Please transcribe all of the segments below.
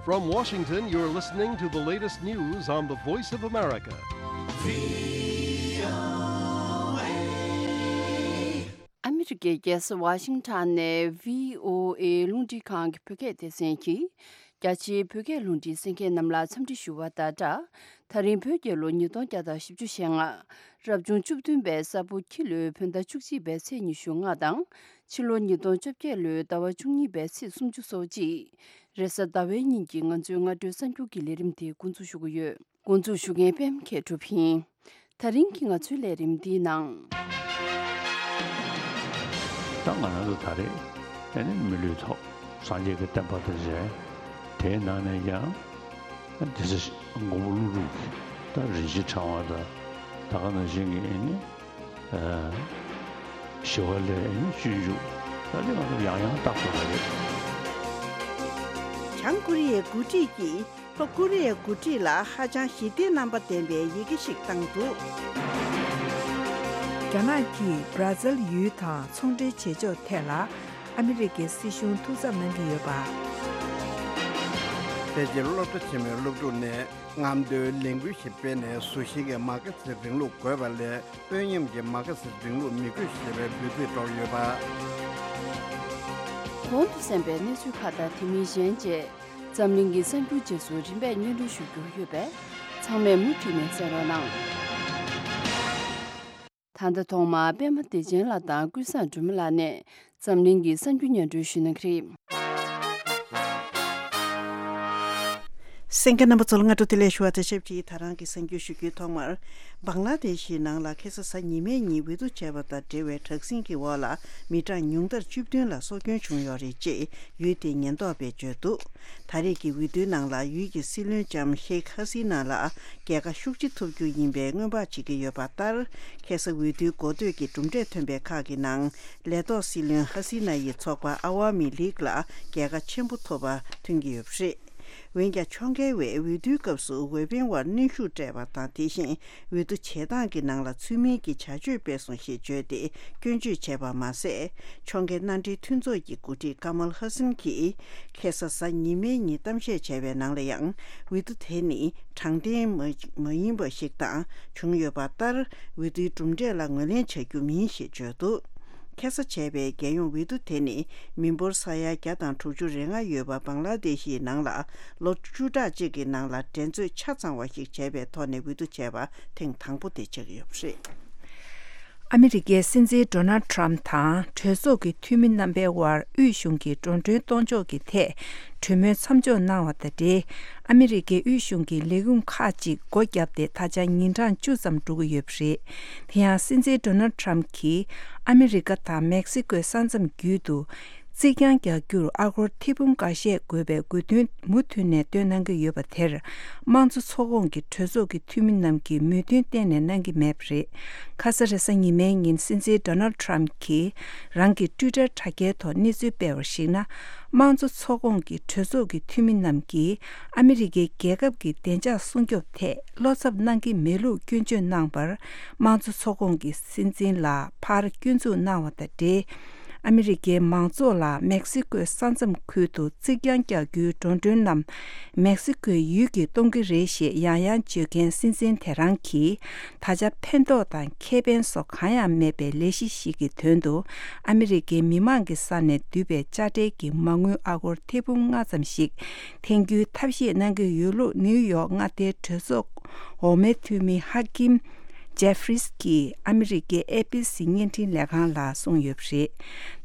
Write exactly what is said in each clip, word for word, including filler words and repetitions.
From Washington, you're listening to the latest news on the Voice of America. ཨ་མི་རི་ཀའི་རྒྱལ་ས་ཝ་ཤིང་ཊོན་ནས་བྷི་ཨོ་ཨེ་རླུང་འཕྲིན་ཁང་གི་བོད་སྐད་སྡེ་ཚན་གྱིས། རྒྱ་ཆེའི་བོད་སྐད་རླུང་འཕྲིན་གསན་མཁན་རྣམས་ལ་འཚམས་འདྲི་ཞུ་བ་དང་སྦྲགས། ད་རིང་བོད་རྒྱལ་ལོ་ཉིས་སྟོང་བརྒྱ་དང་བཞི་བཅུ་ཞེ་ལྔ། རབ་བྱུང་བཅུ་བདུན་པའི་ས་ཕོ་ཁྱི་ལོའི་བོད་ཟླ་བཅུ་གཅིག་པའི་ཚེས་ཉི་ཤུ་ལྔ་དང་། ཕྱི་ལོ་ཉིས་སྟོང་བཅོ་བརྒྱད་ལོའི་ཟླ་བ་བཅུ་གཉིས་པའི་ཚེས་སུམ་ཅུ་སོ་གཅིག་རེས་གཟའ་ཟླ་བའི་ཉིན་གྱི་ང་ཚོའི་སྔ་དྲོའི་གསར་འགྱུར་གྱི་ལས་རིམ་དེ་འགོ་འཛུགས་ཞུ་གི་ཡོད། འགོ་འཛུགས་ཞུ་མཁན་པད་མ་མཁས་གྲུབ་ཡིན། ད་རིང་གི་ང་ཚོའི་ལས་རིམ་འདིའི་ནང་། ད་ང་རང་ཚོ་ད་རེས་ཨེ་ནི་མི་ལུས་ཐོབ། སངས་རྒྱས་ཀྱི་བསྟན་པ་དང་མཇལ། དེའི་ནང་ནས་ཀྱང་དེ་ཚེ་མགོན་པོ་ཀླུ་སྒྲུབ་ཀྱི་ད་རིན་ཆེན་ཕྲེང་བ་དང་ད་ག་ནང་བཞིན་གྱི་ཨེ་ནི་ཨ་ཞི་བ་ལྷའི་ཨེ་ནི་སྤྱོད་འཇུག་ད་དེ་ང་ཚོ་ཡང་ཡང་བརྟག་དགོས་པ་རེད། བྱང་ཀོ་རི་ཡའི་འགོ་ཁྲིད་ཀྱིས། ལྷོ་ཀོ་རི་ཡའི་འགོ་ཁྲིད་ལ་ཧ་ཅང་ཞི་བདེའི་རྣམ་པ་ལྡན་པའི་ཡི་གེ་ཞིག་བཏང་འདུག་རྒྱ་ནག་གིས་བྷ་ར་ཛིལ་ཡུལ་དང་ཚོང་འབྲེལ་བྱེད་ཕྱོགས་ཐད་ལ་ཨ་མི་རི་ཀའི་སྲིད་གཞུང་ཐུགས་འཚབ་གནང་གི་ཡོད་པ། པེ་ཅིན་སློབ་གྲྭ་ཆེན་མོའི་སློབ་ཕྲུག་ནས་རྔམ་སྟོན་ལས་འགུལ་ཞིག་སྤེལ་ནས་བཟོ་ཞིང་གི་མ་ཁ་སི་རིང་ལུགས་དགོས་པ་ལས་དཔོན་ཉམས་ཀྱི་མ་ཁ་སི་རིང་ལུགས་མི་དགོས་ཞེས་པའི་འབོད་ཚིག་སྒྲོག་ཡོད་པ། གོང་དུ་གསན་པའི་གནས་ཚུལ་ཁག་དང་དེ་མིན་གཞན་བཅས། འཛམ་གླིང་གི་གསར་འགྱུར་རྗེས་སུ་རིམ་པས་སྙན་སྒྲོན་ཞུ་རྒྱུ་ཡོད་པས། ཚང་མས་མུ་མཐུད་ནས་གསན་རོགས་གནང་། ད་ལྟ་ཐོག་མར་པད་མ་བདེ་ཆེན་ལགས་དང་ཀུན་བཟང་སྒྲོལ་མ་ལགས་ནས་འཛམ་གླིང་གི་གསར་འགྱུར་སྙན་སྒྲོན་ཞུ་གནང་གི་རེད། གསན་མཁན་རྣམ་པ་ཚོ་ལ་སྔ་དྲོ་བདེ་ལེགས་ཞུ་བ་དང་ཆབས་ཅིག་ད་རང་གི་གསར་འགྱུར་ཞུ་རྒྱུའི་ཐོག་མར། བང་ལ་དེ་ཤི་ནང་ལ་ཁ་སང་གཟའ་ཉི་མའི་ཉིན་འོས་བསྡུ་བྱས་པ་དང་འབྲེལ་བའི་དྲག་ཟིང་གི་འོག་ལ་མི་གྲངས་ཉུང་མཐར་བཅུ་བདུན་ལ་སྲོག་སྐྱོན་བྱུང་ཡོད་རེད་ཅེས་ཡུལ་དེའི་ཉེན་རྟོག་པས་བརྗོད་འདུག་ད་རེས་ཀྱི་འོས་བསྡུའི་ནང་ལ་ཡུལ་གྱི་སྲིད་བློན་ལྕམ་ཤེག་ཧ་སི་ན་ལ་རྒྱལ་ཁ་ཤུགས་ཆེ་ཐོབ་རྒྱུ་ཡིན་པའི་སྔོན་དཔག་བྱེད་ཀྱི་ཡོད་པ་ལྟར། ཁ་སང་འོས་བསྡུའི་འགོ་སྟོད་ཀྱི་གྲུབ་འབྲས་ཐོན་པའི་ཁག་གི་ནང་ལས་ཐོག་སྲིད་བློན་ཧ་སི་ན་ཡི་ཚོགས་པ་ཨ་ཝ་མི་ལིག་ལ་རྒྱལ་ཁ་ཆེན་པོ་ཐོབ་པ་ཐོན་གྱི་ཡོད་པ་རེད། འོན་ཀྱང་ཕྱོགས་འགལ་བས་འོས་བསྡུའི་སྐབས་སུ་འོས་འཕེན་བར་གནོན་ཤུགས་སྤྲད་པ་དང་། དེ་བཞིན་འོས་བསྡུ་བྱེད་སྟངས་ཀྱི་ནང་ལ་ཚུལ་མིན་གྱི་བྱ་སྤྱོད་སྤེལ་སོང་ཞེས་བརྗོད་དེ་སྐྱོན་བརྗོད་བྱས་པ་མ་ཟད། ཕྱོགས་འགལ་མནའ་འབྲེལ་མཐུན་ཚོགས་ཀྱི་འགོ་ཁྲིད་ཀ་མལ་ཧ་སིན་གྱིས་ཁ་སང་གཟའ་ཉི་མའི་ཉིན་གཏམ་བཤད་བྱས་པའི་ནང་ལ་ཡང་། འོས་བསྡུ་དེ་ནི་དྲང་བདེན་མ་མ་ཡིན་པ་ཞིག་དང་བྱུང་ཡོད་པ་ལྟར། འོས་བསྡུའི་གྲུབ་འབྲས་ལ་ངོས་ལེན་བྱ་རྒྱུ་མིན་ཞེས་བརྗོད་འདུག་ཁ་སང་བྱས་པའི་རྒྱལ་ཡོངས་འོས་བསྡུ་དེ་ནི་མི་འབོར་ས་ཡ་བརྒྱ་དང་དྲུག་ཅུ་རེ་ལྔ་ཡོད་པ་བང་ལ་དེ་ཤིའི་ནང་ལ་ལོ་བཅུ་ཕྲག་གཅིག་གི་ནང་ལ་འགྲན་རྩོད་ཆ་ཚང་བ་ཞིག་བྱས་པའི་ཐོག་ནས་འོས་བསྡུ་བྱས་པ་ཐེངས་དང་པོ་དེ་ཆགས་ཡོད་པ་རེད། ཨ་མི་རི་ཀའི་སྲིད་འཛིན་ཌོ་ནལ་ཊམ་དང་གྲོས་ཚོགས་ཀྱི་འཐུས་མི་རྣམ་པའི་དབར་དབུས་གཞུང་གི་འགྲོ་གྲོན་གཏོང་ཕྱོགས་ཀྱི་ཐད་གྲོས་མོལ་མཚམས་འཇོག་གནང་བ་དང་འབྲེལ། ཨ་མི་རི་ཀའི་དབུས་གཞུང་གི་ལས་ཁུངས་ཁག་ཅིག་སྒོ་བརྒྱབ་སྟེ་ད་ཆ་ཉིན་གྲངས་བཅུ་ཙམ་འགྲོ་གི་ཡོད་པ་རེད། དེ་ཡང་སྲིད་འཛིན་ཌོ་ནལ་ཊམ་གྱིས་ཨ་མི་རི་ཀ་དང་མེག་སི་ཀོའི་ས་མཚམས་བརྒྱུད་དུ་རྩིག་གྱང་རྒྱག་རྒྱུར་ཨ་སྒོར་ཐེར་འབུམ་འགའ་ཤས་དགོས་པའི་དགོས་འདུན་མུ་མཐུད་ནས་བཏོན་གནང་གི་ཡོད་པ་དེར། དམངས་གཙོ་ཚོགས་ཁོངས་ཀྱི་གྲོས་ཚོགས་ཀྱི་འཐུས་མི་རྣམས་ཀྱིས་མོས་མཐུན་གཏན་ནས་གནང་གི་མེད་པ་རེད། ཁ་ས་རེས་གཟའ་ཉི་མའི་ཉིན་སྲིད་འཛིན་ཌོ་ནལ་ཊམ་གྱིས་རང་གི་ཊུའི་ཊར་དྲ་རྒྱའི་ཐོག་གནས་ཚུལ་སྤེལ་བར་གཞིགས་ན། དམངས་གཙོ་ཚོགས་ཁོངས་ཀྱི་གྲོས་ཚོགས་ཀྱི་འཐུས་མི་རྣམས་ཀྱིས་ཨ་མི་རི་ཀའི་རྒྱལ་ཁབ་ཀྱི་བདེ་འཇགས་སྲུང་སྐྱོབ་ཐད་བློ་འཚབ་གནང་གི་མེད་ལུགས་སྐྱོན་བརྗོད་གནང་བར། དམངས་གཙོ་ཚོགས་ཁོངས་ཀྱི་སྲིད་འཛིན་ལ་ཕར་སྐྱོན་འཛུགས་གནང་བ་དང་འབྲེལ། ཨ་མི་རི་ཀའི་མང་ཚོགས་ལ་མེག་སི་ཀོའི་ས་མཚམས་ཁུལ་དུ་རྩིག་གྱང་རྒྱག་རྒྱུའི་འགྲོ་གྲོན་རྣམས་མེག་སི་ཀོའི་ཡུལ་གྱིས་གཏོང་གི་རེད་ཞེས་ཡང་ཡང་བརྗོད་མཁན་སྲིད་འཛིན་དེ་རང་གིས། ད་ཆ་ཕན་ཐོགས་དང་ཁེ་ཕན་སོགས་གང་ཡང་མེད་པའི་ལས་གཞི་ཞིག་གི་དོན་དུ། ཨ་མི་རི་ཀའི་མི་མང་གི་ས་ནས་བསྡུས་པའི་དཔྱ་ཁྲལ་གྱི་མ་དངུལ་ཨ་སྒོར་ཐེར་འབུམ་ལྔ་ཙམ་ཞིག་འཐེན་རྒྱུའི་ཐབས་ཤེས་གནང་གི་ཡོད་ལུགས་ནིའུ་ཡོག་མངའ་སྡེའི་གྲོས་ཚོགས་འོག་མའི་འཐུས་མི་ཧ་ཀིམ་ཇེ་ཧྥི་རིས་ཀྱིས་ཨ་མི་རི་ཀའི་ཨེ་བྷི་སི་བརྙན་འཕྲིན་ལས་ཁང་ལ་གསུངས་ཡོད་པ་རེད།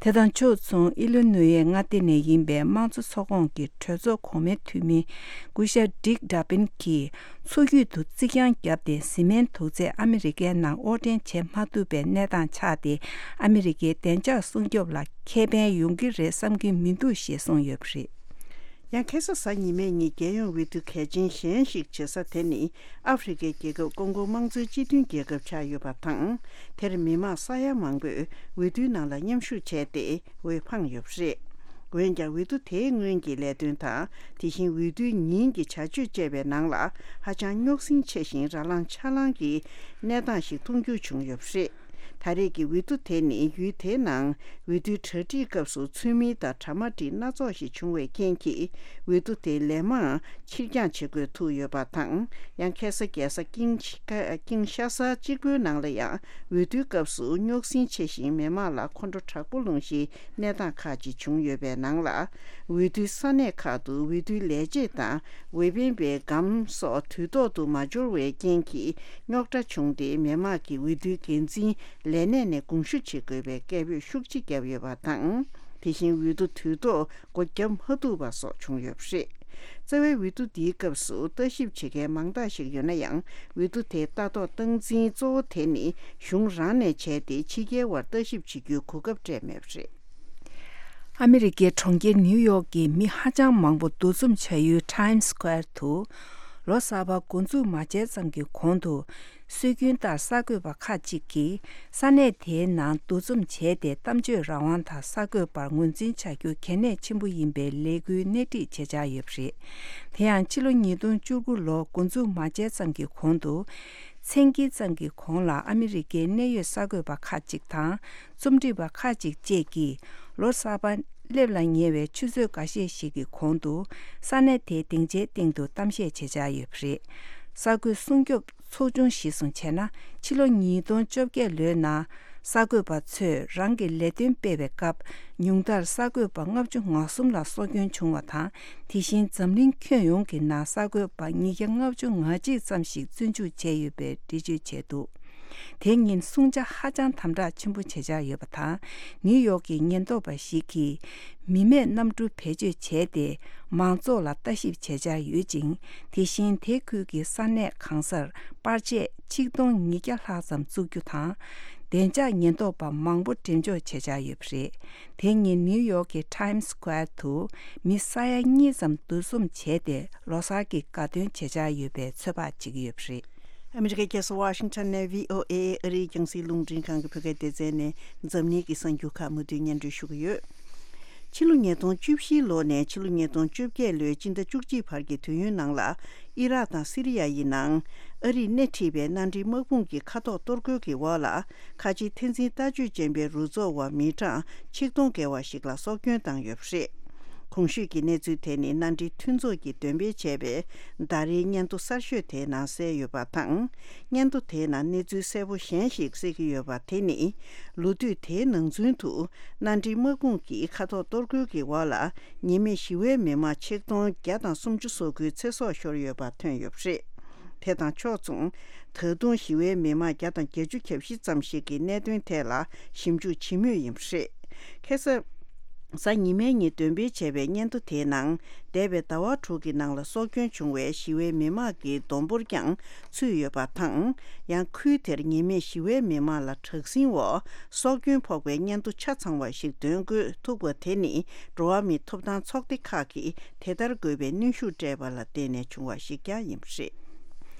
དེ་དང་ཕྱོགས་མཚུངས་ཨི་ལི་ནུའེ་མངའ་སྡེ་ནས་ཡིན་པའི་དམངས་གཙོ་ཚོགས་ཁོངས་ཀྱི་གྲོས་ཚོགས་གོང་མའི་འཐུས་མི་སྐུ་ཞབས་ཌིག་ཌ་པིན་གྱིས། མཚོ་རྒྱུད་དུ་རྩིག་གྱང་བརྒྱབ་སྟེ་བཟི་སྨན་དུག་རྫས་ཨ་མི་རི་ཀའི་ནང་དབོར་འདྲེན་བྱེད་མ་ཐུབ་པའི་གནས་སྟངས་ཆགས་ཏེ། ཨ་མི་རི་ཀའི་བདེ་འཇགས་སྲུང་སྐྱོབ་ལ་ཁེ་ཕན་ཡོང་གི་རེད་བསམ་གྱི་མི་འདུག་ཞེས་གསུངས་ཡོད་པ་རེད། ཡང་ཁ་སང་གཟའ་ཉི་མའི་ཉིན་རྒྱལ་ཡོངས་འོས་བསྡུ་གལ་ཆེན་གཞན་ཞིག་བྱེད་ས་དེ་ནི་ཨ་ཧྥེ་རི་ཁའི་རྒྱལ་ཁབ་ཀོང་ཀོ་དམངས་གཙོའི་སྤྱི་མཐུན་རྒྱལ་ཁབ་ཆགས་ཡོད་པ་དང་། དེར་མི་མང་ས་ཡ་མང་པོས་འོས་བསྡུའི་ནང་ལ་མཉམ་ཞུགས་བྱས་ཏེ་འོས་འཕངས་ཡོད་པ་རེད། འོན་ཀྱང་འོས་བསྡུ་དེའི་སྔོན་གྱི་ལས་དོན་དང་། དེ་བཞིན་འོས་བསྡུའི་ཉིན་གྱི་བྱ་སྤྱོད་བཅས་པའི་ནང་ལ་ཧ་ཅང་རྙོག་ཟིང་ཆེ་ཞིང་ར་ལངས་ཆ་ལངས་ཀྱི་གནས་སྟངས་ཤིག་མཐོང་རྒྱུ་བྱུང་ཡོད་པ་རེད། ད་རེས་ཀྱི་འོས་བསྡུ་དེ་ནི་ཡུལ་དེའི་ནང་འོས་བསྡུའི་གྲ་སྒྲིག་སྐབས་སུ་ཚུལ་མིན་དང་གྲ་མ་འགྲིག་སྣ་ཚོགས་ཤིག་བྱུང་བའི་རྐྱེན་གྱིས། འོས་བསྡུ་དེ་ལན་མང་ཕྱིར་འགྱངས་བྱེད་དགོས་ཐུག་ཡོད་པ་དང་། ཡང་ཁ་སང་རྒྱལ་ས་ཀིང་ཀིང་ཤ་ས་གཅིག་པུའི་ནང་ལ་ཡང་འོས་བསྡུའི་སྐབས་སུ་རྙོག་ཟིང་ཆེ་ཞིང་མི་མང་ལ་ཁོང་ཁྲོ་དྲག་པོ་ལངས་ཤིང་གནས་སྟངས་ཁག་ཅིག་བྱུང་ཡོད་པའི་ནང་ལ། འོས་བསྡུའི་ས་གནས་ཁག་ཏུ་འོས་བསྡུའི་ལས་བྱེད་དང་འོས་འཕེན་པའི་སྒམ་སོགས་དུས་ཐོག་ཏུ་མ་འབྱོར་བའི་རྐྱེན་གྱིས་རྙོག་དྲ་བྱུང་སྟེ། མི་མང་གིས་འོས་བསྡུའི་འགན་འཛིན་ལས་གནས་ནས་དགོངས་ཞུ་བྱེད་དགོས་པའི་སྐད་འབོད་ཤུགས་ཆེ་བརྒྱབ་ཡོད་པ་དང་། དེ་བཞིན་འོས་བསྡུ་དུས་ཐོག་སྒོ་བརྒྱབ་མ་ཐུབ་པ་སོགས་བྱུང་ཡོད་པ་རེད། རྩ་བའི་འོས་བསྡུ་འདིའི་སྐབས་སུ་ལྟ་ཞིབ་བྱེད་མཁན་མང་དག་ཞིག་ཡོད་ན་ཡང་། འོས་བསྡུ་དེའི་ལྟ་རྟོག་སྟངས་འཛིན་གཙོ་བོ་དེ་ནི་གཞུང་རང་ནས་བྱས་ཏེ། ཕྱི་རྒྱལ་བར་ལྟ་ཞིབ་བྱེད་རྒྱུའི་གོ་སྐབས་སྤྲད་མེད་པ་རེད། ཨ་མི་རི་ཀའི་གྲོང་ཁྱེར་ནིའུ་ཡོག་གི་མི་ཧ་ཅང་མང་པོ་འདུ་འཛོམས་བྱ་ཡུལ་Times Square དུ། ལོ་གསར་པ་འགོ་འཛུགས་མ་བྱས་ཙམ་གྱི་གོང་དུ། སྲོལ་རྒྱུན་ལྟར་གསར་འགོད་པ་ཁག་ཅིག་གིས་ས་གནས་དེའི་ནང་འདུ་འཛོམས་བྱས་ཏེ། གཏམ་བརྗོད་རང་དབང་དང་གསར་འགོད་པར་ངོས་འཛིན་བྱ་རྒྱུ་གལ་གནད་ཆེན་པོ་ཡིན་པའི་ལས་འགུལ་སྣེ་ཁྲིད་བྱེད་འཆར་ཡོད་པ་རེད། དེ་ཡང་ཕྱི་ལོ་ཉིས་སྟོང་བཅུ་དགུ་ལོ་འགོ་འཛུགས་མ་བྱས་ཙམ་གྱི་གོང་དུ། མཚན་དཀྱིལ་ཙམ་གྱི་གོང་ལ་ཨ་མི་རི་ཀའི་གནད་ཡོད་གསར་འགོད་པ་ཁག་ཅིག་དང་། རྩོམ་སྒྲིག་པ་ཁག་ཅིག་བཅས་ཀྱིས་ལོ་གསར་པ་སླེབས་ལ་ཉེ་བའི་ཆུ་ཚོད་འགའ་ཤས་ཤིག་གི་གོང་དུ། ས་གནས་དེའི་སྡིངས་ཆའི་སྟེང་དུ་གཏམ་བཤད་བྱེད་འཆར་ཡོད་པ་རེད། གསར་འགོད་སྲུང་སྐྱོབ་ཚོགས་ཆུང་གཞིར་བཟུང་བྱས་ན། ཕྱི་ལོ་ཉིས་སྟོང་བཅོ་བརྒྱད་ལོའི་ནང་གསར་འགོད་པ་ཚོས་རང་གི་ལས་དོན་སྤེལ་བའི་སྐབས། ཉུང་མཐར་གསར་འགོད་པ་ལྔ་བཅུ་ང་གསུམ་ལ་སྲོག་སྐྱོན་བྱུང་བ་དང་། དེ་བཞིན་འཛམ་གླིང་ཁྱོན་ཡོངས་ཀྱི་ནང་གསར་འགོད་པ་ཉིས་བརྒྱ་ལྔ་བཅུ་ང་གཅིག་ཙམ་ཞིག་བཙོན་འཇུག་བྱས་ཡོད་པའི་འགྲེལ་བརྗོད་བྱས་འདུག་དེ་ཉིན་སྲུང་བྱ་ཧ་ཅང་དམ་དྲག་ཆེན་པོ་བྱེད་འཆར་ཡོད་པ་དང་། ནིའུ་ཡོག་གི་ཉེན་རྟོག་པ་ཞིག་གིས་མི་མེད་གནམ་གྲུ་བེད་སྤྱོད་བྱས་ཏེ། མང་ཚོགས་ལ་ལྟ་ཞིབ་བྱེད་འཆར་ཡོད་ཅིང་། དེ་བཞིན་དེ་ཁུལ་གྱི་ས་གནས་གང་སར་པར་ཆས་ཆིག་སྟོང་ཉིས་བརྒྱ་ལྷག་ཙམ་བཙུགས་རྒྱུ་དང་། བདེ་འཇགས་ཉེན་རྟོག་པ་མང་པོ་འགྲེམས་འཇོག་བྱེད་འཆར་ཡོད་པ་རེད། དེ་ཉིན་ནིའུ་ཡོག་གི་Times Square དུ་མི་ས་ཡ་གཉིས་ཙམ་འདུ་འཛོམས་བྱས་ཏེ། ལོ་གསར་གྱི་དགའ་སྟོན་བྱེད་འཆར་ཡོད་པའི་ཚོད་དཔག་བྱེད་ཀྱི་ཡོད་པ་རེད། ཨ་མི་རི་ཀའི་རྒྱལ་ས་ཝ་ཤིང་ཊོན་ནས་བྷི་ཨོ་ཨེ་ཨ་རིའི་རྒྱང་སྲིང་རླུང་འཕྲིན་ཁང་གི་བོད་སྐད་སྡེ་ཚན་ནས་འཛམ་གླིང་གི་གསར་འགྱུར་ཁག་མུ་མཐུད་སྙན་སྒྲོན་ཞུ་གི་ཡོད། ཕྱི་ལོ་ཉིས་སྟོང་བཅུ་བཞི་ལོ་ནས་ཕྱི་ལོ་ཉིས་སྟོང་བཅོ་བརྒྱད་ལོའི་སྤྱི་ཟླ་བཅུ་གཅིག་བར་གྱི་དུས་ཡུན་ནང་ལ། ཨི་རག་དང་སི་རི་ཡ་ཡི་ནང་ཨ་རིས་སྣེ་ཁྲིད་པའི་མནའ་འབྲེལ་དམག་དཔུང་གི་མཁའ་ཐོག་གཏོར་རྒོལ་གྱི་འོག་ལ། ཁ་ཆེའི་འཐབ་འཛིང་ལྟ་སྤྱོད་ཅན་པའི་རུ་ཚོགས་བ་མི་གྲངས་ཆིག་སྟོང་བརྒལ་བ་ཞིག་ལ་སྲོག་སྐྱོན་བཏང་ཡོད་པ་རེད། གོང་ཞུས་ཀྱི་གནས་ཚུལ་དེ་ནི་མནའ་འབྲེལ་མཐུན་ཚོགས་ཀྱིས་འདོན་སྤེལ་བྱས་པའི་ཟླ་རེའི་སྙན་ཐོ་གསར་ཤོས་དེའི་ནང་གསལ་ཡོད་པ་དང་། སྙན་ཐོ་དེའི་ནང་གནས་ཚུལ་གསལ་པོ་གཞན་ཞིག་གསལ་གྱི་ཡོད་པ་དེ་ནི། ལོ་དུས་དེའི་ནང་ཚུན་དུ་མནའ་འབྲེལ་དམག་དཔུང་གིས་མཁའ་ཐོག་གཏོར་རྒོལ་གྱི་འོག་ལ། ཉེས་མེད་ཞི་བའི་མི་མང་ཆིག་སྟོང་བརྒྱ་དང་སུམ་ཅུ་སོ་དགུའི་ཚེ་སྲོག་ཤོར་ཡོད་པ་ཐོན་ཡོད་པ་རེད། དེ་དང་ཕྱོགས་མཚུངས། ད་དུང་ཞི་བའི་མི་མང་བརྒྱ་དང་བརྒྱད་ཅུ་གྱ་བཞི་ཙམ་ཞིག་གི་གནད་དོན་ཐད་ལ་ཞིབ་འཇུག་བྱེད་མུས་ཡིན་པ་རེད། ཁ་སང་གཟའ་ཉི་མའི་ཉིན་འདོན་སྤེལ་བྱས་པའི་སྙན་ཐོ་དེའི་ནང་། འདས་པའི་ཟླ་བ་དྲུག་གི་ནང་ལ་སྲོག་སྐྱོན་བྱུང་བའི་ཞི་བའི་མི་མང་གི་བསྡོམས་འབོར་ཀྱང་ཚུད་ཡོད་པ་དང་། ཡང་ཁུལ་དེར་ཉེས་མེད་ཞི་བའི་མི་མང་ལ་དྲག་ཟིང་འོག་སྲོག་སྐྱོན་ཕོག་པའི་སྙན་ཐོ་ཆ་ཚང་བ་ཞིག་འདོན་དགོས་ཐུག་པ་དེ་ནི། འགྲོ་བ་མིའི་ཐོབ་ཐང་ཚོགས་སྡེ་ཁག་གིས་དེ་ལྟར་དགོས་པའི་གནོན་ཤུགས་སྤྲད་པ་ལ་བརྟེན་ནས་བྱུང་བ་ཞིག་ཀྱང་ཡིན་པ་རེད།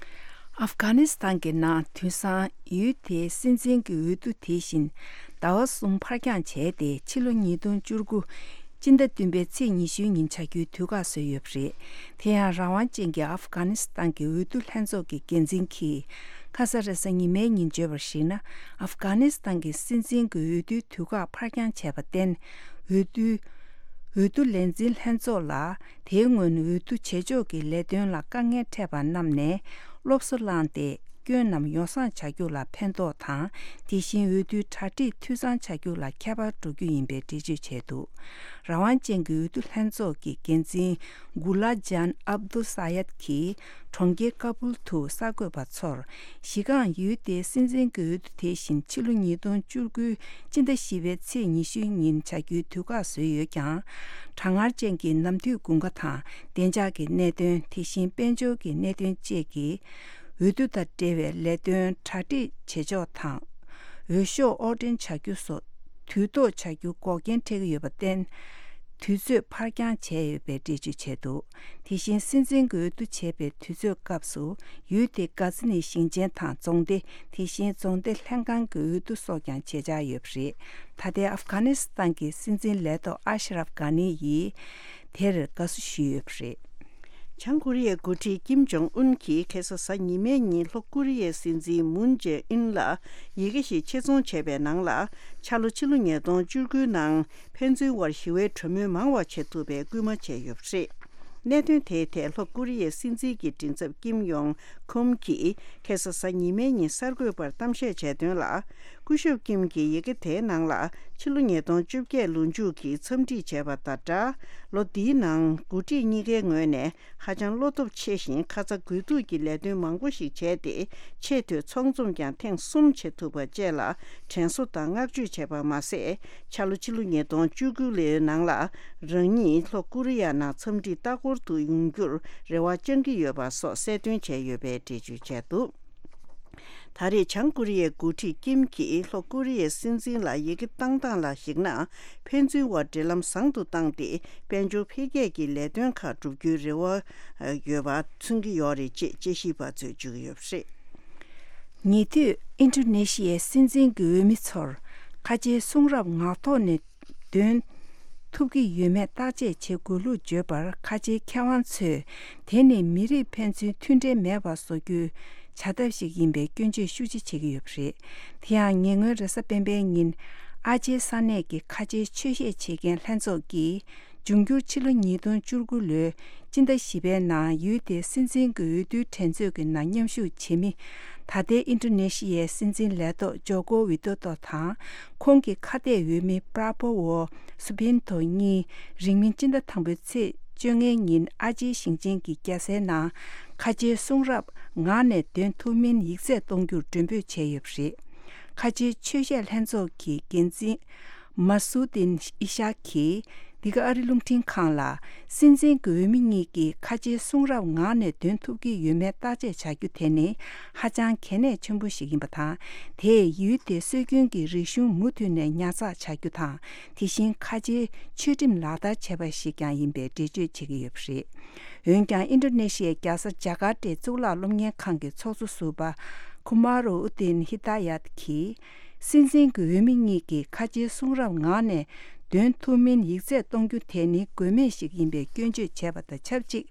ཨབ་གྷ་ནི་སི་ཐན་གྱི་ནང་དུས་སང་ཡུལ་དེའི་སྲིད་འཛིན་གྱི་འོས་བསྡུ་དེ་བཞིན་ཟླ་བ་གསུམ་ཕར་འགྱངས་བྱས་ཏེ། ཕྱི་ལོ་ཉིས་སྟོང་བཅུ་དགུ་སྤྱི་ཟླ་བདུན་པའི་ཚེས་ཉི་ཤུའི་ཉིན་བྱ་རྒྱུའི་དུས་བཀག་བཟོས་ཡོད་པ་རེད། དེ་ཡང་རང་དབང་ཅན་གྱི་ཨབ་གྷ་ནི་སི་ཐན་གྱི་འོས་བསྡུ་ལྷན་ཚོགས་ཀྱི་འགན་འཛིན་གྱིས། ཁ་ས་རེས་གཟའ་ཉི་མའི་ཉིན་བརྗོད་པར་གཞིགས་ན། ཨབ་གྷ་ནི་སི་ཐན་གྱི་སྲིད་འཛིན་གྱི་འོས་བསྡུའི་དུས་བཀག་ཕར་འགྱངས་བྱས་པར་བརྟེན། འོས་བསྡུ། འོས་བསྡུ་ལས་འཛིན་ལྷན་ཚོགས་ལ། དེའི་སྔོན་འོས་བསྡུ་བྱེད་ཕྱོགས་ཀྱི་ལས་དོན་ལ་དཀའ་ངལ་འཕྲད་པ་རྣམས་ནས་སློབ་གསོ་བླངས་ཏེ། སྐྱོན་རྣམས་ཡོ་བསྲང་བྱ་རྒྱུ་ལ་ཕན་ཐོགས་དང་། དེ་བཞིན་འོས་བསྡུའི་གྲ་སྒྲིག་འཐུས་ཚང་བྱ་རྒྱུ་ལ་ཁྱད་པར་འགྲོ་རྒྱུ་ཡིན་པའི་འགྲེལ་བརྗོད་བྱས་འདུག་རང་དབང་ཅན་གྱི་འོས་བསྡུ་ལྷན་ཚོགས་ཀྱི་འགན་འཛིན་གུ་ལ་ཇན་ཨབ་དུ་ས་ཡད་ཀྱིས་གྲོང་ཁྱེར་ཀ་བུལ་དུ་གསར་འགོད་པ་ཚོར། གཞི་རྐང་ཡུལ་དེའི་སྲིད་འཛིན་གྱི་འོས་བསྡུ་དེ་བཞིན་ཕྱི་ལོ་ཉིས་སྟོང་བཅུ་དགུའི་སྤྱི་ཟླ་བཞི་པའི་ཚེས་ཉི་ཤུའི་ཉིན་བྱ་རྒྱུའི་དུས་བཀག་བཟོས་ཡོད་ཀྱང་། གྲང་ངར་ཅན་གྱི་ནམ་དུས་དགུན་ཁ་དང་བདེ་འཇགས་ཀྱི་གནད་དོན། དེ་བཞིན་དཔལ་འབྱོར་གྱི་གནད་དོན་བཅས་ཀྱིས། འོས་བསྡུ་དང་འབྲེལ་བའི་ལས་དོན་གྲ་སྒྲིག་བྱེད་ཕྱོགས་དང་། འོས་ཤོག་དབོར་འདྲེན་བྱ་རྒྱུ་སོགས་དུས་ཐོག་བྱ་རྒྱུ་འགོག་རྐྱེན་འཕྲད་ཀྱི་ཡོད་པར་བརྟེན། དུས་ཚོད་ཕར་འགྱངས་བྱས་ཡོད་པའི་འགྲེལ་བརྗོད་བྱས་འདུག་དེ་བཞིན་སྲིད་འཛིན་གྱི་འོས་བསྡུ་བྱེད་པའི་དུས་ཚོད་སྐབས་སུ། ཡུལ་དེའི་གྷ་ཛི་ནི་ཞིང་ཆེན་དང་རྫོང་སྡེ། དེ་བཞིན་རྫོང་སྡེ་ལྷན་ཁང་གི་འོས་བསྡུ་སོགས་ཀྱང་བྱེད་འཆར་ཡོད་པ་རེད། ད་ལྟའི་ཨབ་གྷ་ནི་སི་ཐན་གྱི་སྲིད་འཛིན་ལས་ཐོག་ཨ་ཤ་རབ་གྷ་ནི་ཡིས་དེར་དགའ་བསུ་ཞུས་ཡོད་པ་རེད། བྱང་ཀོ་རི་ཡའི་འགོ་ཁྲིད་ཀིམ་ཇོང་ཨུན་གྱིས་ཁ་སང་གཟའ་ཉི་མའི་ཉིན་ལྷོ་ཀོ་རི་ཡའི་སྲིད་འཛིན་མུན་ཇེ་ཨིན་ལ་ཡི་གེ་ཞིག་ཆེད་རྫོང་བྱས་པའི་ནང་ལ། འཆར་ལོ་ཕྱི་ལོ་ཉིས་སྟོང་བཅུ་དགུའི་ནང་ཕན་ཚུན་དབར་ཞི་བའི་གྲོས་མོལ་མང་བ་བྱེད་ཐུབ་པའི་སྐུལ་མ་བྱས་ཡོད་པ་རེད། གནད་དོན་དེའི་ཐད་ལྷོ་ཀོ་རི་ཡའི་སྲིད་འཛིན་གྱི་མགྲིན་ཚབ་ཀིམ་ཡོང་ཁུམ་གྱིས་ཁ་སང་གཟའ་ཉི་མའི་ཉིན་གསར་འགོད་པར་གཏམ་བཤད་བྱས་དོན་ལ། སྐུ་ཞབས་ཀིམ་གྱིས་ཡི་གེ་དེའི་ནང་ལ་ཕྱི་ལོ་ཉིས་སྟོང་བཅོ་བརྒྱད་ལོ་མཇུག་གི་འཚམས་འདྲི་བྱས་པ་དང་སྦྲགས། ལོ་འདིའི་ནང་འགོ་ཁྲིད་གཉིས་ཀའི་ངོས་ནས་ཧ་ཅང་བློ་སྟོབས་ཆེ་ཞིང་ཁ་ཚ་དགོས་གཏུགས་ཀྱི་ལས་དོན་མང་པོ་ཞིག་བྱས་ཏེ། ཆེས་མཐོའི་ཚོགས་འཛོམས་ཀྱང་ཐེངས་གསུམ་བྱེད་ཐུབ་པ་བཅས་ལ་དྲན་གསོ་དང་བསྔགས་བརྗོད་བྱས་པ་མ་ཟད། འཆར་ལོ་ཕྱི་ལོ་ཉིས་སྟོང་བཅུ་དགུ་ལོའི་ནང་ལ་རང་ཉིད་ལྷོ་ཀོ་རི་ཡ་ནང་འཚམས་འདྲི་ལྟ་སྐོར་དུ་ཡོང་རྒྱུར་རེ་བ་བཅང་གི་ཡོད་པ་སོགས་གསལ་སྟོན་བྱས་ཡོད་པའི་འགྲེལ་བརྗོད་བྱས་འདུག་ད་རེས་བྱང་ཀོ་རི་ཡའི་འགོ་ཁྲིད་ཀིམ་གྱིས་ལྷོ་ཀོ་རི་ཡའི་སྲིད་འཛིན་ལ་ཡི་གེ་བཏང་སྟངས་ལ་གཞིགས་ན། ཕན་ཚུན་དབར་འབྲེལ་ལམ་བཟང་དུ་བཏང་སྟེ། དཔལ་འབྱོར་འཕེལ་རྒྱས་ཀྱི་ལས་དོན་ཁག་བསྒྲུབ་རྒྱུའི་རེ་བ་ཡོད་པ་མཚོན་གྱི་ཡོད་རེད་ཅེས་དཔྱད་ཞིབ་པ་ཚོས་བརྗོད་ཀྱི་ཡོད་པ་རེད། ཉེ་དུས་ཨིན་ཌོ་ནེ་ཤི་ཡའི་སྲིད་འཛིན་གྱི་འོས་མི་ཚོར་ཁ་ཆེའི་གསུང་རབ་ངག་ཐོག་ནས་འདོན་ཐུབ་ཀྱི་ཡོད་མེད་བརྟག་དཔྱད་བྱེད་དགོས་ལུགས་བརྗོད་པར། ཁ་ཆེའི་མཁས་དབང་ཚོས་དེ་ནི་མི་རིགས་ཕན་ཚུན་མཐུན་འབྲེལ་མེད་པ་བཟོ་རྒྱུའི་བྱ་ཐབས་ཤིག་ཡིན་པའི་སྐྱོན་བརྗོད་ཤུགས་ཆེ་བྱེད་ཀྱི་ཡོད་པ་རེད། དེ་ཡང་ཉེ་སྔོན་རེས་གཟའ་སྤེན་པའི་ཉིན་ཨ་ཇེའི་ས་གནས་ཀྱི་ཁ་ཆེའི་ཆོས་བཤད་བྱེད་མཁན་ལྷན་ཚོགས་ཀྱིས། འབྱུང་འགྱུར་ཕྱི་ལོ་ཉིས་སྟོང་བཅུ་དགུ་ལོའི་སྤྱི་ཟླ་བཞི་པའི་ནང་ཡུལ་དེའི་སྲིད་འཛིན་གྱི་འོས་བསྡུའི་འགྲན་རྩོད་ཀྱི་ནང་མཉམ་ཞུགས་བྱེད་མི། ད་ལྟའི་ཨིན་ཌོ་ནེ་ཤི་ཡའི་སྲིད་འཛིན་ལས་ཐོག་ཇོ་ཀོ་ཝི་ཏོ་ཏོ་དང་། ཁོང་གི་ཁ་གཏད་འོས་མི་པྲ་པོ་ཝོ་སུ་བྷིན་ཐོ་གཉིས་རིང་མིན་སྤྱི་ཟླ་དང་པོའི་ཚེས་བཅོ་ལྔའི་ཉིན་ཨ་ཇེའི་ཞིང་ཆེན་གྱི་རྒྱལ་སའི་ནང་ཁ་ཆེའི་གསུང་རབ་ངག་ནས་འདོན་ཐུབ་མིན་ཡིག་ཚད་གཏོང་རྒྱུར་མགྲོན་འབོད་བྱས་ཡོད་པ་རེད། ཁ་ཆེའི་ཆོས་བཤད་ལྷན་ཚོགས་ཀྱི་འགན་འཛིན། མ་སུ་ཏིན་ཨི་ཤག་གིས་འདི་ག་ཨ་རི་རླུང་འཕྲིན་ཁང་ལ། སྲིད་འཛིན་གྱི་འོས་མི་གཉིས་ཀྱིས་ཁ་ཆེའི་གསུང་རབ་ངག་ནས་འདོན་ཐུབ་ཀྱི་ཡོད་མེད་བརྟག་དཔྱད་བྱ་རྒྱུ་དེ་ནི་ཧ་ཅང་གལ་གནད་ཆེན་པོ་ཞིག་ཡིན་པ་དང་། དེས་ཡུལ་དེའི་སྲོལ་རྒྱུན་གྱི་རིག་གཞུང་མུ་མཐུད་ནས་ཉར་ཚགས་བྱ་རྒྱུ་དང་། དེ་བཞིན་ཁ་ཆེའི་ཆོས་ཁྲིམས་ལག་བསྟར་བྱས་པ་ཞིག་ཀྱང་ཡིན་པའི་འགྲེལ་བརྗོད་བྱེད་ཀྱི་ཡོད་པ་རེད། འོན་ཀྱང་ཨིན་ཌོ་ནེ་ཤི་ཡའི་རྒྱལ་ས་ཇ་ཀར་ཏའི་གཙུག་ལག་སློབ་གཉེར་ཁང་གི་ཚོགས་གཙོ་ཟུར་པ་ཁུ་མ་རོ་ཨུ་ཏིན་ཧི་ད་ཡད་ཀྱིས། སྲིད་འཛིན་གྱི་འོས་མི་གཉིས་ཀྱིས་ཁ་ཆེའི་གསུང་རབ་ངག་ནས་འདོན་ཐུབ་མིན་ཡིག་ཚད་གཏོང་རྒྱུ་དེ་ནི་དགོས་མེད་ཞིག་ཡིན་པའི་སྐྱོན་བརྗོད་བྱས་པ་དང་ཆབས་ཅིག་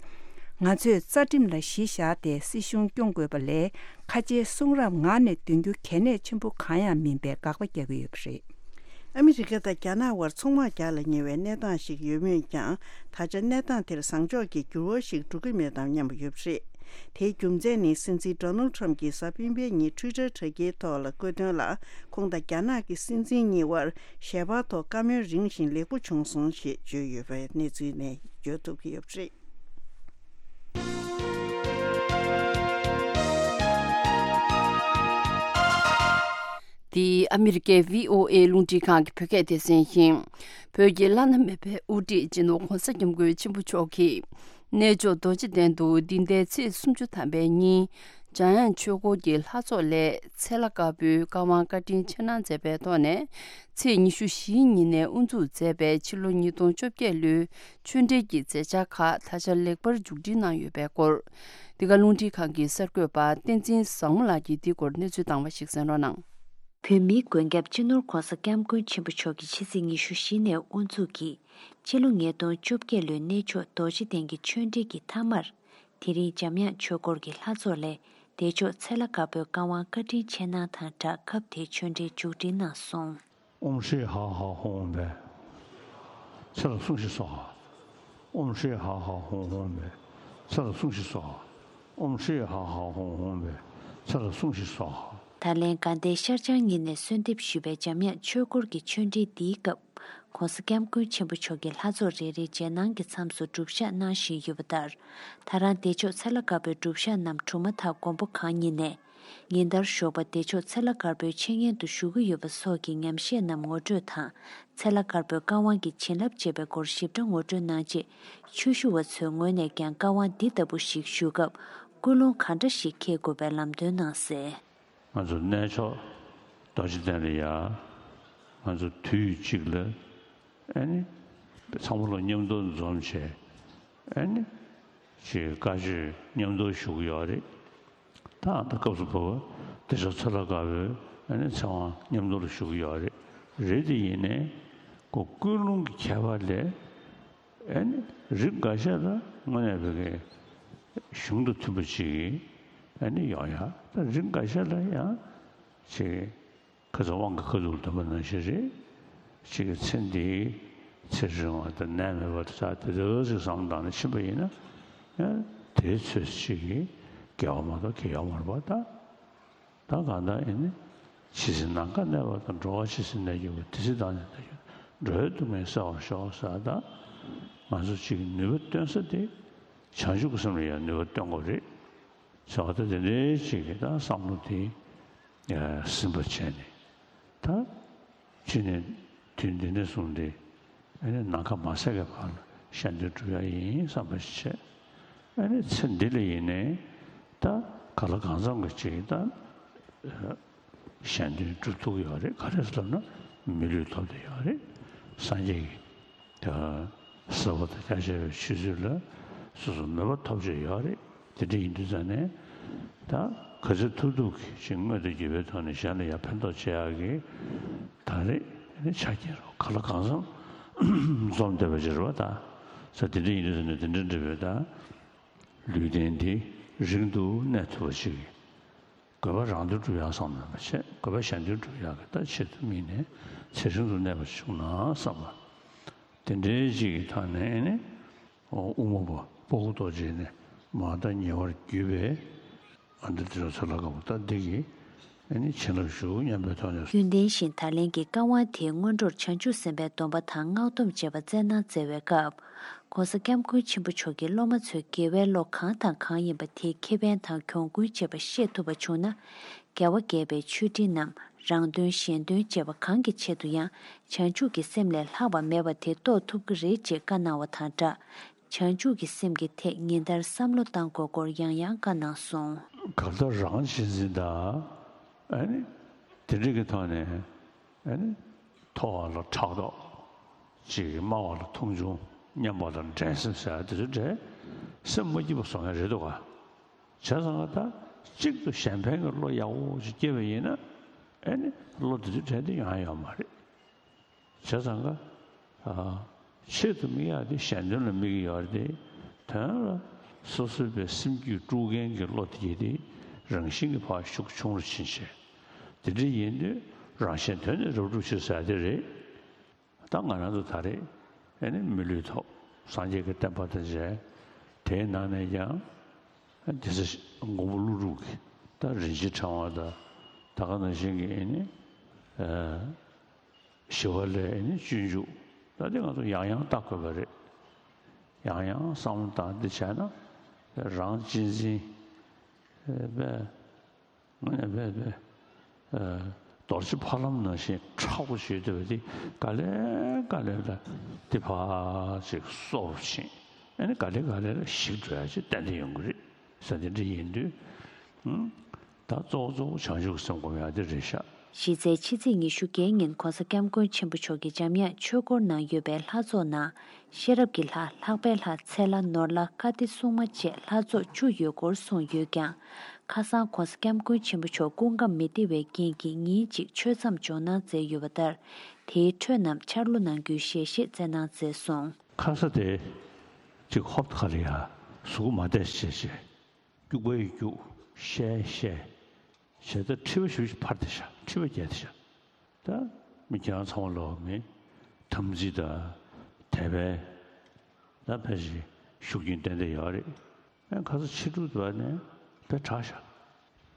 ང་ཚོས་རྩ་ཁྲིམས་ལ་གཞི་བཞག་སྟེ་སྲིད་གཞུང་སྐྱོང་དགོས་པ་ལས། ཁ་ཆེའི་གསུང་རབ་ངག་ནས་འདོན་རྒྱུ་གལ་གནད་ཆེན་པོ་གང་ཡང་མིན་པའི་དགག་པ་རྒྱག་གི་ཡོད་པ་རེད། ཨ་མི་རི་ཀ་དང་རྒྱ་ནག་དབར་ཚོང་དམག་རྒྱག་ལ་ཉེ་བའི་གནས་སྟངས་ཤིག་ཡོད་མོད་ཀྱང་། ད་ཆ་གནས་སྟངས་དེར་བཟང་ཕྱོགས་ཀྱི་འགྱུར་བ་ཞིག་འགྲོ་གི་མེད་དམ་སྙམ་པ་ཡོད་པ་རེད། དེའི་རྒྱུ་མཚན་ནི་སྲིད་འཛིན་ཌོ་ནལ་ཁྲམ་གྱིས་གཟའ་སྤེན་པའི་ཉིན་ཊུའི་ཊར་དྲ་རྒྱའི་ཐོག་ལ་བཀོད་དོན་ལ། ཁོང་དང་རྒྱ་ནག་གི་སྲིད་འཛིན་གཉིས་དབར་ཞལ་པར་ཐོག་བཀའ་མོལ་རིང་ཞིང་ལེགས་པོ་བྱུང་སོང་ཞེས་བརྗོད་ཡོད་པའི་གནས་ཚུལ་ནས་བརྗོད་ཐུབ་ཀྱི་ཡོད་པ་རེད། འདི་ཨ་མི་རི་ཀའི་བྷི་ཨོ་ཨེ་རླུང་འཕྲིན་ཁང་གི་བོད་སྐད་སྡེ་ཚན་ཡིན། བོད་ཀྱི་བླ་ན་མེད་པའི་དབུ་ཁྲིད་སྤྱི་ནོར་༧གོང་ས་༧སྐྱབས་མགོན་ཆེན་པོ་མཆོག་གིས། གནས་མཆོག་རྡོ་རྗེ་གདན་དུ་འདི་ཟླའི་ཚེས་སུམ་ཅུ་ཐམ་པའི་ཉིན། འཇམ་དབྱངས་ཆོས་འཁོར་གྱི་ལྷ་ཚོགས་ལས་ཚེ་ལྷ་དཀར་པོའི་བཀའ་དབང་བཀའ་དྲིན་ཆེ་གནང་མཛད་པའི་ཐོག་ནས། ཚེས་ཉི་ཤུ་བཞིའི་ཉིན་ནས་དབུ་འཛུགས་མཛད་པའི་ཕྱི་ལོ་ཉིས་སྟོང་བཅོ་བརྒྱད་ལོའི་ཆོས་འབྲེལ་གྱི་མཛད་འཆར་ཁག་ད་ཆ་ལེགས་པར་མཇུག་སྒྲིལ་གནང་ཡོད་པའི་སྐོར། འདི་ག་རླུང་འཕྲིན་ཁང་གི་གསར་འགོད་པ་བསྟན་འཛིན་བཟང་མོ་ལགས་ཀྱིས་འདིའི་སྐོར་གནས་ཚུལ་བཏང་བ་ཞིག་གསན་རོགས་གནང་། བོད་མིའི་མགོན་སྐྱབས་སྤྱི་ནོར་༧གོང་ས་༧སྐྱབས་མགོན་ཆེན་པོ་མཆོག་གིས་ཕྱི་ཚེས་ཉི་ཤུ་བཞི་ནས་དབུ་འཛུགས་ཀྱིས། སྤྱི་ལོ་ཉིས་སྟོང་བཅོ་བརྒྱད་ལོའི་གནས་མཆོག་རྡོ་རྗེ་གདན་གྱི་ཆོས་འབྲེལ་གྱི་མཐའ་མར། དེ་རིང་འཇམ་དབྱངས་ཆོས་འཁོར་གྱི་ལྷ་ཚོགས་ལས་བདེ་མཆོག་ཚེ་ལྷ་དཀར་པོའི་བཀའ་དབང་བཀའ་དྲིན་ཆེ་གནང་དང་སྦྲགས་སྐབས་དེའི་ཆོས་འབྲེལ་མཇུག་སྒྲིལ་གནང་སོང་། ཨོཾ་ཤྲཱི་ཧ་ཧ་ཧོཾ་བྷེ། ཚེ་ལ་སྲུང་ཞིག་སྭཱ་ཧཱ། ཨོཾ་ཤྲཱི་ཧ་ཧ་ཧོཾ་ཧོཾ་བྷེ། ཚེ་ལ་སྲུང་ཞིག་སྭཱ་ཧཱ། ཨོཾ་ཤྲཱི་ཧ་ཧ་ཧོཾ་ཧོཾ་བྷེ། ཚེ་ལ་སྲུང་ཞིག་སྭཱ་ཧཱ། ད་ལན་དགའ་ལྡན་ཤར་བྱང་གཉིས་ནས་གསོལ་འདེབས་ཞུས་པའི་འཇམ་དབྱངས་ཆོས་འཁོར་གྱི་ཆོས་འབྲེལ་འདིའི་སྐབས། ༧གོང་ས་༧སྐྱབས་མགོན་ཆེན་པོ་མཆོག་གིས་ལྷ་ཚོགས་རེ་རེའི་རྗེས་གནང་གི་མཚམས་སུ་སྒྲུབ་ཞག་གནང་བཞིན་ཡོད་པ་ལྟར། ད་རང་བདེ་མཆོག་ཚེ་ལྷ་དཀར་པོའི་སྒྲུབ་ཞག་རྣམས་གྲུབ་མ་ཐག་མགོན་པོ་གང་ཉིད་ནས། ཉིན་ལྟར་ཞོགས་པ་བདེ་མཆོག་ཚེ་ལྷ་དཀར་པོའི་འཆད་ཉན་དུ་ཞུགས་ཀྱི་ཡོད་པ་སོགས་ཀྱི་ཉམས་བཞེས་རྣམས་ངོ་སྤྲོད་དང་། ཚེ་ལྷ་དཀར་པོའི་བཀའ་དབང་གི་བྱིན་རླབས་ཅེས་པའི་སྐོར་ཞིབ་ཕྲ་ངོ་སྤྲོད་གནང་རྗེས། ཆོས་ཞུ་བ་ཚོའི་ངོས་ནས་ཀྱང་བཀའ་དབང་འདི་ལྟ་བུ་ཞིག་ཞུ་སྐབས། ཀུན་སློང་གང་འདྲ་ཞིག་འཁྱེར་དགོས་པའི་ལམ་སྟོན་གནང་གསལ། ང་ཚོ་གནས་མཆོག་རྡོ་རྗེ་གདན་ལ་ཡ། ང་ཚོ་དུས་གཅིག་ལ་ཨ་ནི་ཚང་མ་ལ་མཉམ་དུ་འཛོམས་བྱས། ཨ་ནི་ཅིག་བཀའ་ཆོས་མཉམ་དུ་ཞུ་གི་ཡོད་རེད། ད་ད་སྐབས་སུ་བབས་པ་བདེ་མཆོག་ཚེ་ལྷ་དཀར་པོའི་ཨ་ནི་ཚེ་དབང་མཉམ་དུ་ལ་ཞུ་གི་ཡོད་རེད། རེད་དེ་ཡིན་ནའི་ཀོ་ཀུན་སློང་གི་ཁྱད་པར་ལས། ཨ་ནི་རིགས་འགའ་ཤས་ལ་དངོས་གནས་བོད་སྐད་ གཞུང་དང་མཐུན་པ་ཅིག་ཨ་ནི་ཡོང་ཡ། ད་རིགས་འགའ་ཤས་ལ་ཡང་ཅིག་ཁ་ཚ་དབང་གི་ཁ་ཐུག་ལ་འདོན་པ་ནང་བཞིན་རེད། ཅིག་གི་ཚེ་འདིའི་ཚེ་རིང་བ་དང་ནད་མེད་པ་དང་ད་དེ་འདྲ་ཅིག་བསམ་བཏང་ནས་ཕྱིན་པ་ཡིན་ན། ཡང་དེའི་ཚོད་ཅིག་གི་དགེ་བ་མ་གཏོགས་གལ་ཡོད་མ་རེད་པ། ད་ད་གང་ལྟར་ཡིན་ནི་ཇི་སྲིད་ནམ་མཁའ་གནས་པ་དང་། འགྲོ་བ་ཇི་སྲིད་གནས་གྱུར་པ། དེ་སྲིད་བདག་ནི་གནས་གྱུར། འགྲོ་བའི་སྡུག་བསྔལ་བསལ་བར་ཤོག་ཟེར། ད་ང་ཚོ་ཅིག་གི་ནུས་པ་བཏོན་ས་དེ་བྱང་ཆུབ་ཀྱི་སེམས་ལ་ཡང་ནུས་པ་བཏོན་དགོས་རེད། ཟེར་བ་ད་དེ་འདྲའི་ཅིག་གི་ད་བསམ་བློ་དེ་ཟིན་པར་བྱས་ནས། ད་ཅི་ནས་དུས་འདི་ནས་བཟུང་སྟེ་ཨ་ནི་ནམ་མཁའ་མ་ཟད་ཀྱི་བར་ལ་གཞན་དོན་སྒྲུབ་ཡ་ཡིན་བསམ་པ་ཞིག་བྱས། ཨ་ནི་ཚེ་འདི་ལ་ཡིན་ནའི་ད་ག་ལ་གང་འཚམ་གྱི་ཅིག་ད་གཞན་དོན་སྒྲུབ་ཐུབ་ཀྱི་ཡོད་རེད། ག་རེ་ཟེར་ལབ་ན་མི་ལུས་ཐོབ་བསྡད་ཡོད་རེད། སངས་རྒྱས་ཀྱི་ད་ཟབ་པ་དང་རྒྱ་ཆེ་བའི་ཆོས་ཚུལ་ལ་སོ་སོ་མོས་པ་ཐོབ་བྱས་ཡོད་རེད། དེ་འདྲ་ཡིན་དུས་ཙང་ནས་ད་ག་ཚོད་ཐུབ་ཐུབ་ཀྱིས་ཅིག་དངོས་དང་བརྒྱུད་པའི་ཐོག་ནས་གཞན་ལ་ཡང་ཕན་ཐོགས་བྱེད་ཡག་གི་ད་རེས་ནི་ཆ་རྐྱེན་རོ་ག་ལ་གང་འཚམ་འཛོམས་བསྡད་པ་ཅིག་རེད་པ། ད་ས་དེ་འདྲ་ཡིན་དུས་ཙང་ནས་དེ་འདྲ་འདྲ་བའི་ད་ལུས་རྟེན་འདི་རིང་དུ་གནས་ཐུབ་པ་ཅིག་དགོས་པ་རང་དོན་སྒྲུབ་ཡག་བསམ་ནས་མ་བྱས། དགོས་པ་གཞན་དོན་སྒྲུབ་ཡག་གི་ད་ཆེད་དུ་དམིགས་ནས་ཚེ་རིང་དུ་གནས་པ་བྱུང་ན་བསམ་པ། དེ་འདྲའི་ཅིག་གི་ཐོག་ནས་ནི་དབུ་མ་པ་ཕྲུ་གུ་རྡོ་རྗེ་ནས་མར་ད་ཉེ་བར་བརྒྱུད་པའི་ཨ་འདི་དེ་ཚོ་ལ་དགའ་བོ་ད་འདི་གི་ཨ་ནི་བྱིན་རླབས་ཞུ་སྙམ་པའི་ཐོག་ནས། རྒྱུན་ལྡན་བཞིན་ད་ལན་གྱི་བཀའ་དབང་དེའི་སྔོན་འགྲོར་བྱང་ཆུབ་སེམས་དཔའི་སྡོམ་པ་དང་སྔགས་སྡོམ་བཅས་པ་སྩལ་གནང་མཛད་པའི་སྐབས། ༸གོང་ས་༸སྐྱབས་མགོན་ཆེན་པོ་མཆོག་གིས་སློབ་མ་ཚོའི་དགེ་བའི་བློ་གང་དང་གང་ཡིན་པ་དེའི་ཁེ་ཕན་དང་གྱོང་གུན་བཅས་པ་ཤེས་ཐུབ་པ་བྱུང་ན། རྒྱལ་བ་དགྱེས་པའི་མཆོད་སྤྲིན་ནམ་རང་དོན་གཞན་དོན་བཅས་པ་གང་གི་ཆེད་དུ་ཡང་བྱང་ཆུབ་ཀྱི་སེམས་ལས་ལྷག་པ་མེད་པ་དེ་རྟོགས་ཐུབ་ཀྱི་རེད་ཅེས་བཀའ་གནང་བ་དང་སྦྲགས། བྱང་ཆུབ་ཀྱི་སེམས་ཀྱི་ཐད་ཉིན་ལྟར་བསམ་བློ་བཏང་དགོས་སྐོར་ཡང་ཡང་བཀའ་གནང་སོང་། གང་ལྟར་རང་གཅེས་འཛིན་དང་ཨ་ནི་དེ་འདྲ་གི་ཐོག་ནས་ཨ་ནི་མཐོ་བ་ལ་ཕྲག་དོག་ཅིག་དམའ་བ་ལ་མཐོང་ཆུང་། མཉམ་པ་ལ་འགྲན་སེམས་ཟེར་ཡ་དེ་ཚོ་འདྲ་སེམས་མ་སྐྱིད་པ་བཟོ་མཁན་རེད་འདུག་ག་བྱས་ཙང་ད་གཅིག་ཏུ་གཞན་ཕན་གྱི་བློ་ཡག་པོ་ཅིག་སྐྱེས་པ་ཡིན་ན་ཨ་ནི་བློ་དེ་ཚོ་འདྲ་དེ་ཡོང་ཡ་ཡོད་མ་རེད། བྱས་ཙང་ཀ་ཆེད་དུ་དམིགས་ཡག་དེ་གཞན་དོན་ལ་དམིགས་ཀྱི་ཡོད་རེད་དེ། དོན་ལ་སོ་སོའི་པའི་སེམས་རྒྱུད་དཀྲུག་མཁན་གྱི་བློ་དེ་དེ་རང་བཞིན་གྱི་ཕར་ཤུགས་ཆུང་རུ་ཕྱིན་བྱས། དེ་འདྲ་ཡིན་དུས་རང་གཞན་དོན་ནི་རབ་སྒྲུབ་བྱེད་ཟེར་དེ་རེད། ད་ང་རང་ཚོ་ད་རེས་ཨ་ནི་མི་ལུས་ཐོབ། སངས་རྒྱས་ཀྱི་བསྟན་པ་དང་མཇལ། དེའི་ནང་ནས་ཀྱང་ཨ་དེ་ཚེ་མགོན་པོ་ཀླུ་སྒྲུབ་ཀྱི་ད་རིན་ཆེན་ཕྲེང་བ་དང་ད་ག་ནང་བཞིན་གྱི་ཨ་ནི་ཨ་ཞི་བ་ལྷའི་ཨ་ནི་སྤྱོད་འཇུག་ད་དེ་ང་ཚོ་ཡང་ཡང་བལྟ་དགོས་པ་རེད། ཡང་ཡང་བསམ་བློ་བཏང་འདི་བྱས་ན་རང་གཅེས་འཛིན་ཨ་པས། ངས་བས་བས། རྡོ་རྗེ་ཕ་ལམ་ནང་བཞིན་མཁྲེགས་པོ་བྱེད་འདོད་པ་དེ་ག་ལེ་ག་ལེ་ལ་དེ་ཕར་ཅིག་གསོ་རུ་ཕྱིན། ཨ་ནི་ག་ལེ་ག་ལེ་ལ་ཞིག་འགྲོ་ཡ་ཅིག་ཏན་ཏན་ཡོང་གི་རེད་ཟེར། དེ་འདྲ་ཡིན་དུས། ད་གཙོ་བོ་གཙོ་བོ་བྱང་ཆུབ་སེམས་སྒོམ་ཡ་དེ་རེད་ཤག་གཞི་རྩའི་ཕྱི་ཚེས་ཉི་ཤུ་རྩ་བརྒྱད་ཉིན་༸གོང་ས་༸སྐྱབས་མགོན་ཆེན་པོ་མཆོག་གིས་འཇམ་དབྱངས་ཆོས་སྐོར་ནང་ཡོད་པའི་ལྷ་ཚོགས་ནང་། ཤེས་རབ་ཀྱི་ལྷ། ལྷག་པའི་ལྷ། ཚེ་ལྷ། ནོར་ལྷ། ཀ་ཏི་སྲུང་མ་བཅས་ལྷ་ཚོགས་བཅུ་ཡོད་སྐོར་གསུངས་ཡོད་ཀྱང་། ཁ་སང་༸གོང་ས་༸སྐྱབས་མགོན་ཆེན་པོ་མཆོག་སྐུ་ཁམས་མི་བདེ་བའི་རྐྱེན་གྱིས་ཉིན་གཅིག་ཆོས་མཚམས་འཇོག་གནང་མཛད་ཡོད་པ་ལྟར། དེའི་འཕྲོས་རྣམས་འཆར་ལོ་གནང་རྒྱུའི་ཞལ་བཞེས་སྩལ་གནང་མཛད་སོང་། ཁ་ས་དེ་གཅིག་ཧོབ་ཁ་ལ་ཡ་གཟུགས་མ་བདེ་བྱས་བྱས། སྐྱུག་པ་ཡི་སྐྱུག་ཤའི་ཤ། བྱས་ཙང་མཁྲིས་པ་ཞུ་ཞིག་འཕར་དེ་ཤ། མཁྲིས་པ་རྒྱས་དེ་ཤ། ད་མི་ཁྱེད་རང་ཚང་མ་ལོག་མི་དམ་ཚིག་དང་དད་པའི་ད་ཕལ་ཆེར་ཤུགས་རྐྱེན་ཏན་ཏན་ཡོད་རེད། ཨ་ཁ་ས་ཕྱི་དྲོ་དུ་བ་ནས་དཔེ་དྲག་ཤག་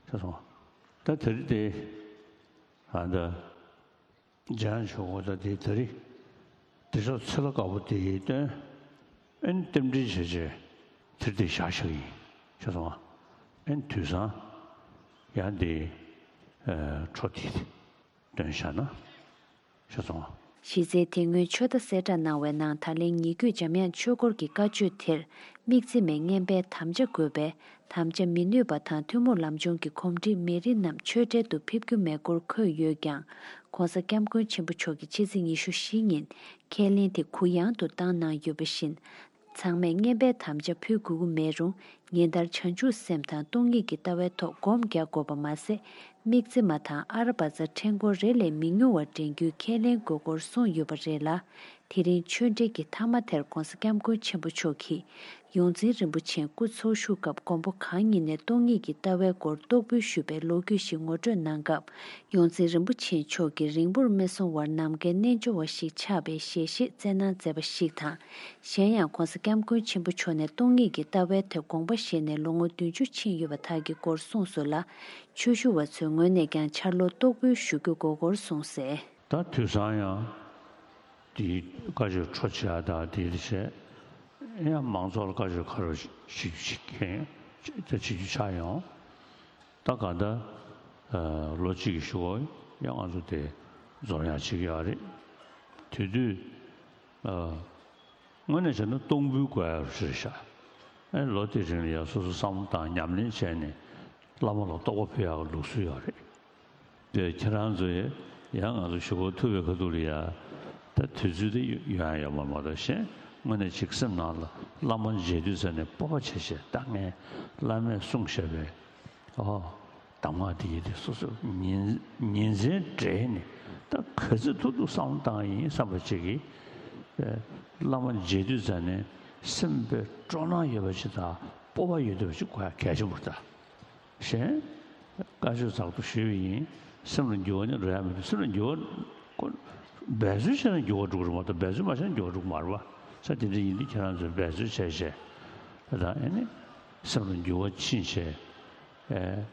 ཤ་སོང་། ད་དེ་རིང་དེ་ཨ་ད་འཇང་ཆོག་གོ་ད་དེ་དེ་རིང་དེ་ཕྱོགས་ཚེ་ལ་དཀར་པོ་དེ་ཡི་སྟོན། ཨན་རྟེན་འབྲེལ་བྱས་བྱས་དེར་དེ་བཞག་བཞག་ཡིན་ཤ་སོང་། ཨན་དུས་སང་ཡང་དེ་འཕྲོ་དེ་སྟོན་བཞག་ན། ཤ་ཚོང་། གཞི་རྩའི་དེ་སྔོན་ཆོས་བརྡ་གསལ་བསྒྲགས་གནང་བའི་ནང་ད་ལན་ཉེ་བརྒྱུད་འཇམ་དབྱངས་ཆོས་སྐོར་གྱི་བཀའ་ཆོས་དེར། དམིགས་བརྩེ་མའི་བསྙེན་པའི་དམ་བཅའ་དགོས་པས། དམ་བཅའ་མི་ནུས་པ་དང་ཐུན་མོང་ལམ་སྦྱོང་གི་གོམས་འདྲིས་མེད་རིགས་རྣམས་ཆོས་འབྲེལ་དུ་ཕེབས་རྒྱུ་མེད་སྐོར་འཁོད་ཡོད་ཀྱང་། ༸གོང་ས་༸སྐྱབས་མགོན་ཆེན་པོ་མཆོག་གིས་ཕྱི་ཚེས་ཉི་ཤུ་བཞི་ཉིན་ཁས་ལེན་དེ་གུ་ཡངས་དུ་བཏང་གནང་ཡོད་པ་བཞིན། ཚང་མས་བསྙེན་པའི་དམ་བཅའ་ཕུལ་དགོས་ཀྱི་མེད་རུང་། ཉིན་ལྟར་བྱང་ཆུབ་སེམས་དང་སྟོང་ཉིད་ཀྱི་ལྟ་བའི་ཐོག་སྒོམ་རྒྱག་དགོས་པ་མ་ཟད། དམིགས་བརྩེ་མ་དང་ཨ་ར་བ་ཙ་ཕྲེང་སྐོར་རེ་ལས་མི་ཉུང་བ་འདྲེན་རྒྱུའི་ཁས་ལེན་དགོས་སྐོར་གསུངས་ཡོད་པ་རེད་ལ། དེ་རིང་ཆོས་འབྲེལ་གྱི་མཐའ་མ་དེར་༧གོང་ས་༧སྐྱབས་མགོན་ཆེན་པོ་མཆོག་གིས་ཡོངས་འཛིན་རིན་པོ་ཆེའི་སྐུ་འཚོ་བཞུགས་སྐབས་དགོངས་པ་གང་ཉིད་ནས་སྟོང་ཉིད་ཀྱི་ལྟ་བའི་སྐོར་རྟོགས་འབུལ་ཞུས་པའི་ལོ་རྒྱུས་ཤིག་ངོ་སྤྲོད་གནང་སྐབས། ཡོངས་འཛིན་རིན་པོ་ཆེ་མཆོག་གིས་རིང་པོར་མི་སོང་བར་ནམ་མཁའི་རྣལ་འབྱོར་བ་ཞིག་ཆགས་པའི་ཞལ་བཞེས་སྩལ་གནང་མཛད་པ་ཞིག་དང་། གཞན་ཡང་༧གོང་ས་༧སྐྱབས་མགོན་ཆེན་པོ་མཆོག་ནས་སྟོང་ཉིད་ཀྱི་ལྟ་བའི་ཐོག་དགོངས་པ་བཞེས་ནས་ལོ་ངོ་བདུན་ཅུ་ཕྱིན་ཡོད་པ་དག་གི་སྐོར་གསུངས་སོང་ལ། ཆོས་ཞུ་བ་ཚོའི་ངོས་ནས་ཀྱང་འཆར་ལོ་རྟོགས་འབུལ་ཞུ་རྒྱུ་དགོས་སྐོར་གསུངས་གསལ། ད་དུས་སང་ཡང་དེའི་བཀའ་ཆོས་འཕྲོ་བཅད་དང་དེའི་རྗེས་ཡང་མང་ཚོགས་ལ་བཀའ་ཆོས་ག་རེ་བྱེད་རྒྱུ་བྱེད་མཁན་ད་བྱེད་རྒྱུ་ཆགས་ཡོང་། ད་ག་ད་ལོ་གཅིག་གི་གཞུག་གུ་ཡང་ང་ཚོ་དེ་འཛོམས་ཡག་བྱེད་ཀྱི་ཡོད་རེད། དེ་དུས་དངོས་གནས་བྱས་ན་གཏོང་ཕོད་དགོས་ཡག་རེད་ཤག་ཨེ་ལོ་དེའི་རིང་ལ་ཡང་སོ་སོ་བསམ་བློ་བཏང་ཉམས་ལེན་བྱས་ནས་བླ་མ་ལ་རྟོགས་པ་ཕུལ་ཡག་གི་ལུགས་སྲོལ་ཡོད་རེད། དེ་ཁྱེད་རང་ཚོ་ཡང་ང་ཚོ་གཞུག་གུ་ཐུབ་པའི་ཁ་ཐུག་ལ་ཡ་ད་དུས་ཚོད་དེ་ཡོང་ཡ་ཡོད་མ་མ་གཏོགས་གཞན་དངོས་གནས་ཅིག་སེམས་ནང་ལ་བླ་མ་མཇལ་དུས་ཙམ་ནས་སྤོབས་པ་ཆེ་ཆེ་ད་ངས་བླ་མས་གསུངས་བཞག་པའི་ཨོ་གདམས་ངག་དེ་ཡི་དེ་སོ་སོ་ཉིན་ཉིན་མཚན་སྦྲེལ་ནས་ད་ག་ཚོད་ཐུབ་ཐུབ་བསམ་བློ་བཏང་ཡིན་བསམ་པ་ཅིག་གིས་བླ་མ་མཇལ་དུས་ཙམ་ནས་སེམས་དཔའ་སྤྲོ་སྣང་ཡོད་པ་ཅིག་དང་སྤོབས་པ་ཡོད་བསྡད་པ་ཅིག་དགོས་ཡ་གལ་ཆེན་པོ་རེད་ད། གཞན། བཀའ་ཆོས་ཚགས་ཐུབ་ཞུས་པ་ཡིན། སེམས་ལ་འགྱུར་བ་ནི་རག་ཡ་མི་འདུག་སེམས་ལ་འགྱུར་བ། འབད་རྩོལ་བྱས་ན་འགྱུར་བ་འགྲོ་གི་རེད་མ་གཏོགས་འབད་རྩོལ་མ་བྱས་ན་འགྱུར་བ་འགྲོ་གི་མ་རེད་པ། ས་དེ་འདྲ་ཡིན་དུས་ཁྱེད་རང་ཚོས་འབད་རྩོལ་བྱས་བྱས། ད་ཨེ་ནི། སེམས་ལ་འགྱུར་བ་ཕྱིན་བྱས། ཨེ།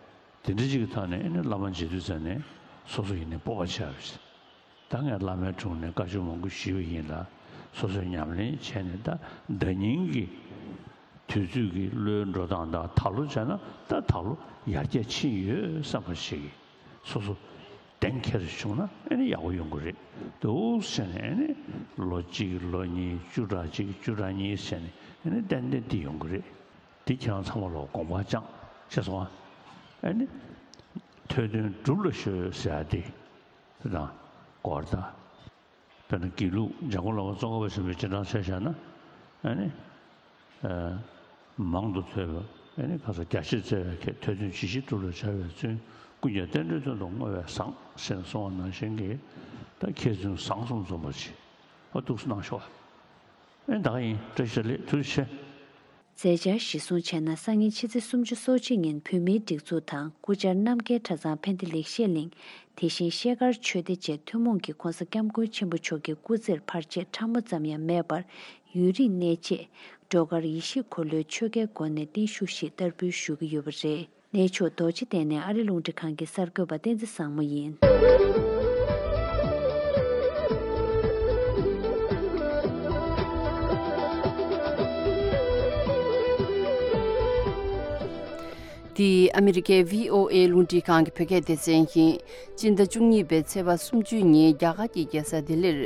དེ་འདྲ་ཅིག་གི་ཐོག་ནས་ཨེ་ནི་བླ་མ་མཇལ་དུས་ཙམ་ནས་སོ་སོ་ཡིན་ནས་སྤོབས་པ་ཆགས་པ་རེད། ད་ངས་བླ་མའི་དྲུང་ནས་བཀའ་ཆོས་མང་པོ་ཞུས་པ་ཡིན་ལ། སོ་སོས་ཉམས་ལེན་བྱས་ནས་ད་ཟླ་ཉིན་གྱི་དུས་ཚོད་ཀྱི་བློའི་འགྲོ་སྟངས་དང་ད་ལོ་བྱས་ན་ད་ད་ལོ་ཡར་རྒྱས་ཕྱིན་ཡོད་བསམ་པ་ཞིག་གིས་སོ་སོ་གཏན་འཁེལ་བྱུང་ན་ཨེ་ནི་ཡག་པོ་ཡོང་གི་རེད། འདུག་བྱས་ནས་ཨེ་ནི་ལོ་གཅིག་ལོ་གཉིས་བཅུ་ཕྲག་གཅིག་བཅུ་ཕྲག་གཉིས་བྱས་ནས་ཨེ་ནི་ཏན་ཏན་འདི་ཡོང་གི་རེད། འདི་ཁྱེད་རང་ཚང་མ་ལ་དགོངས་པ་བཅངས་ཤེས་སོང་ཨ། ཨེ་ནི་ཐོས་དོན་སྒྲུབ་ལ་གཞོལ་ཟེར་ཡ་དེ། དེ་དང་། གོ་བརྡ། དཔེར་ན་དགེ་ལུགས་འཇམ་མགོན་བླ་མ་ཙོང་ཁ་པ་ཆེན་པོའི་རྗེས་འབྲང་ཆ་བཞག་ན། ཨ་ནི། ཨ། མང་དུ་ཐོས་པ། ཨ་ནི་ཁ་ས་རྒྱ་ཆེར་བཙལ་བའི་ཁྱད་ཐོས་དོན་ཇི་ཞིག་སྒྲུབ་ལ་བྱ་བའི་བརྩོན། ཀུན་ཀྱང་རྟེན་འབྲེལ་དོན་དུ་བསྔོ་བས་བཟང་། ཞེས་གསུངས་པ་ནང་བཞིན་གྱི། ད་མཁས་བཙུན་བཟང་གསུམ་འཛོམས་པར་བྱེད། ཨ་འདུག་སེ་གནང་ཤོག་ཨེ་ད་ག་ཡིན། བཀྲ་ཤིས་བདེ་ལེགས། ཐུགས་རྗེ་ཆེ། མཛད་འཆར་གཞིར་བཟུང་བྱས་ན་སང་ཉིན་ཕྱི་ཚེས་སུམ་ཅུ་སོ་གཅིག་ཉིན་བོད་མིའི་སྒྲིག་འཛུགས་དང་སྐུ་བཅར་རྣམ་རྒྱལ་གྲྭ་ཚང་ཕན་བདེ་ལེགས་བཤད་གླིང་། དེ་བཞིན་ཤེལ་དཀར་ཆོས་སྡེ་བཅས་ཐུན་མོང་གིས་༧གོང་ས་༧སྐྱབས་མགོན་ཆེན་པོ་མཆོག་གི་སྐུ་ཚེར་ཕར་ཆེར་ཕྲ་མོ་ཙམ་ཡང་མེད་པར་ཡུན་རིང་གནས་ཆེད། སྒྲོལ་དཀར་ཡེ་ཤེས་འཁོར་ལོའི་ཆོ་གའི་སྒོ་ནས་བརྟན་བཞུགས་ཤིག་བསྟར་འབུལ་ཞུ་གི་ཡོད་པ་རེད། གནས་མཆོག་རྡོ་རྗེ་གདན་ནས་ཨ་རི་རླུང་འཕྲིན་ཁང་གི་གསར་འགོད་པ་བསྟན་འཛིན་བཟང་མོ་ཡིན། འདི་ཨ་མི་རི་ཀའི་བྷི་ཨོ་ཨེ་རླུང་འཕྲིན་ཁང་གི་བོད་སྐད་སྡེ་ཚན་ཡིན། སྤྱི་ཟླ་བཅུ་གཉིས་པའི་ཚེས་པ་སུམ་ཅུ་ཉིན་རྒྱ་གར་གྱི་རྒྱལ་ས་ལྡི་ལིར་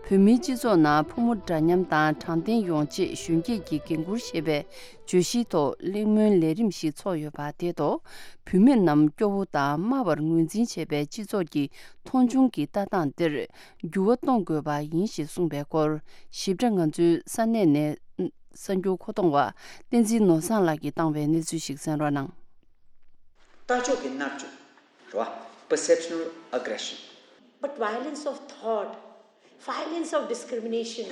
བོད་མིའི་སྤྱི་ཚོགས་ནང་ཕོ་མོ་འདྲ་མཉམ་དང་དྲང་བདེན་ཡོང་ཆེད་གཞོན་སྐྱེས་ཀྱིས་འགན་འཁུར་ཞེས་པའི་བརྗོད་གཞིའི་ཐོག་གླེང་མོལ་ལས་རིམ་ཞིག་ཚོགས་ཡོད་པ་དེ་ཐོག་བུད་མེད་རྣམས་སྐྱོ་བོ་དང་དམའ་བར་ངོས་འཛིན་བྱེད་པའི་སྤྱི་ཚོགས་ཀྱི་མཐོང་ཆུང་གི་ལྟ་སྟངས་འདིར་འགྱུར་བ་གཏོང་དགོས་པ་ཡིན་ཞེས་གསུངས་པའི་སྐོར་ཞིབ་ཕྲ་ང་ཚོའི་ས་གནས་ནས་གསར་འགྱུར་མཁོ་གཏོང་བ་བསྟན་འཛིན་ནོར་བཟང་ལགས་ཀྱིས་བཏང་བའི་གནས་ཚུལ་ཞིག་གསན་རོགས་གནང་། ལྟ་ཕྱོགས་ཀྱི་མནར་གཅོད་རེད་བ། Perceptional aggression. But violence of thought, violence of discrimination.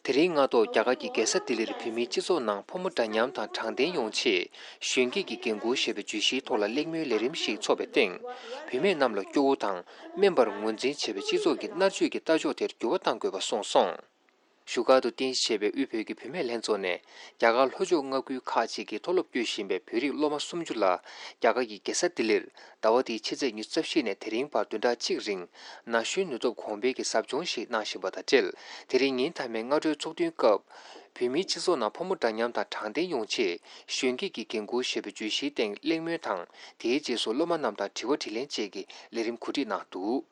དེ་རིང་སྔ་ཐོག་རྒྱ་གར་གྱི་རྒྱལ་ས་ལྡི་ལིར་བོད་མིའི་སྤྱི་ཚོགས་ནང་ཕོ་མོ་འདྲ་མཉམ་དང་དྲང་བདེན་ཡོང་ཆེད་གཞོན་སྐྱེས་ཀྱི་འགན་འཁུར་ཞེས་པའི་བརྗོད་གཞིའི་ཐོག་ལ་གླེང་མོལ་ལས་རིམ་ཞིག་འཚོགས་པའི་སྟེང་། བུད་མེད་རྣམས་ལ་སྐྱོ་བོ་དང་དམན་པར་ངོས་འཛིན་བྱེད་པའི་སྤྱི་ཚོགས་ཀྱི་མནར་གཅོད་ཀྱི་ལྟ་ཕྱོགས་དེར་འགྱུར་བ་གཏང་དགོས་པ་གསུངས་སོང་། བཞུགས་སྒར་དུ་རྟེན་གཞི་བྱས་པའི་དབུས་བོད་ཀྱི་བུད་མེད་ལྷན་ཚོགས་ནས་རྒྱ་གར་ལྷོ་ཕྱོགས་མངའ་ཁུལ་ཁག་ཅིག་གི་མཐོ་སློབ་སྐྱོད་བཞིན་པའི་བོད་རིགས་སློབ་མ་སུམ་ཅུ་ལ་རྒྱ་གར་གྱི་རྒྱལ་ས་ལྡི་ལིར་ཟླ་བ་འདིའི་ཕྱི་ཚེས་ཉི་ཤུ་རྩ་བཞི་ནས་དེ་རིང་བར་བདུན་ཕྲག་གཅིག་རིང་ན་གཞོན་ནུས་སྟོབས་གོང་འཕེལ་གྱི་ཟབ་སྦྱོང་ཞིག་གནང་བཞིན་པ་དང་འབྲེལ། དེ་རིང་ཉིན་མཐའ་མའི་སྔ་དྲོའི་ཚོགས་ཐུན་སྐབས། བོད་མིའི་སྤྱི་ཚོགས་ནང་ཕོ་མོ་འདྲ་མཉམ་དང་དྲང་བདེན་ཡོང་ཆེད་གཞོན་སྐྱེས་ཀྱི་འགན་འཁུར་ཞེས་པའི་བརྗོད་གཞིའི་སྟེང་གླེང་མོལ་དང་། དེའི་རྗེས་སུ་སློབ་མ་རྣམས་དང་དྲི་བ་དྲིས་ལན་བཅས་ཀྱི་ལས་རིམ་གོ་སྒྲིག་གནང་འདུག་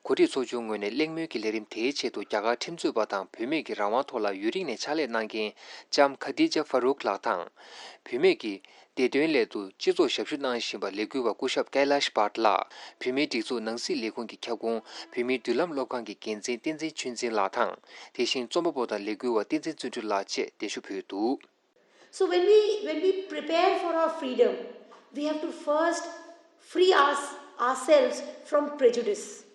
གོ་སྒྲིག་ཚོགས་ཆུང་ངོས་ནས་གླེང་མོལ་གྱི་ལས་རིམ་དེའི་ཆེད་དུ་རྒྱ་གར་ཁྲིམས་རྩོད་པ་དང་བུད་མེད་ཀྱི་རང་དབང་ཐོག་ལ་ཡུན་རིང་ནས་ཕྱག་ལས་གནང་མཁན་ལྕམ་ཁ་ཏི་ཇ་ཧྥ་རུག་ལགས་དང་། བུད་མེད་ཀྱི་བདེ་དོན་སླད་དུ་སྤྱི་ཚོགས་ཞབས་ཞུ་གནང་བཞིན་པ་ལས་འགུལ་བ་སྐུ་ཞབས་ཀེ་ལཱཤ་བྷཊ་ལགས། བུད་མེད་སྒྲིག་འཛུགས་ནང་སྲིད་ལས་ཁུངས་ཀྱི་ཁྱབ་ཁོངས་བུད་མེད་མདུན་ལམ་སློབ་ཁང་གི་འགན་འཛིན་བསྟན་འཛིན་ཆོས་འཛིན་ལགས་དང་། དེ་བཞིན་རྩོམ་པ་པོ་དང་ལས་འགུལ་བ་བསྟན་འཛིན་བརྩོན་འགྲུས་ལགས་བཅས་གདན་ཞུ་ཕུལ་འདུག So when we, when we prepare for our freedom, we have to first free us, ourselves from prejudice,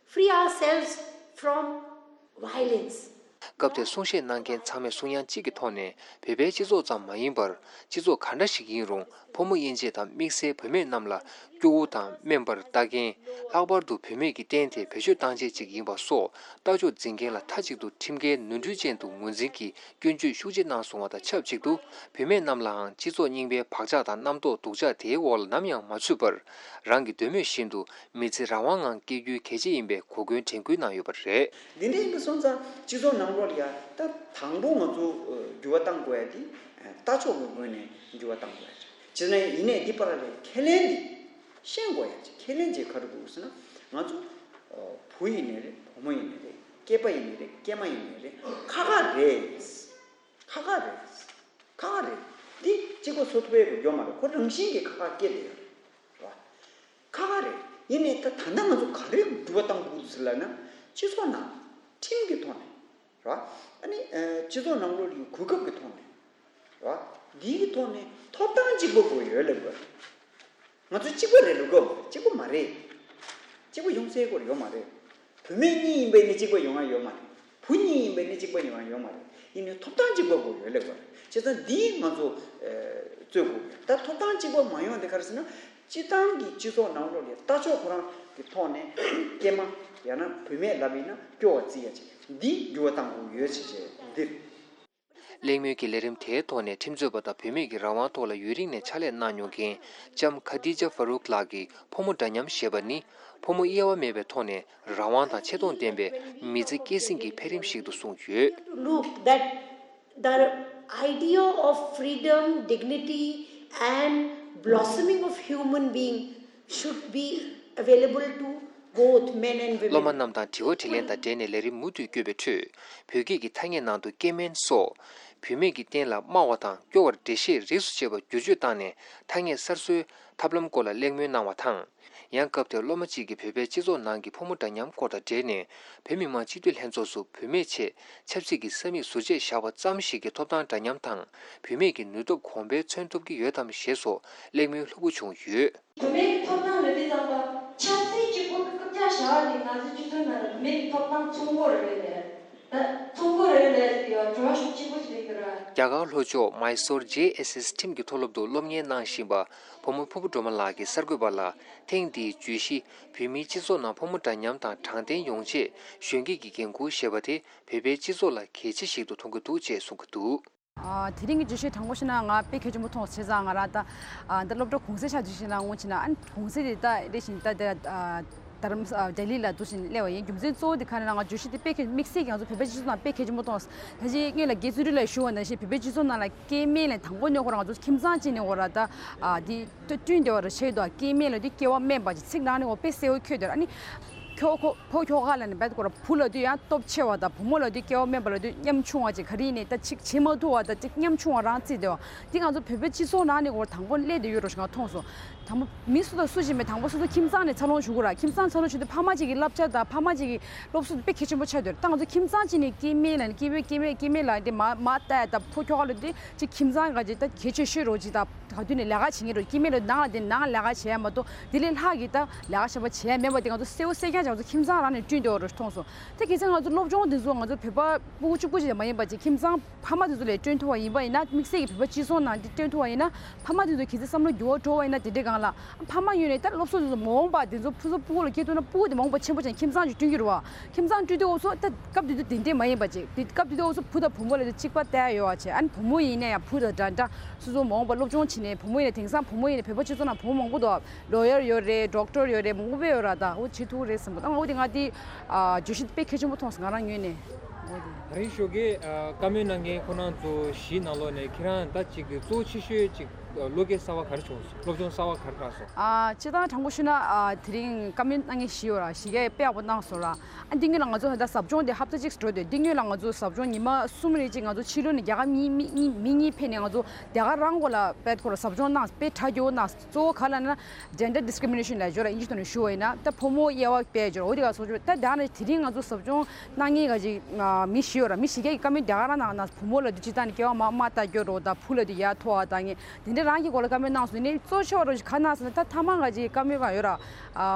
free ourselves from violence. སྐབས་དེར་གསུང་བཤད་གནང་མཁན་ཚང་མས་གསུང་ཡང་གཅིག་གི་ཐོག་ནས་བོད་པའི་སྤྱི་ཚོགས་ཙམ་མ་ཡིན་པར་སྤྱི་ཚོགས་ག་འདྲ་ཞིག་ཡིན་རུང་ཕོ་མོ་དབྱེ་འབྱེད་དང་དམིགས་བསལ་བུད་མེད་རྣམས་ལ་སྐྱོ་བོ་དང་སྨན་པར་ལྟ་མཁན། ལྷག་པར་དུ་བུད་མེད་ཀྱི་རྟེན་དེ་བེད་སྤྱོད་བཏང་བྱེད་ཅིག་ཡིན་པ་སོགས་ལྟ་ཕྱོགས་འཛིན་མཁན་ལ་མཐའ་གཅིག་ཏུ་ཁྲིམས་འགལ་ནོར་འཁྲུལ་ཅན་དུ་ངོས་འཛིན་གྱིས་སྐྱོན་བརྗོད་ཤུགས་ཆེ་གནང་སོང་བ་དང་ཆབས་ཅིག་ཏུ་བུད་མེད་རྣམས་ལའང་སྤྱི་ཚོགས་རྙིང་པའི་བག་ཆགས་དང་རྣམ་རྟོག་སྡུག་ཅག་དེའི་འོག་ལ་ནམ་ཡང་མ་ཚུད་པར་རང་གི་འདོད་མོས་བཞིན་དུ་མི་ཚེ་རང་དབང་ངང་སྐྱེལ་རྒྱུའི་གལ་ཆེ་ཡིན་པའི་གོ་སྐོན་དྲན་སྐུལ་གནང་ཡོད་པ་རེད། འདི་འདྲ་ཡིན་པ་སོང་ཙང་སྤྱི་ཚོགས་ནང་ལོགས་ལ་ཡ་ད་དང་པོ་ང་ཚོ་འགྱུར་བ་གཏང་དགོས་ཡ་དེ་ལྟ་ཕྱོགས་ཀྱི་ངོས་ནས་འགྱུར་བ་གཏང་དགོས་ཡ་རེད། བྱས་ན་ཡིན་ནའི་འདི་པར་ལས་ཁས་ལེན་འདི་ཤེས་དགོས་ཡ་ཅིག་ཁས་ལེན་བྱེད་ག་རེ་དགོས་ཟེར་ན་ང་ཚོ་བུ་ཡིན་ནའི་རེད། བུ་མོ་ཡིན་ནའི་རེད། སྐྱེས་པ་ཡིན་ནའི་རེད། སྐྱེས་མ་ཡིན་ནའི་རེད། ཁ་ཁ་རེད། ཁ་ཁ་རེད། ཁ་ཁ་རེད། འདི་གཅིག་པ་བཟོ་ཐུབ་ཡ་ཡོད་མ་རེད། ཁོ་རང་བཞིན་གྱིས་ཁ་ཁ་སྐྱེས་བསྡད་ཡོད་རེད། རེད་བ། ཁ་ཁ་རེད། ཡིན་ནའི་ད་ད་ལྟ་ང་ཚོ་ག་རེ་འགྱུར་བ་གཏང་དགོས་ཟེར་ལབ་ན་སྤྱི་ཚོགས་ནང་ཁྲིམས་ཀྱི་ཐོག་ནས་རེད་བ། ཨ་ནི་སྤྱི་ཚོགས་ནང་ལོགས་ཀྱི་གོ་སྐབས་ཀྱི་ཐོག་ནས་རེད་བ། འདིའི་ཐོག་ནས་ཐོབ་ཐང་གཅིག་པ་དགོས་ཡོད་ལབ་དགོས། ང་ཚོ་གཅིག་པ་རེད་ལབ་དགོས། གཅིག་པ་མ་རེད། གཅིག་པ་ཡོང་སའི་སྐོར་ཡོད་མ་རེད། བུད་མེད་གཉིས་ཡིན་པས་ནི་གཅིག་པ་ཡོང་ཡ་ཡོད་མ་རེད། བུ་གཉིས་ཡིན་པས་ནི་གཅིག་པ་ཡོང་ཡ་ཡོད་མ་རེད། ཡིན་ནའི་ཐོབ་ཐང་གཅིག་པ་དགོས་ཡོད་ལབ་དགོས། བྱས་ཙང་འདིས་ང་ཚོ་རྩོད་དགོས། ད་ཐོབ་ཐང་གཅིག་པ་མ་ཡོང་དེ་ག་རེ་ཟེར་ན་སྤྱི་བཏང་གི་སྤྱི་ཚོགས་ནང་ལོགས་ལ་ལྟ་ཕྱོགས་ཁོ་རང་གི་ཐོག་ནས་སྐྱེས་མ་ཡང་ན་བུད་མེད་ལབ་ཡིན་ན་སྐྱོ་བ་བརྩི་ཡ་ཅིག་འདི་འགྱུར་བ་གཏང་དགོས་ཡོད་ཅེས་བྱས་འདིར། གླེང་མོལ་གྱི་ལས་རིམ་དེའི་ཐོག་ནས་ཁྲིམས་རྩོད་པ་དང་བུད་མེད་ཀྱི་རང་དབང་ཐོག་ལ་ཡུན་རིང་ནས་ཕྱག་ལས་གནང་མྱོང་མཁན་ལྕམ་ཁ་ཏི་ཇ་ཧྥ་རུག་ལགས་ཀྱིས་ཕོ་མོ་འདྲ་མཉམ་ཞེས་པ་ནི་ཕོ་མོ་དབྱེ་བ་མེད་པའི་ཐོག་ནས་རང་དབང་དང་ཆེ་མཐོང་ལྡན་པའི་མི་ཚེ་སྐྱེལ་སྲིང་གི་འཕེལ་རིམ་ཞིག་ཏུ་གསུངས་ཡོད། Look that the idea of freedom, dignity and blossoming of human being should be available to both men and women. སློབ་མ་རྣམས་དང་དྲི་བ་དྲིས་ལན་དང་འབྲེལ་ནས་ལས་རིམ་མུ་མཐུད་བསྐྱོད་པའི་ཁྲོད། བོད་སྐད་ཀྱི་ཐ་སྙད་ནང་དུ་སྐྱེ་དམན་སོགས། བུད་མེད་ཀྱི་རྟེན་ལ་སྨྲ་བ་དང་སྐྱོ་བར་འགྲེལ་བཤད་རིས་སུ་བཅད་པ་བསྒྱུར་བཅོས་བཏང་ནས་ཐ་སྙད་གསར་བཟོའི་ཐབས་ལམ་སྐོར་ལ་གླེང་མོལ་གནང་བ་དང་། ཡང་སྐབས་དེར་སློབ་མ་གཅིག་གིས་བོད་པའི་སྤྱི་ཚོགས་ནང་གི་ཕོ་མོ་འདྲ་མཉམ་སྐོར་དང་འབྲེལ་ནས་བོད་མི་མང་སྤྱི་འཐུས་ལྷན་ཚོགས་སུ་བུད་མེད་ཆེད་ཆབ་སྲིད་ཀྱི་ས་མིག་ཟུར་བཅད་བཞག་པ་ཙམ་ཞིག་གི་ཐོབ་ཐང་འདྲ་མཉམ་དང་བུད་མེད་ཀྱི་ནུས་སྟོབས་གོང་འཕེལ་མཚོན་ཐུབ་ཀྱི་ཡོད་དམ་ཞེས་སོགས་གླེང་མོལ་ལྷུག་པོ་བྱུང་ཡོད། བུད་མེད་ཀྱི་ཐོབ་ཐང་ལ་དེ་ཙམ་པ་ཆབ་སྲིད་གཅིག་པུ་ཀུ་ཀྱག་བཞག་ནས་ང་ཚོའི་སྤྱི་ཚོགས་ནང་ལ་བུད་མེད་ཀྱི་ཐོབ་ཐང་ཚོང་སྒོ་རེད་ལས་ད་ཚོང་སྒོ་རེད་ལས་ཡ་བྲོ་བ་ཤུགས་ཆེན་པོ་ཞིག་རེད་ཀྱི་ར། རྒྱ་གར་ལྷོ་ཕྱོགས་མཱི་སོར་ཇེ་ཨེས་ཨེས་ཁྲིམས་ཀྱི་མཐོ་སློབ་ཏུ་སློབ་གཉེར་གནང་བཞིན་པ་བུ་མོ་ཕུར་བུ་སྒྲོལ་མ་ལགས་ཀྱིས་གསར་འགོད་པ་ལ་ཐེངས་འདིའི་བརྗོད་གཞི་བོད་མིའི་སྤྱི་ཚོགས་ནང་ཕོ་མོ་འདྲ་མཉམ་དང་དྲང་བདེན་ཡོང་ཆེད་གཞོན་སྐྱེས་ཀྱི་འགན་འཁུར་ཞེས་པ་དེ་བོད་པའི་སྤྱི་ཚོགས་ལ་གལ་ཆེ་ཞིག་ཏུ་མཐོང་གི་འདུག་ཅེས་གསུང་གི་འདུག། ཨ། དེ་རིང་གི་བརྗོད་གཞི་དྲང་པོ་བཤད་ན་ང་དཔེ་གལ་ཆེན་པོ་མཐོང་སོང་། བྱས་ཙང་ང་རང་ད་ཨ་ད་སློབ་གྲྭ་གུང་སེང་ཆགས་དུས་ཤིག་ལ་ངོ་ཆེ་ན་ཨ་གུང་སེང་དེ་ད་རེ་བཞིན་ད་དེ་ཨ་དྷ་རམ་ཨ་ལྡི་ལི་ལ་འདུག་བཞིན་སླེབས་པ་ཡིན། རྒྱུ་མཚན་གཙོ་བོ་དེ་ག་རེ་ན་ང་བརྗོད་གཞི་དེ་དཔེ་གལ་དམིགས་བསལ་གྱི་ང་ཚོ་བོད་པའི་སྤྱི་ཚོགས་ནང་དཔེ་གལ་ཆེན་པོ་མཐོང་། ད་ཅི་སྔོན་ལ་དགེ་བཙུན་རིག་ལ་ཞུ་བ་ནང་བཞིན་བོད་པའི་སྤྱི་ཚོགས་ནང་ལ་སྐྱེ་དམན་ལ་དང་པོ་ནས་ཁོ་རང་ང་ཚོ་ཁྱིམ་ཚང་གཅིག་ནས་ཁོ་རང་ད་ཨ་དེ་བསྐྲུན་བསྡད་པ་རེད། བྱས་དུས་སྐྱེ་དམན་ལབ་དུས་སྐྱེ་བ་དམན་པ་ཅིག་ཚིག་ནང་ནས་ཁོ་དཔེ་གསལ་པོ་འཁོད་བསྡད་ར། ཨ་ནི་ཁྱོ་ཁོ་ཕོ་ཁྱོ་ག་ལ་ནི་བད་ཁོ་ར་བུ་ལ་དུས་ཡང་སྟོབས་ཆེ་བ་དང་བུ་མོ་ལ་དུས་སྐྱེ་བ་དམན་པ་ལ་དུས་ཉམ་ཆུང་བ་ཅིག་ག་རེ་ཡིན་ནའི་ད་ཅིག་བྱེད་མ་ཐུབ་པ་དང་ཅིག་ཉམ་ཆུང་བ་རང་བརྩིས་བསྡད་པ་འདི་ང་ཚོ་བོད་པའི་སྤྱི་ཚོགས་ནང་ནས་ཁོ་དང་པོ་སླེབས་བསྡད་ཡོད་རོ་ཞེས་ང་མཐོང་སོང་། དང་པོ་མི་སུ་དང་སུ་ཞིག་མེད། དང་པོ་སོ་སོ་ཁྱིམ་ཚང་ནས་འཚར་ལོངས་བྱུང་གི་ར། ཁྱིམ་ཚང་འཚར་ལོངས་བྱུང་དུས་ཕ་མ་གཅིག་གི་བསླབ་བྱ་དང་ཕ་མ་གཅིག་གི་སློབ་གསོ་དེ་དཔེ་གལ་ཆེན་པོ་ཆགས་བསྡད་ཡོད་རེད། ད་ང་ཚོ་ཁྱིམ་ཚང་གཅིག་ནས་སྐྱེ་དམན་ལ་ནི་སྐྱེ་བོས་སྐྱེ་དམན་སྐྱེ་དམན་ལ་དེ་མ་མ་ལྟ་ཡ་ད་ཕོ་ཁྱོ་ག་ལ་དེ་ཅིག་ཁྱིམ་ཚང་ག་ཅིག་ད་གལ་ཆེ་ཤོས་རོ་ཅིག་ད། ག་དུས་ནས་ལས་ཀ་བྱེད་མཁན་རེད། སྐྱེ་དམན་ལ་ནང་ལ་དེ་ནང་ལས་ཀ་བྱེད་ཡ་མ་གཏོགས་དེ་ལས་ལྷག་གི་ད་ལས་ཀ་ཞེ་པོ་བྱེད་ཡ་མེད་པ་དེ་ང་ཚོ་གསལ་པོ་གསལ་རྐྱང་ཅིག་ང་ཚོ་ཁྱིམ་ཚང་རང་ནས་བསྐྲུན་བསྡད་ཡོད་རེད་མཐོང་སོང་། དེ་གལ་སྲིད་ང་ཚོ་སློབ་སྦྱོང་དེ་ཚོ་ང་ཚོ་བོད་པ་ཕྲུ་གུ་གཅིག་པུ་ཅིག་མ་ཡིན་པ་ཅིག་ཁྱིམ་ཚང་ཕ་མ་དེ་ཚོ་ལས་བསྐྲུན་ཐུབ་པ་ཡིན་པ་ཡིན་ན། དམིགས་བསལ་གྱི་བོད་པ་སྤྱི་ཚོགས་ནང་དེ་བསྐྲུན་ཐུབ་པ་ཡིན་ན། ཕ་མ་དེ་ཚོ་གལ་སྲིད་བསམ་བློ་འགྱུར་བ་འགྲོ་བ་ཡིན་ན་དེ་འདྲའི་སྒང་ལ་ཕ་མ་ངོས་ནས་ད་སློབ་གསོ་དེ་ཚོ་མ་འོངས་པ་དེ་ཚོ་ཕྲུ་གུ་ཕྲུ་གུ་ལ་སྐྱེ་ཐུབ་ན་ཕྲུ་གུ་དེ་མ་འོངས་པ་ཆེན་པོ་ཅིག་ཁྱིམ་ཚང་ཅིག་བསྐྲུན་གྱི་རེད་བ། ཁྱིམ་ཚང་བསྐྲུན་དུས་འོབ་སོ་ད་སྐབས་དེ་དུས་དེ་འདྲས་མ་ཡིན་པ་ཅིག་དེ་སྐབས་དེ་དུས་འོབ་སོ་བུ་དང་བུ་མོ་ལ་དེ་གཅིག་པ་བལྟ་ཡ་ཡོད་བ་བྱས། ཨ་ནི་བུ་མོ་ཡིན་ན་ཡང་བུ་དང་འདྲ་འདྲ་སོ་སོ་མ་འོངས་པ་སློབ་སྦྱོང་བྱེད་ནས་བུ་མོ་ཡིན་ན། དེང་སང་བུ་མོ་ཡིན་ན་བོད་པ་སྤྱི་ཚོགས་ནང་བུ་མོ་མང་པོ་འདུག་ལོ་ཡར་ཡོད་རེད། ཌོག་ཊར་ཡོད་རེད། མང་པོ་ཡོད་ར། ད་འོ་བྱེད་ཐུབ་རེད་བསམ་པ། ད་འོ་དེ་ང་དེ་ཨ་བརྗོད་གཞི་དཔེ་གལ་ཆེན་པོ་མཐོང་སོང་ང་རང་ངོས་ནས། འོ་དེ། ད་རིང་ཞོགས་ཀས་ཨ་བཀའ་མོལ་གནང་མཁན་ཁོ་རང་ཚོ་བཞི་ནང་ལོགས་ནས་ཁྱེད་རང་ད་ཅིག་གི་གཙོ་ཆེ་ཤོས་ཅིག་བློ་སྐྱེད་གསར་བ་ག་རེ་བྱུང་སོང་། སློབ་སྦྱོང་གསར་བ་ག་རེ་རག་སོང་། ཨ་སྤྱིར་བཏང་དྲང་པོ་ཞུས་ན་ཨ་དེ་རིང་བཀའ་མོལ་གནང་མཁན་བཞི་ཡོད་ར། བཞི་གས་དཔེ་ཡག་པོ་གནང་སོང་ར། ཨ་འདི་སྔོན་ལ་ང་ཚོ་ད་ཟབ་སྦྱོང་དེ་ཧབ་ཏ་གཅིག་འགྲོ་དུས་འདི་སྔོན་ལ་ང་ཚོ་ཟབ་སྦྱོང་ཉི་མ་གསུམ་རེ་ཅིག་ང་ཚོ་ཕྱི་ལོགས་ནས་རྒྱ་གར་མི་མི་མི་མི་གཉིས་ཕེབས་ནས་ང་ཚོ་རྒྱ་གར་རང་སྐོར་ལ་དཔེ་ཁོ་ར་ཟབ་སྦྱོང་གནང་། དཔེ་གྲ་རྒྱས་པོ་གནང་། གཙོ་བོ་ག་ལབ་ན་gender discrimination ལབ་ཡ་ཅིག་ཡོད་ར། ཨིན་ཇི་ཐོག་ནས་ཞུ་བ་ཡིན་ན་ད་ཕོ་མོ་དབྱེ་བ་དཔེ་ཡ་ཅིག་ཡོད་ར། འོ་དེ་ག་སོགས་ཅིག་ད་ད་ནི་དེ་རིང་ང་ཚོ་ཟབ་སྦྱོང་གནང་མཁན་ག་ཅིག་མི་བཞི་ ཡོད་ར། མི་ཞིག་གིས་བཀའ་མོལ་རྒྱ་གར་ནང་ན་བུ་མོ་ལབ་དུས་སྤྱིར་བཏང་ནས་སྐྱེ་བ་མ་མ་ལྟ་སྐྱོ་རོ་དང་བུ་ལབ་དུས་ཡ་ཐོ་བ་དང་ངས་དེ་འདྲ་རང་གི་སྐོར་ལ་བཀའ་མོལ་གནང་སོང་། ཡིན་ནའི་གཙོ་ཆེ་བ་རོ་ཞིག་ག་གནང་སོང་ན། ད་ཐ་མ་ང་ཅིག་བཀའ་མོལ་གང་ཡོད་ར། ཨ་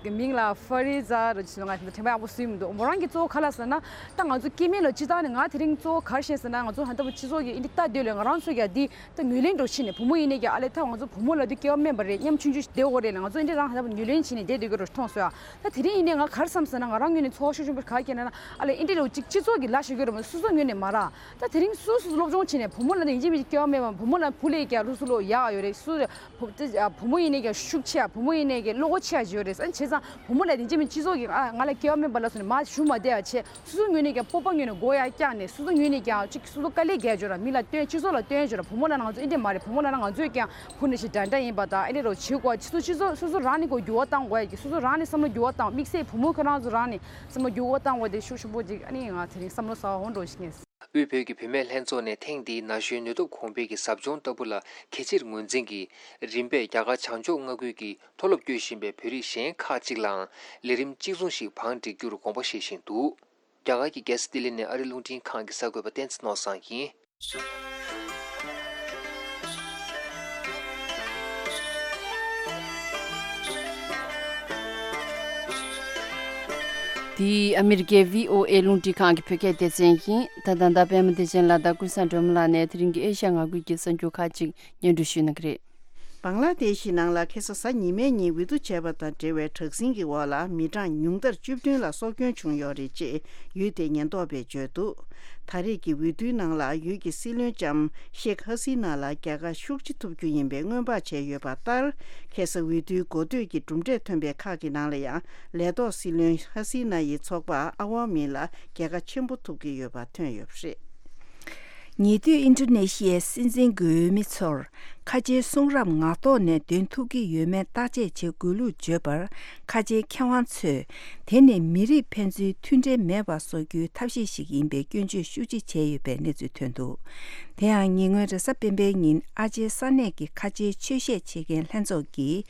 ཨམ་མིང་ལ་ཧྥ་རི་ཛ་རོ་ཞིག་ང་དྲན་པ་ཡག་པོ་སུས་མི་འདུག་མོ་རང་གི་གཙོ་བོ་ག་ལ་ཟེར་ན། ད་ང་ཚོ་སྐྱེ་དམན་ལ་སྤྱིར་བཏང་ནས་ང་དེ་རིང་གཙོ་བོ་ག་རེ་བཤད་ཟེར་ན། ང་ཚོ་ཧན་ད་བུ་སྤྱི་ཚོགས་ཀྱི་ཨིན་དི་ལྟ་དུས་ལ་ང་རང་ཚོ་ཡ་འདི། ད་ངོས་ལེན་འགྲོ་ཕྱིན་ནས་བུ་མོ་ཡིན་ནས་ཀྱང་ཨ་ལས་ད་ང་ཚོ་བུ་མོ་ལབ་དུས་སྐྱེ་བ་དམན་པ་རེད། ཉམ་ཆུང་ཆུང་ཞིག་བསྡད་ཡོད་རེད་ལ། ང་ཚོ་འདི་འདྲའི་རང་ཧ་ལམ་ངོས་ལེན་བྱས་ནས་བསྡད་སྡོད་ཀྱི་རེད་མཐོང་སོང་ཡ། ད་དེ་རིང་ཡིན་ནའི་ང་ག་རེ་བསམ་ཟེར་ན། ང་རང་ངོས་ནས་ཚོར་བ་ཤུགས་ཆེན་པོ་ག་རེ་སྐྱེས་ན་ན། ཨ་ལས་འདི་འདྲའི་ཅིག་སྤྱི་ཚོགས་ཀྱི་ལ་ཞུ་གི་རེད་མ། སོ་སོ་ངོས་ནས་མ་ར། ད་དེ་རིང་སོ་སོ་སློབ་སྦྱོང་བྱས་ནས་བུ་མོ་ལབ་དུས་ཡིན་གཅིག་མིན་གཅིག་སྐྱེ་བ་དམན་པ། བུ་མོ་ལ་བུ་ལས་ཀྱང་སློབ་གསོ་ལོ་ཡག་ཡོད་རེད། སུ་བུ་མོ་ཡིན་ནས་ཀྱང་ཤུགས་ཆེ་ཡ། བུ་མོ་ཡིན་ནས་ཀྱང་བློ་ཁོག་ཆེ་ཡ་ཅིག་ཡོད་རེད། ཨ་བྱས་ཙང་བུ་མོ་ལབ་དུས་ཡིན་གཅིག་མིན་གཅིག་སྤྱི་ཚོགས་ཀྱི་ཨ་ང་ལ་སྐྱེ་བ་དམན་པ་ལབ་སོང་ནས་མ་ཞུ་མ་བསྡད་ཡ་བྱས། སོ་སོའི་ངོས་ནས་ཀྱང་སྤོབས་པ་ངོས་ནས་སྒོ་ཡར་བཀྱགས་ནས་སོ་སོའི་ངོས་ནས་ཀྱང་ཅིག་སོ་སོ་དཀའ་ལས་རྒྱག་རྒྱུ་ར། མི་ལ་སྟོན། སྤྱི་ཚོགས་ལ་སྟོན་རྒྱུ་ར། བུ་མོ་ལབ་ན་ང་ཚོ་འདི་འདྲ་མ་རེད། བུ་མོ་ལབ་ན་ང་ཚོས་ཀྱང་བུ་ནང་བཞིན་འདྲ་འདྲ་ཡིན་པ་དང་། ཨེ་འདྲ་རོ་བྱེད་དགོས། སོ་སོ་སོ་སོ་རང་ནས་ཀྱང་འགྱུར་བ་གཏང་དགོས་ཡ་གི། སོ་སོ་རང་ནས་བསམ་བློ་འགྱུར་བ་བཏང་། དམིགས་བསལ་བུ་མོ་ཁྱོད་རང་ཚོ་རང་ནས་བསམ་བློ་འགྱུར་བ་གཏང་དགོས་དེ་ཤུགས་ཆེན་པོ་ཅིག་ཨ་ནི་ང་དེ་རིང་བསམ་བློ་གསར་པ་འོང་འགྲོ་ཞིག་ངས། དབུས་བོད་ཀྱི་བུད་མེད་ལྷན་ཚོགས་ནས་ཐེངས་འདིའི་ན་གཞོན་ནུས་སྟོབས་གོང་འཕེལ་གྱི་ཟབ་སྦྱོང་ལྟ་བུ་ལ་གལ་ཆེར་ངོས་འཛིན་གྱིས། རིམ་པས་རྒྱ་གར་བྱང་ཕྱོགས་མངའ་ཁུལ་གྱི་མཐོ་སློབ་སྐྱོད་བཞིན་པའི་བོད་རིགས་གཞན་ཁག་ཅིག་ལའང་ལས་རིམ་གཅིག་མཚུངས་ཤིག་བང་སྒྲིག་རྒྱུར་དགོངས་པ་བཞེས་བཞིན་འདུག་རྒྱ་གར་གྱི་རྒྱལ་ས་ལྡི་ལི་ནས་ཨ་རི་རླུང་འཕྲིན་ཁང་གི་གསར་འགོད་པ་བསྟན་འཛིན་ནོར་བཟང་ཡིན། འདི་ཨ་མི་རི་ཀའི་བྷི་ཨོ་ཨེ་རླུང་འཕྲིན་ཁང་གི་བོད་སྐད་སྡེ་ཚན་ཡིན། ད་ལྟ་ད་པད་མ་བདེ་ཆེན་ལགས་དང་ཀུན་བཟང་སྒྲོལ་མ་ལགས་ནས་དེ་རིང་གི་ཨེ་ཤ་ཡ་ང་ཁུལ་གྱི་གསར་འགྱུར་ཁག་ཅིག་སྙན་སྒྲོན་ཞུ་གནང་གི་རེད། བང་ལ་དེ་ཤི་ནང་ལ་ཁ་སང་གཟའ་ཉི་མའི་ཉིན་འོས་བསྡུ་བྱས་པ་དང་འབྲེལ་བའི་དྲག་ཟིང་གི་འོག་ལ་མི་གྲངས་ཉུང་མཐར་བཅུ་བདུན་ལ་སྲོག་སྐྱོན་བྱུང་ཡོད་རེད་ཅེས་ཡུལ་དེའི་ཉེན་རྟོག་པས་བརྗོད་འདུག་ད་རེས་ཀྱི་འོས་བསྡུའི་ནང་ལ་ཡུལ་གྱི་སྲིད་བློན་ལྕམ་ཤེག་ཧ་སི་ན་ལ་རྒྱལ་ཁ་ཤུགས་ཆེ་ཐོབ་རྒྱུ་ཡིན་པའི་སྔོན་དཔག་བྱས་ཡོད་པ་ལྟར། ཁ་སང་འོས་བསྡུའི་འགོ་སྟོད་ཀྱི་གྲུབ་འབྲས་ཐོན་པའི་ཁག་གི་ནང་ལ་ཡང་ལས་ཐོག་སྲིད་བློན་ཧ་སི་ན་ཡི་ཚོགས་པ་ཨ་ཝ་མི་ལ་རྒྱལ་ཁ་ཆེན་པོ་ཐོབ་ཀྱི་ཡོད་པ་ཐོན་ཡོད་པ་རེད། ཉེ་དུས་ཨིན་ཌོ་ནེ་ཤི་ཡའི་སྲིད་འཛིན་གྱི་འོས་མི་ཚོར་ཁ་ཆེའི་གསུང་རབ་ངག་ཐོག་ནས་འདོན་ཐུབ་ཀྱི་ཡོད་མེད་བརྟག་དཔྱད་བྱེད་དགོས་ལུགས་བརྗོད་པར། ཁ་ཆེའི་མཁས་དབང་ཚོས་དེ་ནི་མི་རིགས་ཕན་ཚུན་མཐུན་འབྲེལ་མེད་པ་བཟོ་རྒྱུའི་ཐབས་ཤེས་ཤིག་ཡིན་པའི་སྐྱོན་བརྗོད་ཤུགས་ཆེ་བྱས་ཡོད་པའི་གནས་ཚུལ་ཐོན་འདུག་དེ་ཡང་ཉེ་སྔོན་རེས་གཟའ་སྤེན་པའི་ཉིན་ཨ་ཇེ་ས་གནས་ཀྱི་ཁ་ཆེའི་ཆོས་བཤད་བྱེད་མཁན་ལྷན་ཚོགས་ཀྱིས།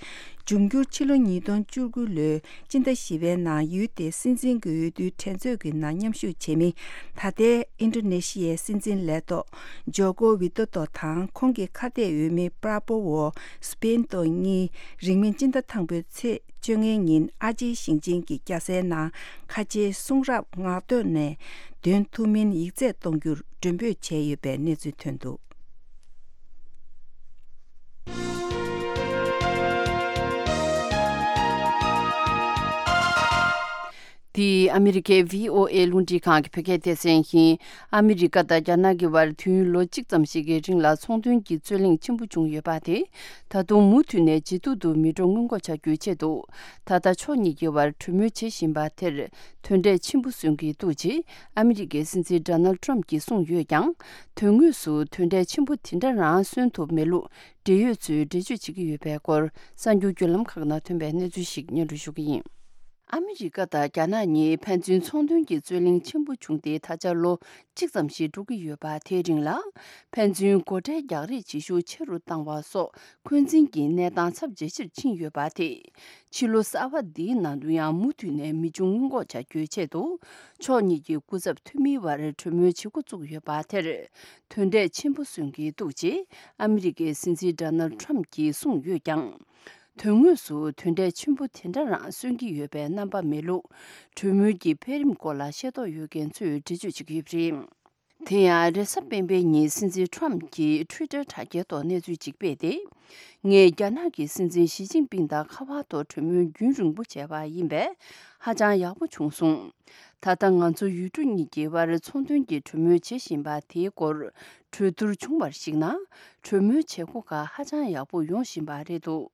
འབྱུང་འགྱུར་ཕྱི་ལོ་ཉིས་སྟོང་བཅུ་དགུ་ལོའི་སྤྱི་ཟླ་བཞི་པའི་ནང་ཡུལ་དེའི་སྲིད་འཛིན་གྱི་འོས་བསྡུའི་འགྲན་རྩོད་ཀྱི་ནང་མཉམ་ཞུགས་བྱེད་མི་ད་ལྟའི་ཨིན་ཌོ་ནེ་ཤི་ཡའི་སྲིད་འཛིན་ལས་ཐོག་ཇོ་ཀོ་ཝི་ཏོ་ཏོ་དང་ཁོང་གི་ཁ་གཏད་འོས་མི་པྲ་པོ་ཝོ་སུ་བི་ན་ཏོ་གཉིས་རིང་མིན་སྤྱི་ཟླ་དང་པོའི་ཚེས་བཅོ་ལྔའི་ཉིན་ཨ་ཇེའི་ཞིང་ཆེན་གྱི་རྒྱལ་སའི་ནང་ཁ་ཆེའི་གསུང་རབ་ངག་ཐོག་ནས་འདོན་ཐུབ་མིན་ཡིག་ཚད་གཏོང་རྒྱུར་མགྲོན་འབོད་བྱས་ཡོད་པའི་གནས་ཚུལ་ཐོན་འདུག་འདི་ཨ་མི་རི་ཀའི་བྷི་ཨོ་ཨེ་རླུང་འཕྲིན་ཁང་གི་བོད་སྐད་སྡེ་ཚན་ཡིན། ཨ་མི་རི་ཀ་དང་རྒྱ་ནག་གི་བར་དུས་ཡུན་ལོ་གཅིག་ཙམ་ཞིག་གི་རིང་ལ་ཚོང་དོན་གྱི་རྩོད་གླེང་ཆེན་པོ་བྱུང་ཡོད་པ་དེ། ད་དུང་མུ་མཐུད་ནས་ཇེ་སྡུག་ཏུ་མི་འགྲོ་སྔོན་འགོག་བྱ་རྒྱུའི་ཆེད་དུ། ད་ལྟ་ཕྱོགས་གཉིས་ཀྱི་བར་གྲོས་མོལ་བྱེད་བཞིན་པ་དེར། དོན་འབྲས་ཆེན་པོ་སོན་གྱི་འདུག་ཅེས་ཨ་མི་རི་ཀའི་སྲིད་འཛིན་ཌོ་ནལ་ཌི་ཊརམ་ཕུ་གྱིས་གསུངས་ཡོད་ཀྱང་། དོན་དངོས་སུ་དོན་འབྲས་ཆེན་པོ་དེ་འདྲ་རང་སོན་ཐུབ་མེད་ལུགས་འབྲེལ་ཡོད་ཚོས་འགྲེལ་བརྗོད་བྱེད་ཀྱི་ཡོད་པའི་སྐོར་གསར་འགྱུར་བརྒྱུད་ལམ་ཁག་ནང་ཐོན་པའི་གནས་ཚུལ་ཞིག་སྙན་སྒྲོན་ཞུ་གི་ཡིན། ཨ་མི་རི་ཀ་དང་རྒྱ་ནག་གཉིས་ཕན་ཚུན་ཚོང་དོན་གྱི་རྩོད་གླེང་ཆེན་པོ་བྱུང་སྟེ་ད་ཆ་ལོ་གཅིག་ཙམ་ཞིག་འགྲོ་གི་ཡོད་པ། དེའི་རིང་ལ་ཕན་ཚུན་སྒོ་ཁྲལ་རྒྱག་རེས་བྱེད་ཤུགས་ཆེ་རུ་བཏང་བ་སོགས་འཁོན་འཛིན་གྱི་གནས་སྟངས་ཚབས་ཇེ་ཆེར་ཕྱིན་ཡོད་པ་དེས། ཕྱི་ལོ་གསར་པ་འདིའི་ནང་དུ་ཡང་མུ་མཐུད་ནས་མི་འབྱུང་སྔོན་འགོག་བྱ་རྒྱུའི་ཆེད་དུ། ཕྱོགས་གཉིས་ཀྱི་སྐུ་ཚབ་འཐུས་མིའི་བར་གྲོས་མོལ་བྱེད་འགོ་བཙུགས་ཡོད་པ་དེར། དོན་འབྲས་ཆེན་པོ་སོན་གྱི་འདུག་ཅེས་ཨ་མི་རི་ཀའི་སྲིད་འཛིན་ཌོ་ནལ་ཌི་ཊརམ་ཕུ་གྱིས་གསུངས་ཡོད་ཀྱང་། དོན་དངོས་སུ་དོན་འབྲས་ཆེན་པོ་དེ་འདྲ་རང་སོན་གྱི་ཡོད་པའི་རྣམ་པ་མེད་ལུགས། གྲོས་མོལ་གྱི་འཕེལ་རིམ་སྐོར་ལ་ཤེས་རྟོགས་ཡོད་མཁན་ཚོས་འགྲེལ་བརྗོད་བྱེད་ཀྱི་ཡོད་པ་རེད། དེ་ཡང་རེས་གཟའ་སྤེན་པའི་ཉིན་སྲིད་འཛིན་ཊརམ་ཕུ་གྱིས་ཊུའི་ཊར་དྲ་རྒྱའི་ཐོག་གནས་ཚུལ་ཅིག་སྤེལ་ཏེ། ངས་རྒྱ་ནག་གི་སྲིད་འཛིན་ཞི་ཅིན་ཕིང་དང་ཁ་པར་ཐོག་གྲོས་མོལ་རྒྱུན་རིང་པོ་བྱས་པ་ཡིན་པས་ཧ་ཅང་ཡག་པོ་བྱུང་སོང་། ད་ལྟ་ང་ཚོ་ཡུལ་གྲུ་གཉིས་ཀྱི་དབར་ཚོང་དོན་གྱི་གྲོས་མོལ་བྱེད་བཞིན་པ་དེའི་སྐོར་གྲོས་བསྡུར་བྱུང་བར་གཞིགས་ན། གྲོས་མོལ་བྱེད་སྒོ་ཁག་ཧ་ཅང་ཡག་པོ་ཡོང་བཞིན་པ་རེད་འདུག་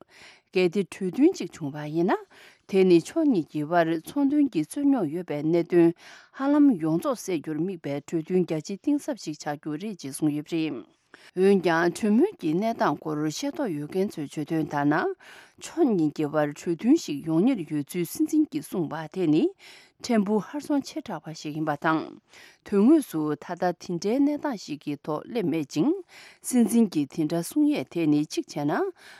གལ་ཏེ་གྲོས་མཐུན་གཅིག་བྱུང་བ་ཡིན་ན། དེ་ནི་ཕྱོགས་གཉིས་ཀྱི་དབར་ཚོང་དོན་གྱི་རྩོད་རྙོག་ཡོད་པའི་གནད་དོན་ཧ་ལམ་ཡོངས་རྫོགས་སེལ་རྒྱུར་དམིགས་པའི་གྲོས་མཐུན་རྒྱ་ཆེ་གཏིང་ཟབ་ཞིག་ཆགས་རྒྱུ་རེད་ཅེས་གསུངས་ཡོད་པ་རེད། འོན་ཀྱང་གྲོས་མོལ་གྱི་གནས་སྟངས་སྐོར་ཤེས་རྟོགས་ཡོད་མཁན་ཚོས་བརྗོད་དོན་ལྟར་ན། ཕྱོགས་གཉིས་ཀྱི་བར་གྲོས་མཐུན་ཞིག་ཡོང་ཉེར་ཡོད་ཚུལ་སྲིད་འཛིན་གྱིས་གསུངས་པ་དེ་ནི་ཕྲན་བུ་ཧར་སོང་ཆེ་དྲགས་པ་ཞིག་ཡིན་པ་དང་། དོན་དངོས་སུ་ད་ལྟ་དེ་འདྲའི་གནས་སྟངས་ཤིག་གི་ཐོག་སླེབས་མེད་ཅིང་། སྲིད་འཛིན་གྱིས་དེ་འདྲ་གསུང་ཡས་དེ་ནི་གཅིག་བྱས་ན།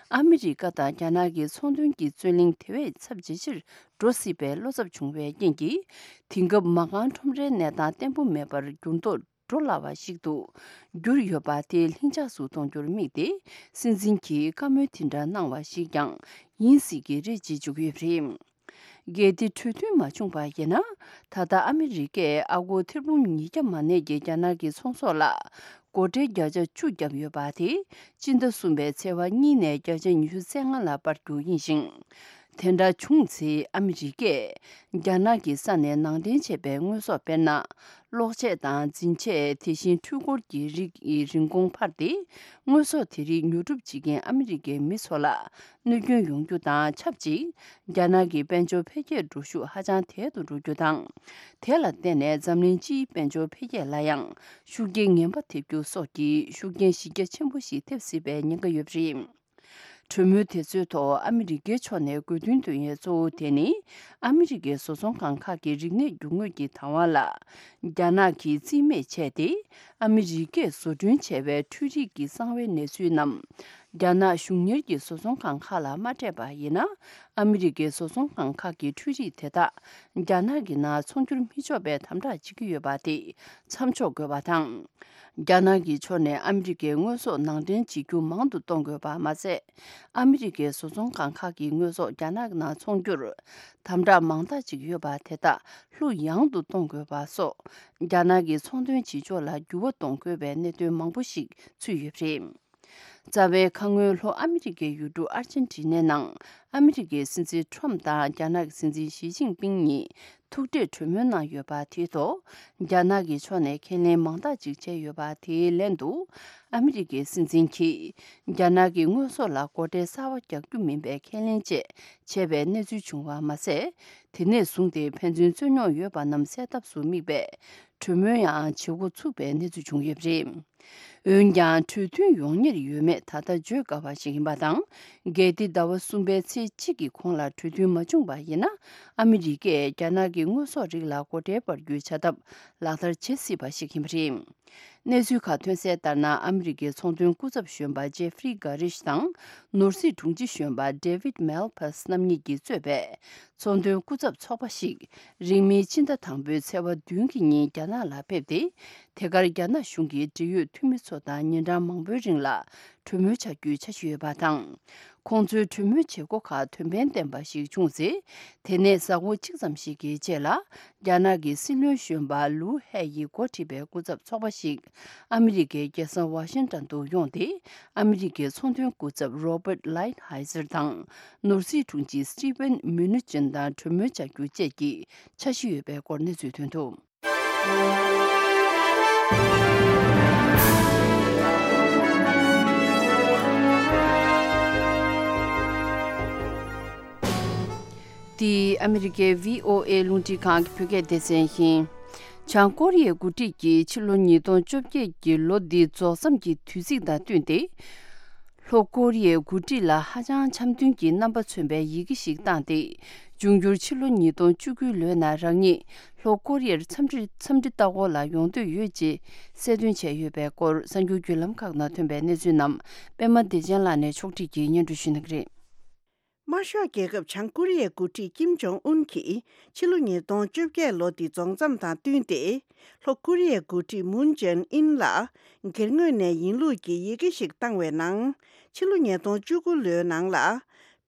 ཨ་མི་རི་ཀ་དང་རྒྱ་ནག་གི་ཚོང་དོན་གྱི་རྩོད་གླེང་དེ་བས་ཚབས་ཇེ་ཆེར་འགྲོ་སྲིད་པའི་བློ་འཚབ་བྱུང་བའི་རྐྱེན་གྱིས། དེང་སྐབས་མ་རྐང་ཁྲོམ་རའི་གནས་སྟངས་བརྟན་པོ་མེད་པར་འགྱུར་ལྡོག་འགྲོ་སླ་བ་ཞིག་ཏུ་གྱུར་ཡོད་པ་དེ་ལྷིང་འཇགས་སུ་གཏོང་རྒྱུར་དམིགས་ཏེ། སྲིད་འཛིན་གྱིས་བཀའ་མོལ་དེ་འདྲ་གནང་བ་ཞིག་ཀྱང་ཡིན་སྲིད་ཀྱི་རེད་ཅེས་བརྗོད་ཀྱི་ཡོད་པ་རེད། གལ་ཏེ་གྲོས་མཐུན་མ་བྱུང་པ་ཡིན་ན། ད་ལྟ་ཨ་མི་རི་ཀས་ཨ་སྒོར་ཐེར་འབུམ་ཉིས་བརྒྱ་མ་ནས་ཀྱི་རྒྱ་ནག་གི་ཚོང་ཟོག་ལ་སྒོ་ཁྲལ་བརྒྱ་ཆ་བཅུ་བརྒྱབ་ཡོད་པ་དེ། སྤྱི་ཟླ་གསུམ་པའི་ཚེས་པ་གཉིས་ནས་བརྒྱ་ཆ་ཉི་ཤུ་རྩ་ལྔ་ལ་སྤར་རྒྱུ་ཡིན་ཞིང་། དེ་འདྲ་བྱུང་ཚེ་ཨ་མི་རི་ཀས་རྒྱ་ནག་གི་ས་ནས་ནང་འདྲེན་བྱས་པའི་དངོས་ཟོག་དཔེར་ན། གློག་ཆས་དང་འཛིན་ཆས། དེ་བཞིན་འཕྲུལ་འཁོར་གྱི་རིགས་ཀྱི་རིན་གོང་འཕར་ཏེ། དངོས་ཟོག་དེ་རིགས་ཉོ་སྒྲུབ་བྱེད་མཁན་ཨ་མི་རི་ཀའི་མི་ཚོ་ལ་གནོད་སྐྱོན་ཡོང་རྒྱུ་དང་ཆབས་ཅིག་རྒྱ་ནག་གི་དཔལ་འབྱོར་འཕེལ་རྒྱས་འགྲོ་ཤུགས་ཧ་ཅང་དལ་དུ་འགྲོ་རྒྱུ་དང་། དེ་ལ་བརྟེན་ནས་འཛམ་གླིང་སྤྱིའི་དཔལ་འབྱོར་འཕེལ་རྒྱས་ལ་ཡང་ཤུགས་རྐྱེན་ངན་པ་ཐེབས་རྒྱུ་སོགས་ཀྱི་ཤུགས་རྐྱེན་གཞི་རྒྱ་ཆེན་པོ་ཞིག་ཐེབས་སྲིད་པའི་ཉེན་ཁ་ཡོད་པ་རེད། གྲོས་མོལ་དེ་ཚོའི་ཐོག་ཨ་མི་རི་ཀའི་ཕྱོགས་ནས་དགོས་འདུན་འདོན་ཡས་གཙོ་བོ་དེ་ནི། ཨ་མི་རི་ཀའི་བཟོ་ཚོང་ཁང་ཁག་གི་རིག་གནས་རྒྱུ་དངོས་ཀྱི་བདག་དབང་ལ་རྒྱ་ནག་གིས་རྩིས་མེད་བྱས་ཏེ། ཨ་མི་རི་ཀས་བཟོ་སྐྲུན་བྱས་པའི་འཕྲུལ་རིག་གི་གསང་བའི་གནས་ཚུལ་རྣམས། རྒྱ་ནག་གཞུང་གཉེར་གྱི་བཟོ་ཚོང་ཁང་ཁག་ལ་མ་སྤྲད་པ་ཡིན་ན། ཨ་མི་རི་ཀའི་བཟོ་ཚོང་ཁང་ཁག་གི་འཕྲུལ་རིག་དེ་དག་རྒྱ་ནག་གི་ནང་ཚོང་བསྒྱུར་མི་ཆོག་པའི་དམ་དྲག་བྱེད་ཀྱི་ཡོད་པ་དེ་མཚམས་འཇོག་དགོས་པ་དང་། རྒྱ་ནག་གི་ཕྱོགས་ནས་ཨ་མི་རི་ཀའི་དངོས་ཟོག་ནང་འདྲེན་བྱེད་རྒྱུ་མང་དུ་གཏོང་དགོས་པ་མ་ཟད། ཨ་མི་རི་ཀའི་བཟོ་ཚོང་ཁང་ཁག་གི་དངོས་ཟོག་རྒྱ་ནག་ནང་ཚོང་རྒྱུར་དམ་དྲག་མང་དག་ཅིག་ཡོད་པ་དེ་དག་ལྷུག་ཡངས་དུ་གཏོང་དགོས་པ་སོགས། རྒྱ་ནག་གི་ཚོང་དོན་བྱེད་ཕྱོགས་ལ་འགྱུར་བ་གཏོང་དགོས་པའི་གནད་དོན་མང་པོ་ཞིག་ཚུད་ཡོད་པ་རེད། རྩ་བའི་ཁ་སྔོན་ལྷོ་ཨ་མི་རི་ཀའི་ཡུལ་གྲུ་ཨར་ཅན་ཊི་ནའི་ནང་། ཨ་མི་རི་ཀའི་སྲིད་འཛིན་ཁྲོམ་དང་རྒྱ་ནག་གི་སྲིད་འཛིན་ཞི་ཅིན་ཕིང་གཉིས་ཐུག་འཕྲད་གྲོས་མོལ་གནང་ཡོད་པ་དེའི་ཐོག་རྒྱ་ནག་གི་ཕྱོགས་ནས་ཁས་ལེན་མང་དག་ཅིག་བྱས་ཡོད་པ་དེའི་ལན་དུ། ཨ་མི་རི་ཀའི་སྲིད་འཛིན་གྱིས་རྒྱ་ནག་གི་དངོས་ཟོག་ལ་སྒོ་ཁྲལ་གསར་པ་རྒྱག་རྒྱུ་མིན་པའི་ཁས་ལེན་བཅས་བྱས་པའི་གནས་ཚུལ་བྱུང་བ་མ་ཟད། དེ་ནས་བཟུང་སྟེ་ཕན་ཚུན་རྩོད་རྙོག་ཡོད་པ་རྣམས་སེལ་ཐབས་སུ་དམིགས་པའི་གྲོས་མོལ་ཡང་བྱེད་འགོ་ཚུགས་པའི་གནས་ཚུལ་བྱུང་ཡོད་པ་རེད། འོན་ཀྱང་གྲོས་མཐུན་ཡོང་ཉེར་ཡོད་མེད་ད་ལྟ་བརྗོད་དཀའ་བ་ཞིག་ཡིན་པ་དང་། གལ་ཏེ་ཟླ་བ་གསུམ་པའི་ཚེས་གཅིག་གི་གོང་ལ་གྲོས་མཐུན་མ་བྱུང་བ་ཡིན་ན། ཨ་མི་རི་ཀས་རྒྱ་ནག་གི་དངོས་ཟོག་རིགས་ལ་སྒོ་ཁྲལ་སྤར་རྒྱུའི་བྱ་ཐབས་ལག་བསྟར་བྱེད་སྲིད་པ་ཞིག་ཡིན་པ་རེད། གནས་ཚུལ་ཁག་ཐོན་གསལ་ལྟར་ན། ཨ་མི་རི་ཀའི་ཚོང་དོན་སྐུ་ཚབ་གཞོན་པ་ཇེ་ཧྥི་རི་གྷ་རིཤ་དང་། ནོར་སྲིད་དྲུང་ཆེ་གཞོན་པ་ཌེ་ཝིད་མལ་ཕཱས་རྣམ་གཉིས་ཀྱིས་གཙོས་པའི་ཚོང་དོན་སྐུ་ཚབ་ཚོགས་པ་ཞིག་རིང་མིན་ཕྱི་ཟླ་དང་པོའི་ཚེས་པ་བདུན་གྱི་ཉིན་རྒྱ་ནག་ལ་ཕེབས་ཏེ། དེ་གར་རྒྱ་ནག་གཞུང་གི་འབྲེལ་ཡོད་འཐུས་མི་ཚོ་དང་ཉིན་གྲངས་མང་པོའི་རིང་ལ་གྲོས་མོལ་བྱ་རྒྱུའི་འཆར་གཞི་ཡོད་པ་དང་། ཁོང་ཚོའི་གྲོས་མོལ་བྱེད་སྒོ་ཁག་དོན་ཕན་ལྡན་པ་ཞིག་བྱུང་ཚེ། དེ་ནས་གཟའ་འཁོར་གཅིག་ཙམ་ཞིག་གི་རྗེས་ལ། རྒྱ་ནག་གི་སྲིད་བློན་གཞོན་པ་ལུའུ་ཧེ་ཡིས་འགོ་ཁྲིད་པའི་སྐུ་ཚབ་ཚོགས་པ་ཞིག་ཨ་མི་རི་ཀའི་རྒྱལ་ས་ཝ་ཤིང་ཏོན་དུ་ཡོང་སྟེ། ཨ་མི་རི་ཀའི་ཚོང་དོན་སྐུ་ཚབ་རོ་བརྟ་ལའིཊ་ཧའེ་ཛར་དང་། ནོར་སྲིད་དྲུང་ཆེ་སི་ཊི་ཝེན་མུ་ནུ་ཅིན་དང་གྲོས་མོལ་བྱ་རྒྱུ་བཅས་ཀྱི་འཆར་གཞི་ཡོད་པའི་སྐོར་གནས་ཚུལ་ཐོན་འདུག། འདི་ཨ་མི་རི་ཀའི་བྷི་ཨོ་ཨེ་རླུང་འཕྲིན་ཁང་གི་བོད་སྐད་སྡེ་ཚན་ཡིན། བྱང་ཀོ་རི་ཡའི་འགོ་ཁྲིད་ཀྱིས་ཕྱི་ལོ་ཉིས་སྟོང་བཅོ་བརྒྱད་ཀྱི་ལོ་འདི་རྫོགས་མཚམས་ཀྱི་དུས་ཚིགས་དང་བསྟུན་ཏེ། ལྷོ་ཀོ་རི་ཡའི་འགོ་ཁྲིད་ལ་ཧ་ཅང་འཆམ་མཐུན་གྱི་རྣམ་པ་མཚོན་པའི་ཡི་གེ་ཞིག་བཏང་སྟེ། འབྱུང་འགྱུར་ཕྱི་ལོ་ཉིས་སྟོང་བཅུ་དགུའི་ལོའི་ནང་རང་ཉིད་ལྷོ་ཀོ་རི་ཡར་འཚམས་འདྲི་འཚམས་འདྲི་ལྟ་སྐོར་ལ་ཡོང་འདོད་ཡོད་ཅེས་གསལ་སྟོན་བྱས་ཡོད་པའི་སྐོར། གསར་འགྱུར་བརྒྱུད་ལམ་ཁག་ནང་ཐོན་པའི་གནས་ཚུལ་རྣམས་པད་མ་བདེ་ཆེན་ལགས་ནས་ཕྱོགས་སྒྲིག་གིས་སྙན་སྒྲོན་ཞུ་གནང་གི་རེད། དམར་ཤོག་རྒྱལ་ཁབ་བྱང་ཀོ་རི་ཡའི་འགོ་ཁྲིད་ཀིམ་ཇོང་ཨུན་གྱིས་ཕྱི་ལོ་ཉིས་སྟོང་བཅོ་བརྒྱད་ལོ་འདི་རྫོགས་མཚམས་དང་བསྟུན་ཏེ། ལྷོ་ཀོ་རི་ཡའི་འགོ་ཁྲིད་མུན་ཇེན་ཨིན་ལ་སྒེར་ངོས་ནས་ཡིན་ལུགས་ཀྱི་ཡི་གེ་ཞིག་བཏང་བའི་ནང་། ཕྱི་ལོ་ཉིས་སྟོང་བཅུ་དགུ་ལོའི་ནང་ལ་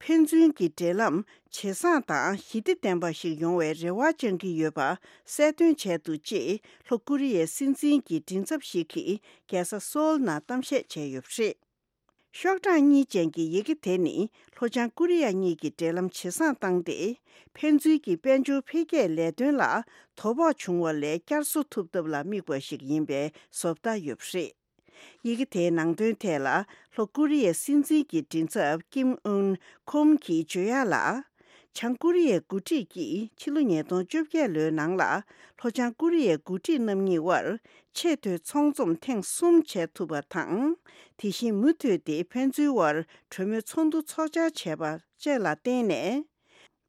ཕན་ཚུན་གྱི་འབྲེལ་ལམ་ཇེ་བཟང་དང་ཞི་བདེ་ལྡན་པ་ཞིག་ཡོང་བའི་རེ་བ་བཅང་གི་ཡོད་པ་གསལ་སྟོན་བྱས་འདུག་ཅེས་ལྷོ་ཀོ་རི་ཡའི་སྲིད་འཛིན་གྱི་མགྲིན་ཚབ་ཞིག་གིས་རྒྱལ་ས་སོའུལ་ནང་གཏམ་བཤད་བྱས་ཡོད་པ་རེད། ཤོག་གྲངས་གཉིས་ཅན་གྱི་ཡི་གེ་དེ་ནི་ལྷོ་བྱང་ཀོ་རི་ཡ་གཉིས་ཀྱི་འབྲེལ་ལམ་ཇེ་བཟང་བཏང་སྟེ། ཕན་ཚུན་གྱི་དཔལ་འབྱོར་འཕེལ་རྒྱས་ལས་དོན་ལ་དོ་ཕོག་བྱུང་བ་ལས་བསྐྱར་གསོ་ཐུབ་ཐབས་ལ་དམིགས་པ་ཞིག་ཡིན་པའི་བཟོ་ལྟ་ཡོད་པ་རེད། ཡི་གེ་དེའི་ནང་དོན་ཐད་ལ་ལྷོ་ཀོ་རི་ཡའི་སྲིད་འཛིན་གྱི་མགྲིན་ཚབ་ཀིམ་ཨུན་ཁོམ་གྱིས་བརྗོད་ཡག་ལ། བྱང་ཀོ་རི་ཡའི་འགོ་ཁྲིད་ཀྱིས་ཕྱི་ལོ་ཉིས་སྟོང་བཅོ་བརྒྱད་ལོའི་ནང་ལ་ལྷོ་བྱང་ཀོ་རི་ཡའི་འགོ་ཁྲིད་རྣམ་གཉིས་དབར་ཆེས་མཐོའི་ཚོང་འཛོམས་ཐེངས་གསུམ་བྱས་ཐུབ་པ་དང་། དེ་བཞིན་མུ་མཐུད་དེ་ཕན་ཚུན་དབར་གྲོས་མོལ་ཚོགས་འདུ་ཚོགས་བཅར་བྱས་པ་བཅས་ལ་བརྟེན་ནས།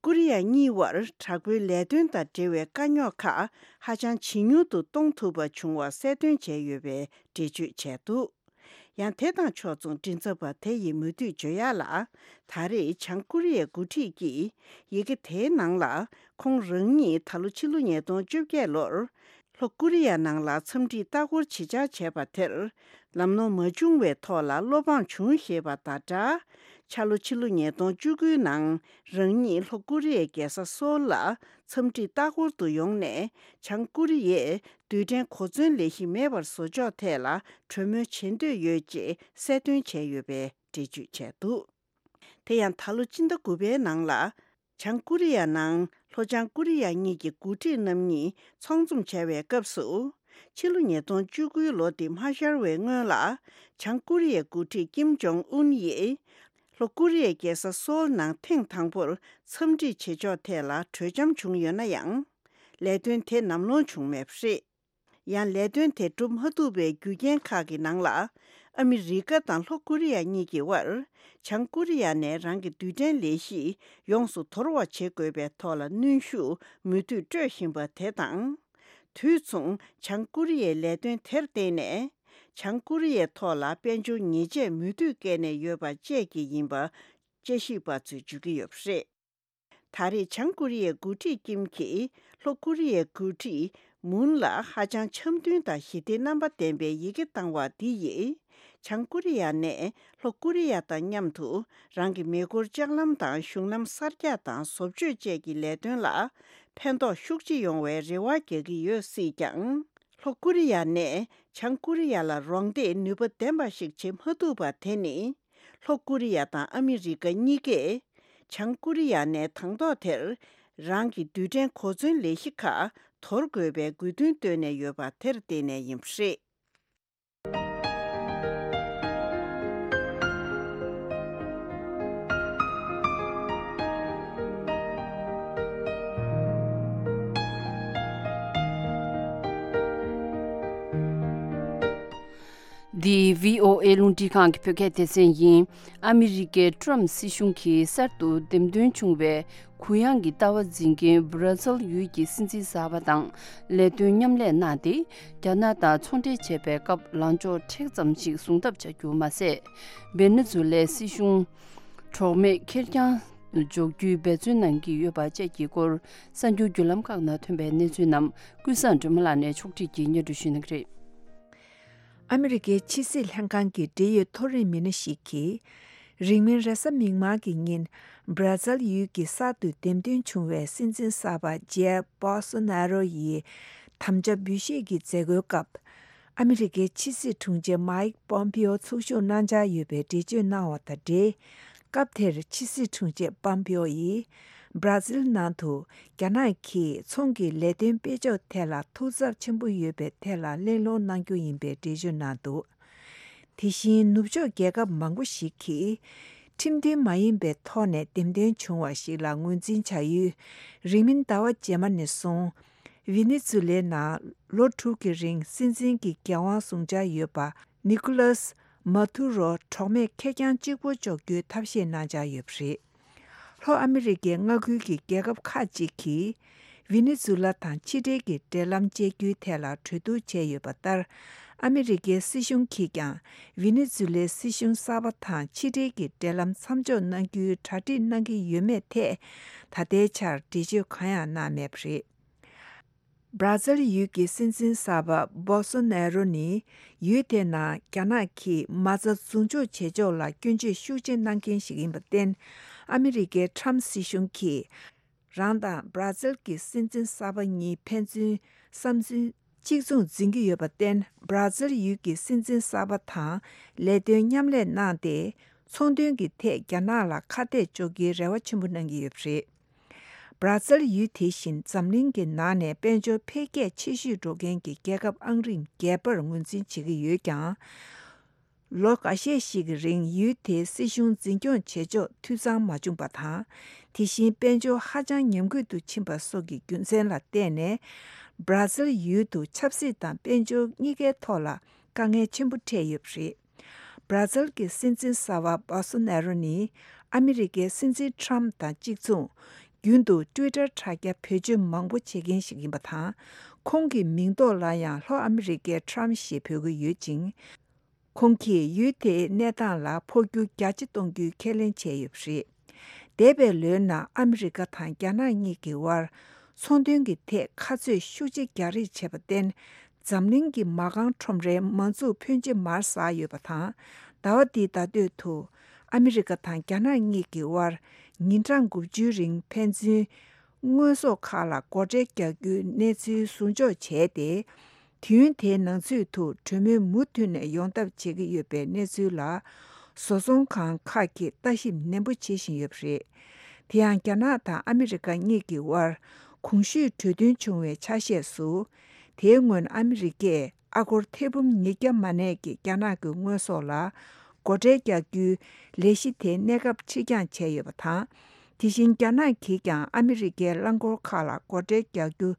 ཀོ་རི་ཡ་གཉིས་དབར་དྲག་པོའི་ལས་དོན་དང་འབྲེལ་བའི་དཀའ་རྙོག་ཁག་ཧ་ཅང་ཇེ་ཉུང་དུ་གཏོང་ཐུབ་པ་བྱུང་བ་གསལ་སྟོན་བྱས་ཡོད་པའི་འགྲེལ་བརྗོད་བྱས་འདུག་ཡང་དེ་དང་ཕྱོགས་མཚུངས་མགྲིན་ཚབ་པ་དེ་ཡིས་མུ་མཐུད་བརྗོད་ཡག་ལ། ད་རེས་བྱང་ཀོ་རི་ཡའི་འགོ་ཁྲིད་ཀྱིས་ཡི་གེ་དེའི་ནང་ལ། ཁོང་རང་ཉིད་ད་ལོ་ཕྱི་ལོ་ཉིས་སྟོང་བཅོ་བརྒྱད་ལོར་ལྷོ་ཀོ་རི་ཡ་ནང་ལ་འཚམས་འདྲིའི་ལྟ་སྐོར་ཇི་བྱར་བྱས་པ་དེར་ལམ་ལྷོང་མ་བྱུང་བའི་ཐོག་ལ་བློ་ཕམ་བྱུང་ཞེས་པ་དང་སྦྲགས། འཆར་ལོ་ཕྱི་ལོ་ཉིས་སྟོང་བཅུ་དགུའི་ནང་རང་ཉིད་ལྷོ་ཀོ་རི་ཡའི་རྒྱལ་ས་སོལ་ལ་འཚམས་འདྲིའི་ལྟ་སྐོར་དུ་ཡོང་ནས། བྱང་ཀོ་རི་ཡས་རྡུལ་ཕྲན་གོ་མཚོན་ལས་གཞི་མེད་པར་བཟོ་ཕྱོགས་ཐད་ལ་གྲོས་མོལ་བྱེད་འདོད་ཡོད་ཅེས་གསལ་སྟོན་བྱས་ཡོད་པའི་འགྲེལ་བརྗོད་བྱས་འདུག་དེ་ཡང་ད་ལོ་སྤྱི་ཟླ་དགུ་པའི་ནང་ལ། བྱང་ཀོ་རི་ཡ་ནང་ལྷོ་བྱང་ཀོ་རི་ཡ་གཉིས་ཀྱི་འགོ་ཁྲིད་རྣམ་གཉིས་ཚོགས་འཛོམས་བྱ་བའི་སྐབས་སུ། ཕྱི་ལོ་ཉིས་སྟོང་བཅུ་དགུའི་ལོ་འདི་མ་ཤར་བའི་སྔོན་ལ། བྱང་ཀོ་རི་ཡའི་འགོ་ཁྲིད་ཀིམ་ཇོང་ཨུན་ཡིས། ལྷོ་ཀོ་རི་ཡའི་རྒྱལ་ས་སོལ་ནང་ཐེངས་དང་པོར་འཚམས་འདྲི་བྱེད་ཕྱོགས་ཐད་ལ་གྲོས་འཆམ་བྱུང་ཡོད་ན་ཡང་། ལས་དོན་དེ་ནམ་ལངས་བྱུང་མེད་པ་རེད། ཡང་ལས་དོན་དེ་འགྲུབ་མ་ཐུབ་པའི་རྒྱུ་རྐྱེན་ཁག་གི་ནང་ལ། ཨ་མི་རི་ཀ་དང་ལྷོ་ཀོ་རི་ཡ་གཉིས་ཀྱི་དབར། བྱང་ཀོ་རི་ཡ་ནས་རང་གི་རྡུལ་ཕྲན་ལས་གཞི་ཡོངས་སུ་དོར་བ་བྱེད་དགོས་པའི་ཐོག་ལ་གནོན་ཤུགས་མུ་མཐུད་སྤྲོད་བཞིན་པ་དེ་དང་། དུས་མཚུངས་བྱང་ཀོ་རི་ཡའི་ལས་དོན་དེར་བརྟེན་ནས། བྱང་ཀོ་རི་ཡའི་ཐོག་ལ་དཔལ་འབྱོར་ཉེས་ཆད་མུ་མཐུད་བཀལ་ནས་ཡོད་པ་བཅས་ཀྱི་ཡིན་པ། དཔྱད་ཞིབ་པ་ཚོས་བརྗོད་ཀྱི་ཡོད་པ་རེད། ད་རེས་བྱང་ཀོ་རི་ཡའི་འགོ་ཁྲིད་ཀིམ་གྱིས་ལྷོ་ཀོ་རི་ཡའི་འགོ་ཁྲིད་མུན་ལ་ཧ་ཅང་འཆམ་མཐུན་དང་ཞི་བདེའི་རྣམ་པ་ལྡན་པའི་ཡི་གེ་བཏང་བ་འདི་ཡིས། བྱང་ཀོ་རི་ཡ་ནས་ལྷོ་ཀོ་རི་ཡ་དང་མཉམ་དུ་རང་གི་མེ་འཁོར་ལྕགས་ལམ་དང་གཞུང་ལམ་གསར་རྒྱག་དང་བཟོ་བཅོས་བཅས་ཀྱི་ལས་དོན་ལ་ཕན་ཐོགས་ཤུགས་ཆེ་ཡོང་བའི་རེ་བ་རྒྱག་གི་ཡོད་སྲིད་ཀྱང་། ལྷོ་ཀོ་རི་ཡ་ནས་བྱང་ཀོ་རི་ཡ་ལ་རོགས་འདེགས་ནུས་པ་ལྡན་པ་ཞིག་བྱེད་མ་ཐུབ་པ་དེ་ནི། ལྷོ་ཀོ་རི་ཡ་དང་ཨ་མི་རི་ཀ་གཉིས་ཀས། བྱང་ཀོ་རི་ཡ་ནས་དང་ཐོག་དེར་རང་གི་རྡུལ་ཕྲན་གོ་མཚོན་ལས་གཞི་ཁག་དོར་དགོས་པའི་དགོས་འདུན་བཏོན་ནས་ཡོད་པ་དེར་བརྟེན་ནས་ཡིན་པ་རེད། འདི་བྷི་ཨོ་ཨེ་རླུང་འཕྲིན་ཁང་གི་བོད་སྐད་སྡེ་ཚན་ཡིན། ཨ་མི་རི་ཀའི་ཏྲམ་སྲིད་གཞུང་གིས་གསར་དུ་འདེམས་ཐོན་བྱུང་བའི་གུ་ཡངས་ཀྱི་ལྟ་བ་འཛིན་མཁན་བྷ་ར་ཛིལ་ཡུལ་གྱི་སྲིད་འཛིན་གསར་པ་དང་ལས་དོན་མཉམ་ལས་གནང་སྟེ། རྒྱ་ནག་དང་ཚོང་འབྲེལ་བྱེད་པའི་སྐབས་ལངས་ཕྱོགས་མཁྲེགས་ཙམ་ཞིག་བཟུང་ཐབས་བྱ་རྒྱུ་མ་ཟད། ཝེ་ནེ་ཛུ་ལའི་སྲིད་གཞུང་གྲོགས་མེད་ཁེར་རྐྱང་དུ་འཇོག་རྒྱུའི་འབད་བརྩོན་གནང་གི་ཡོད་པ་བཅས་ཀྱི་སྐོར་གསར་འགྱུར་བརྒྱུད་ལམ་ཁག་ནང་ཐོན་པའི་གནས་ཚུལ་རྣམས་ཀུན་བཟང་སྒྲོལ་མ་ལགས་ནས་ཕྱོགས་སྒྲིག་གིས་སྙན་སྒྲོན་ཞུ་གནང་གི་རེད། ཨ་མི་རི་ཀའི་ཕྱི་སྲིད་ལྷན་ཁང་གི་འབྲེལ་ཡོད་མཐོ་རིམ་མི་སྣ་ཞིག་གིས། རིང་མིན་རེས་གཟའ་མིག་དམར་གྱི་ཉིན། བྷ་ར་ཛིལ་ཡུལ་གྱི་གསར་དུ་འདེམས་ཐོན་བྱུང་བའི་སྲིད་འཛིན་གསར་པ་ཇེར་བྷོལ་སོ་ནེ་རོ་ཡི་དམ་བཅའ་འབུལ་བཞེས་ཀྱི་མཛད་སྒོའི་སྐབས། ཨ་མི་རི་ཀའི་ཕྱི་སྲིད་དྲུང་ཆེ་མའིག་པོམ་པིའོ་ཚུར་ཞུགས་གནང་འཆར་ཡོད་པའི་འགྲེལ་བརྗོད་གནང་བ་དང་འབྲེལ། སྐབས་དེར་ཕྱི་སྲིད་དྲུང་ཆེ་པོམ་པིའོ་ཡིས། བྷ་ར་ཛིལ་ནང་དུ་རྒྱ་ནག་གིས་ཚོང་གི་ལས་དོན་སྤེལ་ཕྱོགས་ཐད་ལ་ཐུགས་འཚབ་ཆེན་པོ་ཡོད་པའི་ཐད་ལ་གླེང་སློང་གནང་རྒྱུ་ཡིན་པའི་འགྲེལ་བརྗོད་གནང་འདུག་དེ་བཞིན་ནུབ་ཕྱོགས་རྒྱལ་ཁབ་མང་པོ་ཞིག་གིས་ཁྲིམས་མཐུན་མ་ཡིན་པའི་ཐོག་ནས་འདེམས་ཐོན་བྱུང་བ་ཞིག་ལ་ངོས་འཛིན་བྱ་ཡུལ། རིང་མིན་ཟླ་བ་རྗེས་མ་ནས་བཟུང་། ཝེ་ནེ་ཛུ་ལའི་ནང་ལོ་དྲུག་གི་རིང་སྲིད་འཛིན་གྱི་འགན་དབང་བཟུང་འཆར་ཡོད་པ། ནི་ཀོ་ལཱས་མ་ཐུ་རོ་གྲོགས་མེད་ཁེར་རྐྱང་གཅིག་པུ་འཇོག་རྒྱུའི་ཐབས་ཤེས་གནང་འཆར་ཡོད་པ་རེད། ལྷོ་ཨ་མི་རི་ཀའི་མངའ་ཁུལ་གྱི་རྒྱལ་ཁབ་ཁག་ཅིག་གིས། ཝེ་ནེ་ཛུ་ལ་དང་ཕྱི་འབྲེལ་གྱི་འབྲེལ་ལམ་བཅད་རྒྱུའི་ཐད་ལ་གྲོས་བསྡུར་བྱས་ཡོད་པ་ལྟར། ཨ་མི་རི་ཀའི་སྲིད་གཞུང་གིས་ཀྱང་། ཝེ་ནེ་ཛུ་ལའི་སྲིད་གཞུང་གསར་པ་དང་ཕྱི་འབྲེལ་གྱི་འབྲེལ་ལམ་མཚམས་འཇོག་གནང་རྒྱུའི་གྲ་སྒྲིག་གནང་གི་ཡོད་མེད་ཐད། ད་ལྟའི་ཆར་འགྲེལ་བརྗོད་གང་ཡང་གནང་མེད་པ་རེད། བྷ་ར་ཛིལ་ཡུལ་གྱི་སྲིད་འཛིན་གསར་པ་བྷོལ་སོ་ནེ་རོ་ནི། ཡུལ་དེའི་ནང་རྒྱ་ནག་གིས་མ་རྩ་འཛུགས་འཇོག་བྱེད་ཕྱོགས་ལ་སྐྱོན་བརྗོད་ཤུགས་ཆེ་གནང་མཁན་ཞིག་ཡིན་པར་བརྟེན། ཨ་མི་རི་ཀའི་ཁྲམ་སྲིད་གཞུང་གིས། རང་དང་བྷ་ར་ཛིལ་གྱི་སྲིད་འཛིན་གསར་པ་གཉིས་ཕན་ཚུན་བསམ་ཚུལ་གཅིག་མཚུངས་འཛིན་གྱི་ཡོད་པར་བརྟེན། བྷ་ར་ཛིལ་ཡུལ་གྱི་སྲིད་འཛིན་གསར་པ་དང་ལས་དོན་མཉམ་ལས་གནང་སྟེ། ཚོང་དོན་གྱི་ཐད་རྒྱ་ནག་ལ་ཁ་གཏད་གཅོག་རྒྱུའི་རེ་བ་ཆེན་པོ་གནང་གི་ཡོད་པ་རེད། བྷ་ར་ཛིལ་ཡུལ་དེ་བཞིན་འཛམ་གླིང་གི་ནང་ནས་དཔལ་འབྱོར་འཕེལ་རྒྱས་ཆེ་ཤོས་འགྲོ་མཁན་གྱི་རྒྱལ་ཁབ་ཨང་རིམ་བརྒྱད་པར་ངོས་འཛིན་བྱེད་ཀྱི་ཡོད་ཀྱང་། ལོ་འགའ་ཤས་ཤིག་གི་རིང་ཡུལ་དེའི་སྲིད་གཞུང་འཛིན་སྐྱོང་བྱེད་ཕྱོགས་འཐུས་ཚང་མ་བྱུང་བ་དང་། དེ་བཞིན་དཔལ་འབྱོར་ཧ་ཅང་ཉམས་རྒུད་དུ་ཕྱིན་པ་སོགས་ཀྱི་རྒྱུ་མཚན་ལ་བརྟེན་ནས། སྦྲ་ཛིལ་ཡུལ་དུ་ཆབ་སྲིད་དང་དཔལ་འབྱོར་གཉིས་ཀའི་ཐོག་ལ་དཀའ་ངལ་ཆེན་པོ་འཕྲད་ཡོད་པ་རེད། སྦྲ་ཛིལ་གྱི་སྲིད་འཛིན་གསར་པ་བྷོལ་སོ་ནེ་རོ་ནི་ཨ་མི་རི་ཀའི་སྲིད་འཛིན་ཁྲམ་དང་གཅིག་མཚུངས། རྒྱུན་དུ་ཊུའི་ཊར་དྲ་རྒྱ་བེད་སྤྱོད་མང་པོ་བྱེད་མཁན་ཞིག་ཡིན་པ་དང་། ཁོང་གི་མིང་ཐོག་ལ་ཡང་ལྷོ་ཨ་མི་རི་ཀའི་ཁྲམ་ཞེས་འབོད་ཀྱི་ཡོད་ཅིང་། ཁོང་གིས་ཡུལ་དེའི་གནས་སྟངས་ལ་འཕོ་འགྱུར་རྒྱ་ཆེ་གཏོང་རྒྱུའི་ཁས་ལེན་བྱས་ཡོད་པ་རེད། འདས་པའི་ལོའི་ནང་ཨ་མི་རི་ཀ་དང་རྒྱ་ནག་གཉིས་ཀྱི་དབར་ཚོང་དོན་གྱི་ཐད་ཁ་རྩོད་ཤུགས་ཆེ་རྒྱག་རེས་བྱས་པར་བརྟེན། འཛམ་གླིང་གི་མ་རྐང་ཁྲོམ་རའི་མ་འཛུགས་ཕོན་ཆེ་མར་ཟག་ཡོད་པ་དང་། ཟླ་བ་འདིའི་ཟླ་སྟོད་དུ་ཨ་མི་རི་ཀ་དང་རྒྱ་ནག་གཉིས་ཀྱི་དབར་ཉིན་གྲངས་དགུ་བཅུའི་རིང་ཕན་ཚུན་དངོས་ཟོག་ཁག་ལ་སྒོ་ཁྲལ་རྒྱག་རྒྱུའི་གནས་ཚུལ་ཟུར་འཇོག་བྱས་ཏེ། དུས་ཡུན་དེའི་ནང་ཚུད་དུ་གྲོས་མོལ་མུ་མཐུད་ནས་ཡོང་ཐབས་བྱེད་ཀྱི་ཡོད་པའི་གནས་ཚུལ་ལ། བཟོ་ཚོང་ཁང་ཁག་གིས་ལྟ་ཞིབ་ནན་པོ་བྱེད་བཞིན་ཡོད་པ་རེད། དེ་ཡང་རྒྱ་ནག་དང་ཨ་མི་རི་ཀ་གཉིས་ཀྱི་དབར་གོང་ཞུས་གྲོས་མཐུན་བྱུང་བའི་ཆ་ཤས་སུ། དེའི་སྔོན་ཨ་མི་རི་ཀས་ཨ་སྒོར་ཐེར་འབུམ་ཉིས་བརྒྱ་མ་གནས་ཀྱི་རྒྱ་ནག་གི་དངོས་ཟོག་ལ་སྒོ་ཁྲལ་རྒྱག་རྒྱུའི་ལས་གཞི་དེ་གནས་སྐབས་ཕྱིར་འགྱངས་བྱས་ཡོད་པ་དང་། དེ་བཞིན་རྒྱ་ནག་གིས་ཀྱང་ཨ་མི་རི་ཀའི་རླངས་འཁོར་ཁག་ལ་སྒོ་ཁྲལ་རྒྱག་རྒྱུ་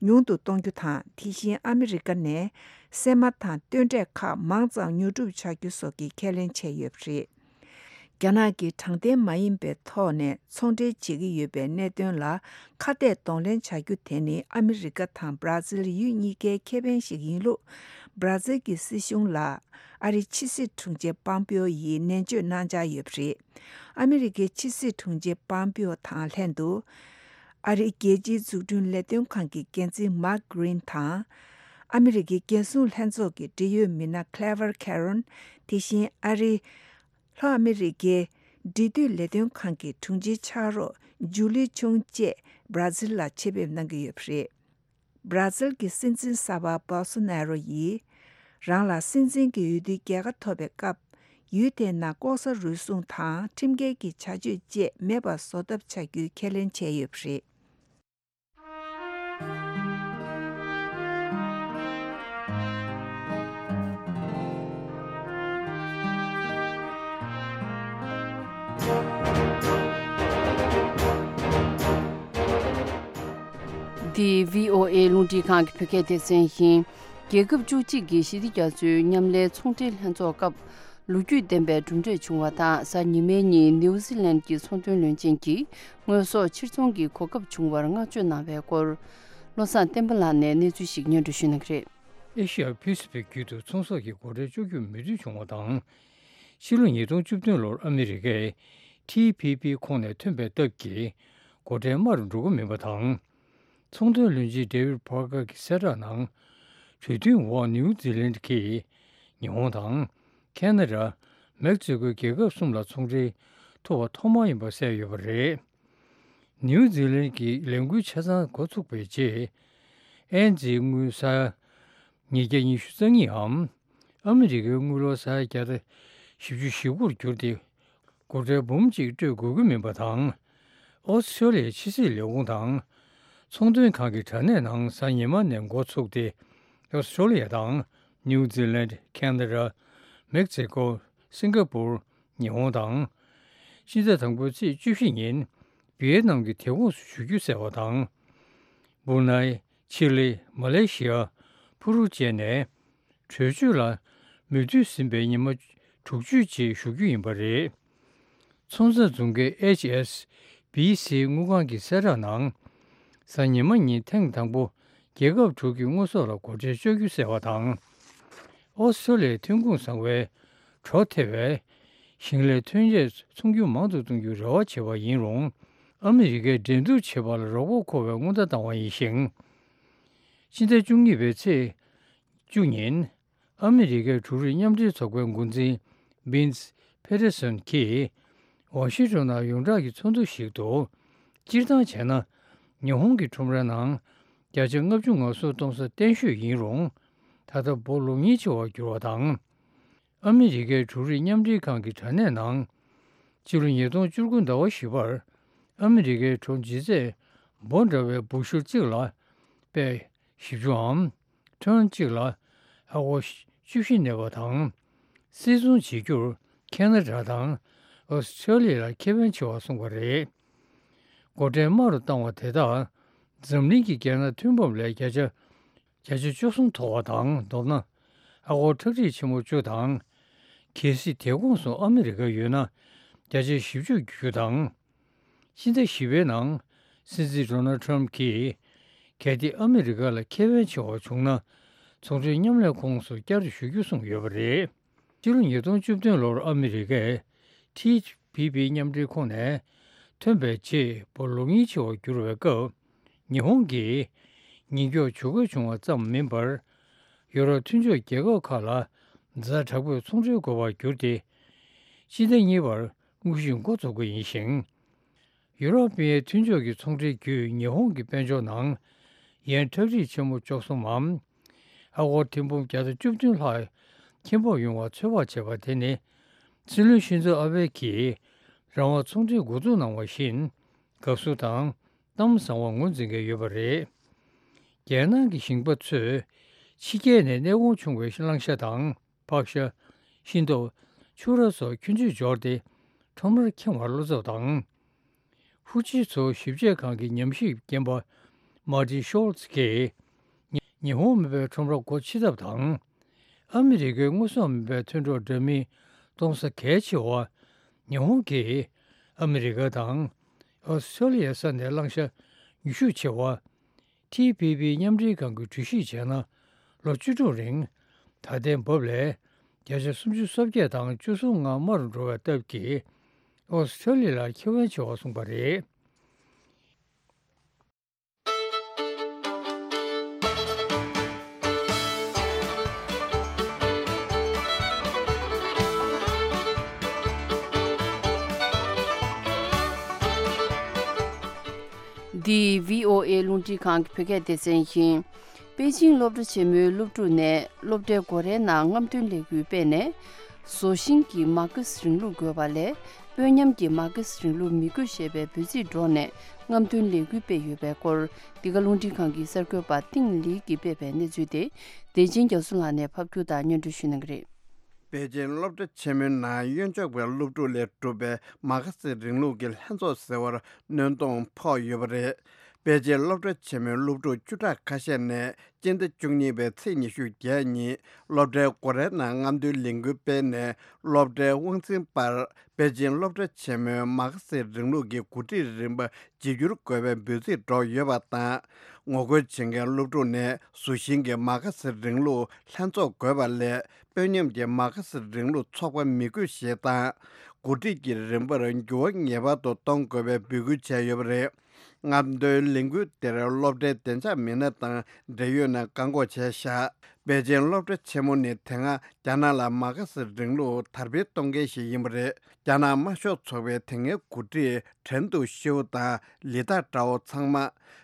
ཉུང་དུ་གཏོང་རྒྱུ་དང་། དེ་བཞིན་ཨ་མི་རི་ཀ་ནས་སྲན་མ་དང་སྟོན་འབྲས་ཁག་མང་ཙམ་ཉོ་སྒྲུབ་བྱ་རྒྱུ་སོགས་ཀྱི་ཁས་ལེན་བྱས་ཡོད་པ་རེད། རྒྱ་ནག་གིས་དྲང་བདེན་མ་ཡིན་པའི་ཐོག་ནས་ཚོང་འབྲེལ་བྱེད་ཀྱི་ཡོད་པའི་གནད་དོན་ལ་ཁ་གཏད་གདོང་ལེན་བྱ་རྒྱུ་དེ་ནི་ཨ་མི་རི་ཀ་དང་སྦྲ་ཛིལ་ཡུལ་གཉིས་ཀའི་ཁེ་ཕན་ཞིག་ཡིན་ལུགས། སྦྲ་ཛིལ་གྱི་སྲིད་གཞུང་ལ་ཨ་རིའི་ཕྱི་སྲིད་དྲུང་ཆེ་པམ་པེའོ་ཡིས་ནན་བརྗོད་གནང་འཆར་ཡོད་པ་རེད། ཨ་མི་རི་ཀའི་ཕྱི་སྲིད་དྲུང་ཆེ་པམ་པེའོ་དང་ལྷན་དུ། ཨ་རིའི་རྒྱལ་སྤྱིའི་འཛུགས་སྐྲུན་ལས་དོན་ཁང་གི་འགན་འཛིན་མཱག་ཀྲིན་དང་། ཨ་མི་རི་ཀའི་རྒྱལ་སྲུང་ལྷན་ཚོགས་ཀྱི་འབྲེལ་ཡོད་མི་སྣ་ཀླེ་ཝར་ཁེ་རོན། དེ་བཞིན་ཨ་རིའི་ལྷོ་ཨ་མི་རི་ཀའི་འབྲེལ་མཐུད་ལས་དོན་ཁང་གི་དྲུང་ཆེའི་ཕྱག་རོགས་ཇུ་ལི་ཆུང་བཅས་སྦྲ་ཛིལ་ལ་ཆེད་ཕེབས་གནང་གི་ཡོད་པ་རེད། སྦྲ་ཛིལ་གྱི་སྲིད་འཛིན་གསར་པ་བྷོལ་སོ་ནེ་རོ་ཡིས། རང་ལ་སྲིད་འཛིན་གྱི་འོས་བསྡུའི་རྒྱལ་ཁ་ཐོབ་པའི་སྐབས། ཡུལ་དེའི་ནང་ལྐོག་ཟ་རུལ་སུངས་དང་ཁྲིམས་འགལ་གྱི་བྱ་སྤྱོད་བཅས་མེད་པར་བཟོ་ཐབས་བྱ་རྒྱུའི་ཁས་ལེན་བྱས་ཡོད་པ་རེད། འདི་བྷི་ཨོ་ཨེ་རླུང་འཕྲིན་ཁང་གི་བོད་སྐད་སྡེ་ཚན་ཡིན། རྒྱལ་ཁབ་བཅུ་གཅིག་གི་ཞི་བདེ་རྒྱ་མཚོའི་མཉམ་ལས་ཚོང་འབྲེལ་ལྷན་ཚོགས་སྐབས། ལོ་རྒྱུས་ལྡན་པའི་གྲུབ་འབྲས་བྱུང་བ་དང་། གཟའ་ཉི་མའི་ཉིན་ནིའུ་ཛི་ལན་གྱི་ཚོང་དོན་བློན་ཆེན་གྱིས་དངོས་ཟོག་ཕྱིར་ཚོང་གི་གོ་སྐབས་བྱུང་བར་བསྔགས་བརྗོད་གནང་བའི་སྐོར། བློ་བཟང་བསྟན་པ་ལགས་ནས་གནས་ཚུལ་ཞིག་སྙན་སྒྲོན་ཞུ་གནང་གི་རེད། ཨེ་ཤི་ཡ་པི་སི་ཕིག་ཁུལ་དུ་ཚོང་ཟོག་གི་སྒོ་ཁྲལ་གཅོག་རྒྱུར་མོས་མཐུན་བྱུང་བ་དང་། ཕྱི་ལོ་ཉིས་སྟོང་བཅུ་བདུན་ལོར་ཨ་མི་རི་ཀས་ཊི་པི་པི་ཁོངས་ནས་ཐོན་པའི་སྟབས་ཀྱིས་སྒོ་ཁྲལ་དམའ་རུ་འགྲོ་གི་མིན་པ་དང་། ཚོང་དོན་བློན་ཆེན་ཌེ་ཝིད་པར་ཀར་གྱི་གསལ་བསྒྲགས་ནང་། གྲོས་མཐུན་འོག་ནིའུ་ཛི་ལན་གྱིས་ཉི་ཧོང་དང་། ཁེ་ན་ཌ། མེག་ཙི་ཀོའི་རྒྱལ་ཁབ་གསུམ་ལ་ཚོང་འབྲེལ་ཐུབ་པ་ཐོག་མ་ཡིན་པ་གསལ་ཡོད་པ་རེད། ནིའུ་ཛི་ལན་གྱི་ལས་འགུལ་ཆ་ཚང་འགོ་ཚུགས་པའི་རྗེས། ཨེན་ཛིའི་དངུལ་ས་ཉིས་བརྒྱ་ཉི་ཤུ་རྩ་གཉིས་འམ། ཨ་མི་རི་ཀའི་དངུལ་ལོར་ས་ཡ་བརྒྱ་དང་བཞི་བཅུ་ཞེ་དགུར་གྱུར་ཏེ། སྒོ་ཁྲལ་འབུམ་གཅིག་སྤྲོད་དགོས་ཀྱི་མིན་པ་དང་། ཨོ་སི་ཀྲོ་ལི་ཡའི་ཕྱི་སྲིད་ལས་ཁུངས་དང་། ཚོང་དོན་ཁང་གི་དྲ་གནས་ནང་གཟའ་ཉི་མ་ནས་འགོ་ཚུགས་ཏེ། ཨོ་སི་ཀྲོ་ལི་ཡ་དང་། ནིའུ་ཛི་ལན། ཁེ་ན་ཌ། མེག་ཙི་ཀོ། སིང་ག་པུར། ཉི་ཧོང་དང་། སྤྱི་ཟླ་དང་པོའི་ཚེས་བཅུ་བཞི་ཉིན། ཝི་ཡེ་ནམ་གྱི་དེད་དགོངས་སུ་ཞུ་རྒྱུ་གསལ་བ་དང་། སྦུར་ནའི། ཆི་ལི། མ་ལེ་ཤི་ཡ། ཕུ་རུ་བཅས་ནས། གྲོས་ཆོད་ལ་མོས་མཐུན་ཟིན་པའི་ཉི་མ་དྲུག་ཅུ་རྗེས་ཞུ་རྒྱུ་ཡིན་པ་རེད། ཚོང་རྩ་འཛུགས་མཁན་ཨེཆ་ཨེས་བི་སི་དངུལ་ཁང་གི་གསལ་བསྒྲགས་ནང་། གཟའ་ཉི་མ་ཉིན་ཐེངས་དང་པོ་རྒྱལ་ཁབ་དྲུག་གི་དངོས་ཟོག་ལ་སྒོ་ཁྲལ་གཅོག་རྒྱུ་གསལ་བ་དང་། ཨོ་སི་ཀྲོ་ལི་ཡའི་ཐོན་ཁུངས་བཟང་བའི་གྲོ་ཐེ་བའི་ཞིང་ལས་ཐོན་རྫས་ཚོང་རྒྱུ་མང་དུ་གཏོང་རྒྱུའི་རེ་བ་བྱས་པ་ཡིན་རུང་། ཨ་མི་རི་ཀས་འགྲན་བསྡུར་བྱེད་པ་ལ་རོགས་པ་མཁོ་བའི་སྔོན་བརྡ་བཏང་བ་ཡིན་ཞིང་། ཕྱི་ཟླ་བཅུ་གཉིས་པའི་ཚེས་བཅུ་ཉིན། ཨ་མི་རི་ཀའི་འབྲུ་རིགས་མཉམ་འབྲེལ་ཚོགས་པའི་འགོ་འཛིན་བིན་སི་ཕེ་ཏེར་སོན་གྱིས་ཝ་ཤིང་ཊོན་ནང་ཡོངས་གྲགས་ཀྱི་ཚོགས་འདུ་ཞིག་ཏུ། སྤྱིར་བཏང་བྱས་ན། ཉི་ཧོང་གི་ཁྲོམ་རའི་ནང་བརྒྱ་ཆ་ལྔ་བཅུ་ང་གསུམ་གཏོང་ས་བརྟན་ཤོས་ཡིན་རུང་། ད་ལྟ་འབོ་ལོག་ཉེན་ཆེ་བར་གྱུར་བ་དང་། ཨ་མི་རི་ཀའི་འབྲུ་རིགས་མཉམ་འབྲེལ་ཁང་གི་དྲ་གནས་ནང་། ཕྱི་ལོ་ཉིས་སྟོང་བཅུ་དགུ་ཟླ་བ་བཞི་པར། ཨ་མི་རི་ཀའི་གྲོ་ལྗིད་ཚད་འབོ་འདྲ་བའི་འབུ་ཤུལ་གཅིག་ལ་པད་བཞི་བཅུའམ། ཊོན་གཅིག་ལ་ཨ་སྒོར་བཅུ་བཞི་གནས་པ་དང་། སིལ་ཚོང་བྱེད་རྒྱུར་ཁེ་ན་ཌ་དང་ཨོ་སི་ཁྲེ་ལི་ཡ་ལ་ཁེ་ཕན་ཆེ་བ་གསུངས་པ་རེད། སྒོ་ཁྲལ་དམའ་རུ་བཏང་བ་དེ་དག་འཛམ་གླིང་གི་རྒྱལ་ནང་མཐུན་ཕམ་ལས་བརྒྱ་ཆ་བརྒྱ་ཆ་བཅུ་གསུམ་མཐོ་བ་དང་། མདོར་ན། ཨ་སྒོར་ཁྲག་ཁྲིག་ཆེན་མོ་བཅུ་དང་། གལ་སྲིད་དེ་གོང་སུ་ཨ་མི་རི་ཀ་ཡོད་ན་བརྒྱ་ཆ་བཞི་བཅུ་བརྒྱུད་རྒྱུ་དང་། སྤྱི་ཟླ་བཞི་པའི་ནང་སྲིད་འཛིན་ཌོ་ནལ་ཌི་ཊརམ་ཕི་གྱིས། གལ་ཏེ་ཨ་མི་རི་ཀ་ལ་ཁེ་ཕན་ཆེ་བ་བྱུང་ན། ཚོང་འབྲེལ་མཉམ་ལས་ཁོངས་སུ་བསྐྱར་ཞུ་རྒྱུ་གསུངས་ཡོད་པ་རེད། ཕྱི་ལོ་ཉིས་སྟོང་བཅུ་བདུན་ལོར་ཨ་མི་རི་ཀས་ཊི་པི་པི་མཉམ་འབྲེལ་ཁོངས་ནས་ཐོན་པའི་རྗེས་ལོ་ལོ་ཉེར་ལྔ་བར་གྱུར་བའི་སྐབས། ཉི་ཧོང་གིས་ཉེན་སྐྱོབ་ཇུས་འགོད་བྱུང་བ་ཙམ་མིན་པར། ཡོ་རོབ་མཐུན་ཕྱོགས་རྒྱལ་ཁབ་ཁག་ལ་ཛ་དྲག་པོས་ཚོང་འབྲེལ་དགོས་པར་གྱུར་ཏེ། སྤྱི་ཟླ་གཉིས་པར་དངོས་གཞི་འགོ་འཛུགས་ཀྱི་ཡིན་ཞིང་། ཡུ་རོབ་པའི་མཐུན་ཕྱོགས་ཀྱི་ཚོང་འབྲེལ་བརྒྱུད་ཉི་ཧོང་གི་དཔལ་འབྱོར་ནང་ཡན་ཁྲག་ཁྲིག་ཆེན་མོ་བཅུ་གསུམ་མམ། ཨ་སྒོར་ཐེར་འབུམ་བརྒྱ་དང་བཅུ་བདུན་ལྷག་ཁེ་སྤོགས་ཡོང་བ་ཚོད་དཔག་བྱས་པ་དེ་ནི། སྲིད་བློན་ཤིན་ཛོ་ཨ་བྷེ་གིས་རང་དབང་ཚོང་འབྲེལ་འགོ་འཛུགས་གནང་བ་བཞིན། དགའ་བསུ་དང་གཏམ་བཟང་བ་ངོས་འཛིན་མཁན་ཡོད་པ་རེད། རྒྱལ་ནང་གི་ཞིང་པ་ཚོས་ཕྱི་རྒྱལ་ནས་གནས་སྐོར་བྱུང་བའི་གླང་ཤ་དང་ཕག་ཤ། ཤིང་ཏོག་ཕྱུར་ར་སོགས་ཁྱུ་མཆུ་འབྱོར་ཏེ་ཁྲོམ་རར་འཁྱེར་བར་བློ་འཚབ་དང་། ཧྥུ་ཇི་མཚོ་ཞིབ་དཔྱད་ཁང་གི་ཉམས་ཞིབ་རྒན་པ་མར་ཏི་ཤོལ་ཚ་གིས། ཉི་ཉི་ཧོང་མི་སྤོས་ཁྲོམ་ར་སྒོ་ཕྱེ་ཐབས་དང་། ཨ་མི་རི་ཀའི་དངོས་ཟོག་མི་སྤོས་མཐུན་གྲོགས་འདྲ་མིན་གཏོང་ས་གལ་ཆེ་བ། ཉི་ཧོང་གིས་ཨ་མི་རི་ཀ་དང་ཨོ་སི་ཁྲེ་ལི་ཡའི་ས་ནས་གླང་ཤ་ཉུང་ཤོས་ཆེ་བ། ཊི་པི་པི་མཉམ་འབྲེལ་ཁང་གིས་གྲོས་གཞི་བྱས་ན། ལོ་བཅུ་དྲུག་རིང་ད་ལྟའི་འབབ་ལས་བརྒྱ་ཆ་སུམ་ཅུ་སོ་བརྒྱད་དང་བཅུ་གསུམ་ལྔ་དམའ་རུ་འགྲོ་བའི་སྟབས་ཀྱིས། ཨོ་སི་ཁྲེ་ལི་ཡ་ལ་ཁེ་ཕན་ཆེ་བ་གསུངས་པ་རེད། འདི་བྷི་ཨོ་ཨེ་རླུང་འཕྲིན་ཁང་གི་བོད་སྐད་སྡེ་ཚན་ཡིན། པེ་ཅིང་སློབ་གྲྭ་ཆེན་མོའི་སློབ་ཕྲུག་ནས་སློབ་གྲྭའི་སྒོ་རའི་ནང་རྔམ་སྟོན་ལས་འགུལ་སྤེལ་ནས། བཟོ་ཞིང་གི་མར་ཁེ་སི་རིང་ལུགས་དགོས་པ་ལས། དཔོན་ཉམས་ཀྱི་མར་ཁེ་སི་རིང་ལུགས་མི་དགོས་ཞེས་པའི་འབོད་ཚིག་སྒྲོག་ནས་རྔམ་སྟོན་ལས་འགུལ་སྤེལ་ཡོད་པའི་སྐོར། འདི་ག་རླུང་འཕྲིན་ཁང་གི་གསར་འགོད་པ་ཏིང་ལི་གིས་སྤེལ་བའི་གནས་ཚུལ་དེ། བདེ་ཆེན་རྒྱ་མཚོ་ལགས་ནས་ཕབ་སྒྱུར་དང་སྙན་སྒྲོན་ཞུ་གནང་གི་རེད། པེ་ཅིན་སློབ་གྲྭ་ཆེན་མོའི་ནང་གཡོན་ཕྱོགས་པའི་སློབ་ཕྲུག་ལས་གྲུབ་པའི་མར་ཁེ་སི་རིང་ལུགས་ཀྱི་ལྷན་ཚོགས་ཟེར་བར་གནོན་སྟངས་ཕོག་ཡོད་པ་རེད། པེ་ཅིན་སློབ་གྲྭ་ཆེན་མོའི་སློབ་ཕྲུག་བཅུ་ཕྲག་ཁ་ཤས་ནས་སྤྱི་ཟླ་བཅུ་གཉིས་པའི་ཚེས་ཉི་ཤུ་བརྒྱད་ཉིན་སློབ་གྲྭའི་སྒོ་རའི་ནང་རྔམ་སྟོན་ལས་འགུལ་སྤེལ་ནས། སློབ་གྲྭའི་དབང་འཛིན་པར་པེ་ཅིན་སློབ་གྲྭ་ཆེན་མོའི་མར་ཁེ་སི་རིང་ལུགས་ཀྱི་འགོ་ཁྲིད་རིམ་པ་བརྗེ་བསྒྱུར་དགོས་པའི་འབོད་ཚིག་སྒྲོག་ཡོད་པ་དང་། ངོ་རྒོལ་བྱེད་མཁན་སློབ་ཕྲུག་ནས་བཟོ་ཞིང་གི་མར་ཁེ་སི་རིང་ལུགས་ལྷན་ཚོགས་དགོས་པ་ལས། དཔོན་ཉམས་ཀྱི་མར་ཁེ་སི་རིང་ལུགས་ཚོགས་པ་མི་དགོས་ཞེས་དང་། འགོ་ཁྲིད་ཀྱི་རིམ་པར་འགྱུར་བ་ངེས་པར་དུ་གཏོང་དགོས་པའི་འབོད་སྐུལ་བྱས་ཡོད་པ་རེད། རྔམ་སྟོན་ལས་འགུལ་དེར་སློབ་གྲྭའི་བདེ་འཇགས་མི་སྣ་དང་འབྲེལ་ཡོད་ནས་བཀག་འགོག་བྱས་བཞག་པེ་ཅིན་སློབ་གྲྭ་ཆེན་མོ་ནི་དེ་སྔ་རྒྱ་ནག་ལ་མར་ཁེ་སི་རིང་ལུགས་དར་སྤེལ་གཏོང་མཁན་ཞིག་ཡིན་པ་རེད། རྒྱ་ནག་དམར་ཤོག་ཚོགས་པའི་དེ་སྔའི་འགོ་ཁྲིད་ཁྲེན་ཏུའུ་ཤིའུ་དང་ལི་ཐ་ཀྲའོ་ཚང་མ་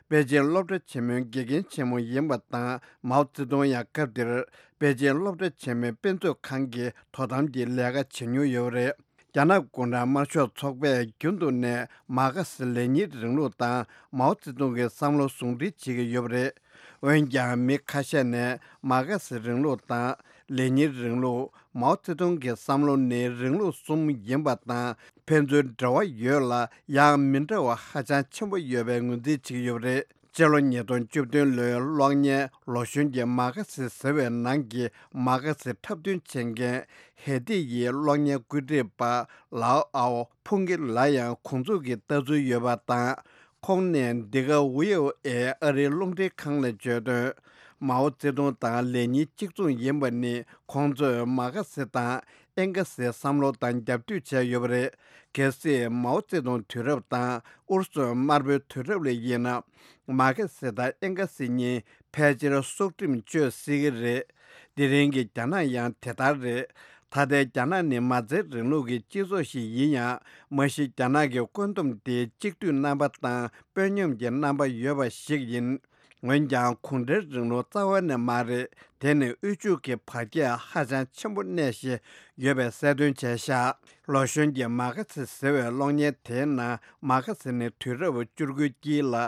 པེ་ཅིན་སློབ་གྲྭ་ཆེན་མོའི་དགེ་རྒན་ཆེན་མོ་ཡིན་པ་དང་། མའོ་ཙེ་ཏུང་ཡང་སྐབས་དེར་པེ་ཅིན་སློབ་གྲྭ་ཆེན་མོའི་དཔེ་མཛོད་ཁང་གི་དོ་དམ་གྱི་ལས་ཀ་བྱེད་མྱོང་ཡོད་པ་རེད། རྒྱ་ནག་གུང་ཁྲན་དམར་ཤོག་ཚོགས་པས་རྒྱུན་དུ་ནས་མར་ཁེ་སི་ལེ་ཉིན་རིང་ལུགས་དང་མའོ་ཙེ་ཏུང་གི་བསམ་བློ་ཟུང་འབྲེལ་བྱེད་ཀྱི་ཡོད་པ་རེད། འོན་ཀྱང་མི་ཁ་ཤས་ནས་མར་ཁེ་སི་རིང་ལུགས་དང་ལེ་ཉིན་རིང་ལུགས། མའོ་ཙེ་ཏུང་གི་བསམ་བློ་ནི་རིང་ལུགས་གསུམ་ཡིན་པ་དང་། ཕན་ཚུན་འབྲེལ་བ་ཡོད་ལ་ཡང་མི་འདྲ་བ་ཧ་ཅང་ཆེན་པོ་ཡོད་པའི་ངོས་འཛིན་བྱེད་ཀྱི་ཡོད་པ་རེད། སྤྱི་ལོ་ཉིས་སྟོང་བཅུ་བདུན་ལོའི་གློག་བརྙན་ལོ་གཞོན་གྱི་མར་ཁེ་སི་ཟེར་བའི་ནང་གི་མར་ཁེ་སི་འཁྲབ་སྟོན་བྱེད་མཁན་ཧེ་ཏི་ཡི་གློག་བརྙན་བཀོད་སྒྲིག་པ་ལའོ་ཨའོ་ཕུང་གི་ལ་ཡང་ཁོང་ཚོ་གི་ལྟ་ཚུལ་ཡོད་པ་དང་། ཁོང་ནས་འདི་ག་ཝི་ཨོ་ཨེ་ཨ་རིའི་རླུང་འཕྲིན་ཁང་ལ་བརྗོད་དོན། མའོ་ཙེ་ཏུང་དང་ལེ་ཉིན་གཅིག་མཚུངས་ཡིན་པ་ནི་ཁོང་ཚོས་མར་ཁེ་སི་དང་ཨེང་གེ་སིའི་བསམ་བློ་དང་རྒྱབ་གཏོད་བྱས་ཡོད་པ་རེད། གལ་སྲིད་མའོ་ཙེ་ཏུང་དུས་རབས་དང་ཨུ་རུ་སུ་དམར་པོའི་དུས་རབས་ལ་ཡིན་ན། མར་ཁེ་སི་དང་ཨེང་གེ་སི་གཉིས་ཕལ་ཆེར་སྲོག་ཁྲིམས་གཅོད་སྲིད་ཀྱི་རེད། དེ་རིང་གི་རྒྱ་ནག་ཡང་དེ་ལྟར་རེད། ད་ལྟའི་རྒྱ་ནག་ནི་མ་རྩའི་རིང་ལུགས་ཀྱི་སྤྱི་ཚོགས་ཤིག་ཡིན་ཡང་། མ་གཞི་རྒྱ་ནག་གི་བཀོད་འདོམས་དེ་གཅིག་སྡུད་རྣམ་པ་དང་དཔོན་ཉམས་ཀྱི་རྣམ་པ་ཡོད་པ་ཞིག་ཡིན། འོན་ཀྱང་གུང་ཁྲན་རིང་ལུགས་རྩ་བ་ནས་མ་རེད། དེ་ནི་དབུལ་ཕྱུག་གི་བར་ཁྱད་ཧ་ཅང་ཆེན་པོ་གནས་བཞིན་ཡོད་པའི་གསལ་སྟོན་བྱས་ཤག་ལོ་གཞོན་གྱི་མར་ཁེ་སི་ཟེར་བའི་གློག་བརྙན་དེའི་ནང་མར་ཁེ་སི་ནི་དུས་རབས་བཅུ་དགུའི་དཀྱིལ་ལ་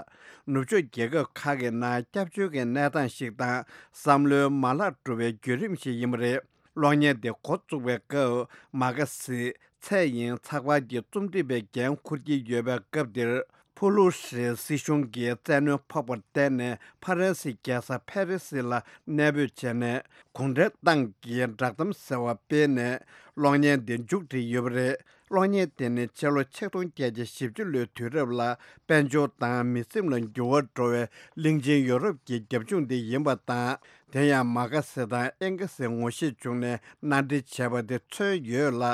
ནུབ་ཕྱོགས་རྒྱལ་ཁབ་ཁག་གི་ནང་སྐྱབས་བཅོལ་གྱི་གནས་སྟངས་ཤིག་དང་བསམ་བློའི་མ་ལག་གྲུབ་པའི་བརྒྱུད་རིམ་ཞིག་ཡིན་པ་རེད། གློག་བརྙན་དེ་འགོ་བཙུགས་པའི་སྐབས་མ་ག་སི་ཚད་ཡིན་ཚགས་པར་གྱི་རྩོམ་སྒྲིག་པའི་འགན་འཁུར་གྱི་ཡོད་པའི་སྐབས་དེར། ཕུ་ལུ་ཧྲི་སྲིད་གཞུང་གིས་བཙན་གནོན་ཕོག་པར་བརྟེན་ནས་ཕ་རན་སིའི་རྒྱལ་ས་ཕེ་རི་སི་ལ་གནས་སྤོས་བྱས་ནས། གུང་ཁྲན་ཏང་གིས་བསྒྲགས་གཏམ་ཟེར་བ་སྤེལ་ནས་གློག་བརྙན་དེ་མཇུག་སྒྲིལ་ཡོད་པ་རེད། གློག་བརྙན་དེ་ནི་ཕྱི་ལོ་ཆིག་སྟོང་བརྒྱད་བརྒྱ་བཞི་བཅུ་ལོའི་དུས་རབས་ལ་དཔལ་འབྱོར་དང་མི་སེམས་ལ་འགྱུར་བ་འགྲོ་བའི་གླིང་ཆེན་ཡོ་རོབ་ཀྱི་རྒྱབ་ལྗོངས་དེ་ཡིན་པ་དང་། དེ་ཡང་མ་ག་སི་དང་ཨེན་ག་སི་ངོ་ཤེས་བྱུང་ནས་མནའ་འབྲེལ་བྱས་པ་དེ་མཚོན་ཡོད་ལ།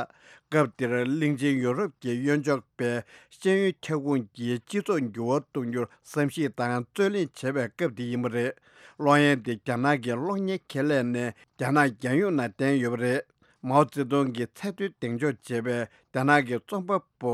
སྐབས་དེར་གླིང་ཆེན་ཡོ་རོབ་ཀྱི་གཡོན་ཕྱོགས་པས་ཤེས་ཡོན་ཁྱབ་ཁོངས་ཀྱི་སྤྱི་ཚོགས་འགྱུར་བ་གཏོང་རྒྱུར་བསམ་གཞིག་དང་རྩོད་གླེང་བྱེད་པའི་སྐབས་དེ་ཡིན་པ་རེད། གློག་བརྙན་དེ་རྒྱ་ནག་གི་གློག་བརྙན་ཁེ་ལས་ནས་རྒྱ་ནག་རྒྱལ་ཡོངས་ནང་བསྟན་ཡོད་པ་རེད། མའོ་ཙེ་ཏུང་གི་ཚད་མཐོའི་གདེང་འཇོག་བྱས་པའི་རྒྱ་ནག་གི་རྩོམ་པ་པོ་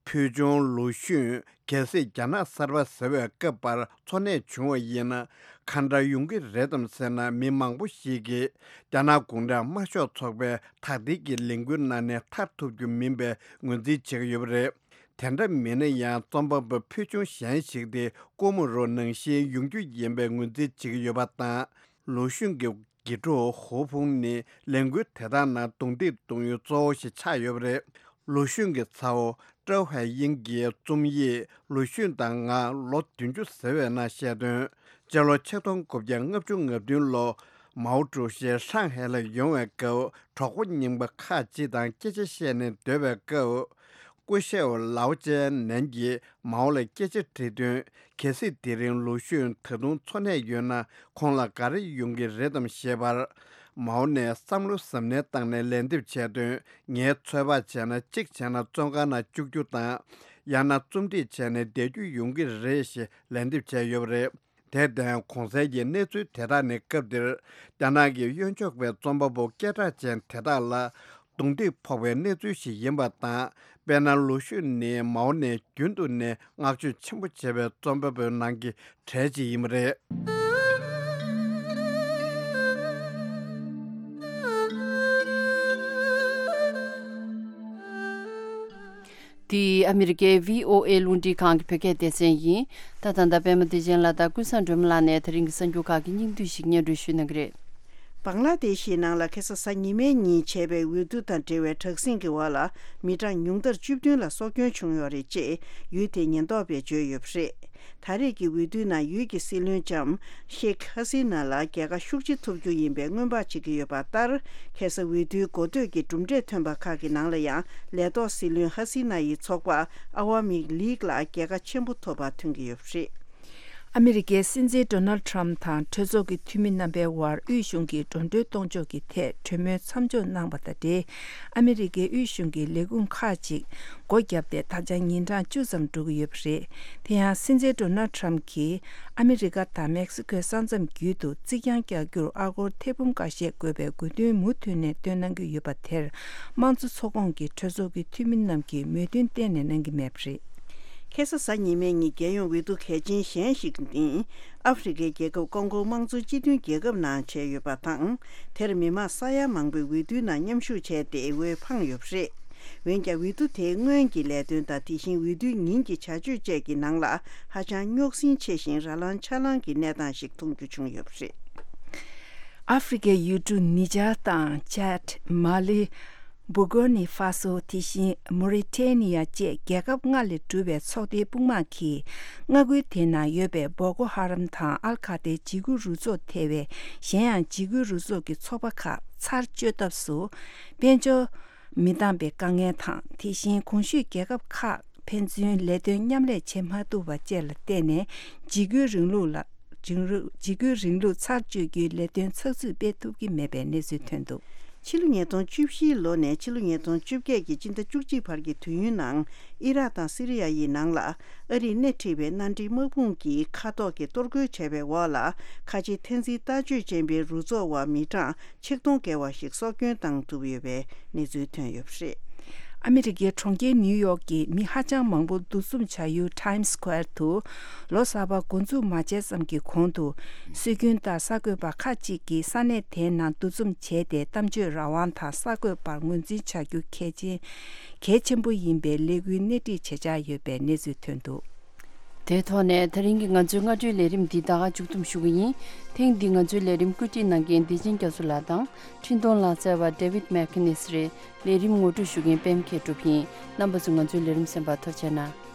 ཕུལ་ཆུང་ལུའུ་ཞུན་གལ་སྲིད་རྒྱ་ནག་གསར་པ་ཟེར་བའི་སྐབས་བར་འཚོ་གནས་བྱུང་བ་ཡིན་ན་ག་འདྲ་ཡོང་གི་རེད་དམ་ཟེར་ན། མི་མང་པོ་ཞིག་གིས་རྒྱ་ནག་གུང་ཁྲན་དམར་ཤོག་ཚོགས་པའི་དག་ཐེར་གྱི་ལས་འགུལ་ནང་ནས་ཐར་ཐུབ་རྒྱུ་མིན་པའི་ངོས་འཛིན་བྱེད་ཀྱི་ཡོད་པ་རེད། དེ་འདྲ་མིན་ན་ཡང་རྩོམ་པ་པོ་ཕུལ་ཆུང་གཞན་ཞིག་དེ་སྐུ་མོ་རོ་ནང་བཞིན་ཡོང་རྒྱུ་ཡིན་པའི་ངོས་འཛིན་བྱེད་ཀྱི་ཡོད་པ་དང་། ལུའུ་ཞུན་གྱི་དགེ་ཕྲུག་ཧུའུ་ཕུང་ནི་ལས་འགུལ་དེ་དག་ནང་རྡུང་རྡེག་གཏོང་ཡུལ་གཙོ་བོ་ཞིག་ཆགས་ཡོད་པ་རེད། ལུའུ་ཞུན་གྱི་ཚ་བོ་ཀྲོའུ་ཧའེ་དབྱིང་གིས་རྩོམ་ཡིག་ལུའུ་ཞུན་དང་ང་ལོ་བདུན་ཅུ་ཟེར་བའི་ནང་བཤད་དོན། སྤྱི་ལོ་ཆིག་སྟོང་དགུ་བརྒྱ་ལྔ་བཅུ་ང་བདུན་ལོ་མའོ་ཀྲུའུ་ཞི་ཧྲང་ཧའེ་ལ་ཡོང་བའི་སྐབས་གྲོགས་པོ་རྙིང་པ་ཁག་ཅིག་དང་སྐད་ཆ་བཤད་ནས་སྡོད་པའི་སྐབས། སྐུ་ཞབས་ལའོ་ཅན་ནན་གྱིས་མའོ་ལ་སྐད་ཆ་དྲིས་དོན། གལ་སྲིད་དེ་རིང་ལུའུ་ཞུན་ད་དུང་འཚོ་གནས་ཡོད་ན་ཁོང་ལ་ག་རེ་ཡོང་གི་རེད་དམ་ཞེས་པར། མའོ་ནས་བསམ་བློ་གཟབ་ནན་བཏང་ནས་ལན་འདེབས་བྱས་དོན། ངས་ཚོད་དཔག་བྱས་ན་གཅིག་བྱས་ན་བཙོན་ཁང་ནང་བཅུག་རྒྱུ་དང་། ཡང་ན་རྩོམ་སྒྲིག་བྱས་ནས་བསྡད་རྒྱུ་ཡོང་གི་རེད་ཞེས་ལན་འདེབས་བྱས་ཡོད་པ་རེད། དེར་བརྟེན་གོང་གསལ་གྱི་གནས་ཚུལ་དེ་དག་ནི་སྐབས་དེར་རྒྱ་ནག་གི་གཡོན་ཕྱོགས་པའི་རྩོམ་པ་པོ་སྐད་གྲགས་ཅན་དེ་དག་ལ་རྡུང་རྡེག་ཕོག་པའི་གནས་ཚུལ་ཞིག་ཡིན་པ་དང་། དཔེར་ན་ལུའུ་ཞུན་ནི་མའོ་ནས་རྒྱུན་དུ་ནས་བསྔགས་བརྗོད་ཆེན་པོ་བྱས་པའི་རྩོམ་པ་པོའི་ནང་གི་གྲས་ཅིག་ཡིན་པ་རེད། འདི་ཨ་མི་རི་ཀའི་བྷི་ཨོ་ཨེ་རླུང་འཕྲིན་ཁང་གི་བོད་སྐད་སྡེ་ཚན་ཡིན། ད་ད་ལྟ་པད་མ་བདེ་ཆེན་ལགས་དང་ཀུན་བཟང་སྒྲོལ་མ་ལགས་ནས་དེ་རིང་གི་གསར་འགྱུར་ཁག་གི་སྙིང་བསྡུས་ཤིག་སྙན་སྒྲོན་ཞུ་གནང་གི་རེད། བང་ལ་དེ་ཤི་ནང་ལ་ཁ་སང་གཟའ་ཉི་མའི་ཉིན་བྱས་པའི་འོས་བསྡུ་དང་འབྲེལ་བའི་དྲག་ཟིང་གི་འོག་ལ་མི་གྲངས་ཉུང་མཐར་བཅུ་བདུན་ལ་སྲོག་སྐྱོན་བྱུང་ཡོད་རེད་ཅེས་ཡུལ་དེའི་ཉེན་རྟོག་པས་བརྗོད་ཡོད་པ་རེད། ད་རེས་ཀྱི་འོས་བསྡུའི་ནང་ཡུལ་གྱི་སྲིད་བློན་ལྕམ་ཤེག་ཧ་སི་ན་ལ་རྒྱལ་ཁ་ཤུགས་ཆེ་ཐོབ་རྒྱུ་ཡིན་པའི་སྔོན་དཔག་བྱེད་ཀྱི་ཡོད་པ་ལྟར། ཁ་སང་འོས་བསྡུའི་འགོ་སྟོད་ཀྱི་གྲུབ་འབྲས་ཐོན་པ་ཁག་གི་ནང་ལ་ཡང་ལས་ཐོག་སྲིད་བློན་ཧ་སི་ན་ཡི་ཚོགས་པ་ཨ་ཝ་མི་ལིག་ལ་རྒྱལ་ཁ་ཆེན་པོ་ཐོབ་པ་ཐོན་གྱི་ཡོད་པ་རེད། ཨ་མི་རི་ཀའི་སྲིད་འཛིན་ཌོ་ནལ་ཌི་ཊརམ་ཕི་དང་གྲོས་ཚོགས་ཀྱི་འཐུས་མི་རྣམ་པའི་དབར་དབུས་གཞུང་གི་འགྲོ་གྲོན་གཏོང་ཕྱོགས་ཀྱི་ཐད་གྲོས་མོལ་མཚམས་འཇོག་གནང་བ་དང་འབྲེལ། ཨ་མི་རི་ཀའི་དབུས་གཞུང་གི་ལས་ཁུངས་ཁག་ཅིག་སྒོ་བརྒྱབ་སྟེ་ད་ཆ་ཉིན་གྲངས་བཅུ་ཙམ་འགྲོ་གི་ཡོད་པ་རེད། དེ་ཡང་སྲིད་འཛིན་ཌོ་ནལ་ཌི་ཊརམ་ཕི་གྱིས་ཨ་མི་རི་ཀ་དང་མེག་སི་ཀོའི་ས་མཚམས་བརྒྱུད་དུ་རྩིག་གྱང་རྒྱག་རྒྱུར་ཨ་སྒོར་ཐེར་འབུམ་འགའ་ཤས་དགོས་པའི་དགོས་འདུན་མུ་མཐུད་ནས་བཏོན་གནང་གི་ཡོད་པ་དེར། དམངས་གཙོ་ཚོགས་ཁོངས་ཀྱི་གྲོས་ཚོགས་ཀྱི་འཐུས་མི་རྣམས་ཀྱིས་མོས་མཐུན་གཏན་ནས་གནང་གི་མེད་པ་རེད། ཁ་སང་གཟའ་ཉི་མའི་ཉིན་རྒྱལ་ཡོངས་འོས་བསྡུ་གལ་ཆེན་གཞན་ཞིག་ནི། ཨ་ཧྥེ་རི་ཁའི་རྒྱལ་ཁབ་ཀོང་ཀོ་དམངས་གཙོ་སྤྱི་མཐུན་རྒྱལ་ཁབ་ནང་བྱས་ཡོད་པ་དང་། དེར་མི་མང་ས་ཡ་མང་པོས་འོས་བསྡུའི་ནང་མཉམ་ཞུགས་བྱས་ཏེ་འོས་འཕངས་ཡོད་པ་རེད། འོན་ཀྱང་འོས་བསྡུ་དེའི་སྔོན་གྱི་ལས་དོན་དང་དེ་བཞིན་འོས་བསྡུའི་ཉིན་གྱི་བྱ་སྤྱོད་བཅས་ཀྱི་ནང་ལ་ཧ་ཅང་རྙོག་ཟིང་ཆེ་ཞིང་ར་ལངས་ཆ་ལངས་ཀྱི་གནས་སྟངས་ཤིག་མཐོང་རྒྱུ་བྱུང་ཡོད་པ་རེད། ཨ་ཧྥེ་རི་ཁའི་ཡུལ་གྲུ་ནི་ཇར་དང་ཅཱད། མ་ལི། བྷུ་ཀོར་ནི་ཧྥ་སོ། དེ་བཞིན་མོ་རི་ཊེ་ནི་ཡ་བཅས་རྒྱལ་ཁབ་ལྔ་ལས་གྲུབ་པའི་ཚོགས་སྡེའི་དཔུང་དམག་གིས་མངའ་ཁུལ་དེ་ན་ཡོད་པའི་བོ་ཀོ་ཧ་རམ་དང་ཨལ་ཁ་ཏའི་འཇིགས་སྐུལ་རུ་ཚོགས་ཐེ་བའི་གཞན་ཡང་འཇིགས་སྐུལ་རུ་ཚོགས་ཀྱི་ཚོགས་པ་ཁག་ཚར་གཅོད་ཐབས་སུ་དཔལ་འབྱོར་མི་འདང་པའི་དཀའ་ངལ་དང་། དེ་བཞིན་གོང་ཞུས་རྒྱལ་ཁབ་ཁག་ཕན་ཚུན་ལས་དོན་མཉམ་ལས་བྱེད་མ་ཐུབ་པ་བཅས་ལ་བརྟེན་ནས་འཇིགས་སྐུལ་རིང་ལུགས་ལ། འཇིགས་རུ། འཇིགས་སྐུལ་རིང་ལུགས་ཚར་གཅོད་རྒྱུའི་ལས་དོན་ཚགས་ཚུད་སྤེལ་ཐུབ་ཀྱི་མེད་པའི་གནས་ཚུལ་ཐོན་འདུག། ཕྱི་ལོ་ཉིས་སྟོང་བཅུ་བཞིའི་ལོ་ནས་ཕྱི་ལོ་ཉིས་སྟོང་བཅོ་བརྒྱད་ཀྱི་སྤྱི་ཟླ་བཅུ་གཅིག་བར་གྱི་དུས་ཡུན་ནང་ཨི་རག་དང་སི་རི་ཡ་ཡི་ནང་ལ་ཨ་རིས་སྣེ་ཁྲིད་པའི་མནའ་འབྲེལ་དམག་དཔུང་གིས་མཁའ་ཐོག་གི་གཏོར་རྒོལ་བྱས་པའི་འོག་ལ་ཁ་ཆེ་འཐེན་འཛིན་ལྟ་སྤྱོད་ཅན་པའི་རུ་ཚོགས་བ་མི་གྲངས་ཆིག་སྟོང་བརྒལ་བ་ཞིག་སྲོག་སྐྱོན་བཏང་ཐུབ་ཡོད་པའི་གནས་ཚུལ་ཐོན་ཡོད་པ་རེད། ཨ་མི་རི་ཀའི་གྲོང་ཁྱེར་ནིའུ་ཡོག་གི་མི་ཧ་ཅང་མང་པོ་འདུ་འཛོམས་བྱ་ཡུལ་Times Square དུ་ལོ་གསར་པ་འགོ་འཛུགས་མ་བྱས་ཙམ་གྱི་གོང་དུ་སྲོལ་རྒྱུན་ལྟར་གསར་འགོད་པ་ཁག་ཅིག་གིས་ས་གནས་དེའི་ནང་འདུ་འཛོམས་བྱས་ཏེ་གཏམ་བརྗོད་རང་དབང་དང་གསར་འགོད་པར་ངོས་འཛིན་བྱ་རྒྱུ་གལ་ཆེན་གལ་ཆེན་པོ་ཡིན་པའི་ལས་འགུལ་སྣེ་ཁྲིད་བྱེད་འཆར་ཡོད་པའི་གནས་ཚུལ་ཐོན་འདུག། དེའི་ཐོག་ནས་ད་རིང་གི་ང་ཚོའི་སྔ་དྲོའི་ལས་རིམ་འདི་ད་ག་མཇུག་བསྡོམས་ཞུ་གི་ཡིན། ཐེངས་འདིའི་ང་ཚོའི་ལས་རིམ་བཀོད་སྒྲིག་གནང་མཁན་བདེ་ཆེན་རྒྱ་མཚོ་ལགས་དང་འཕྲིན་གཏོང་ལག་རྩལ་བ་David McInnes རེད། ལས་རིམ་ངོ་སྤྲོད་ཞུ་མཁན་པད་མ་མཁས་གྲུབ་ཡིན། རྣམ་པ་ཚོ་ང་ཚོའི་ལས་རིམ་གསན་པར་ཐུགས་རྗེ་གནང་།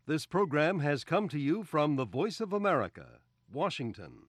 This program has come to you from the Voice of America, Washington.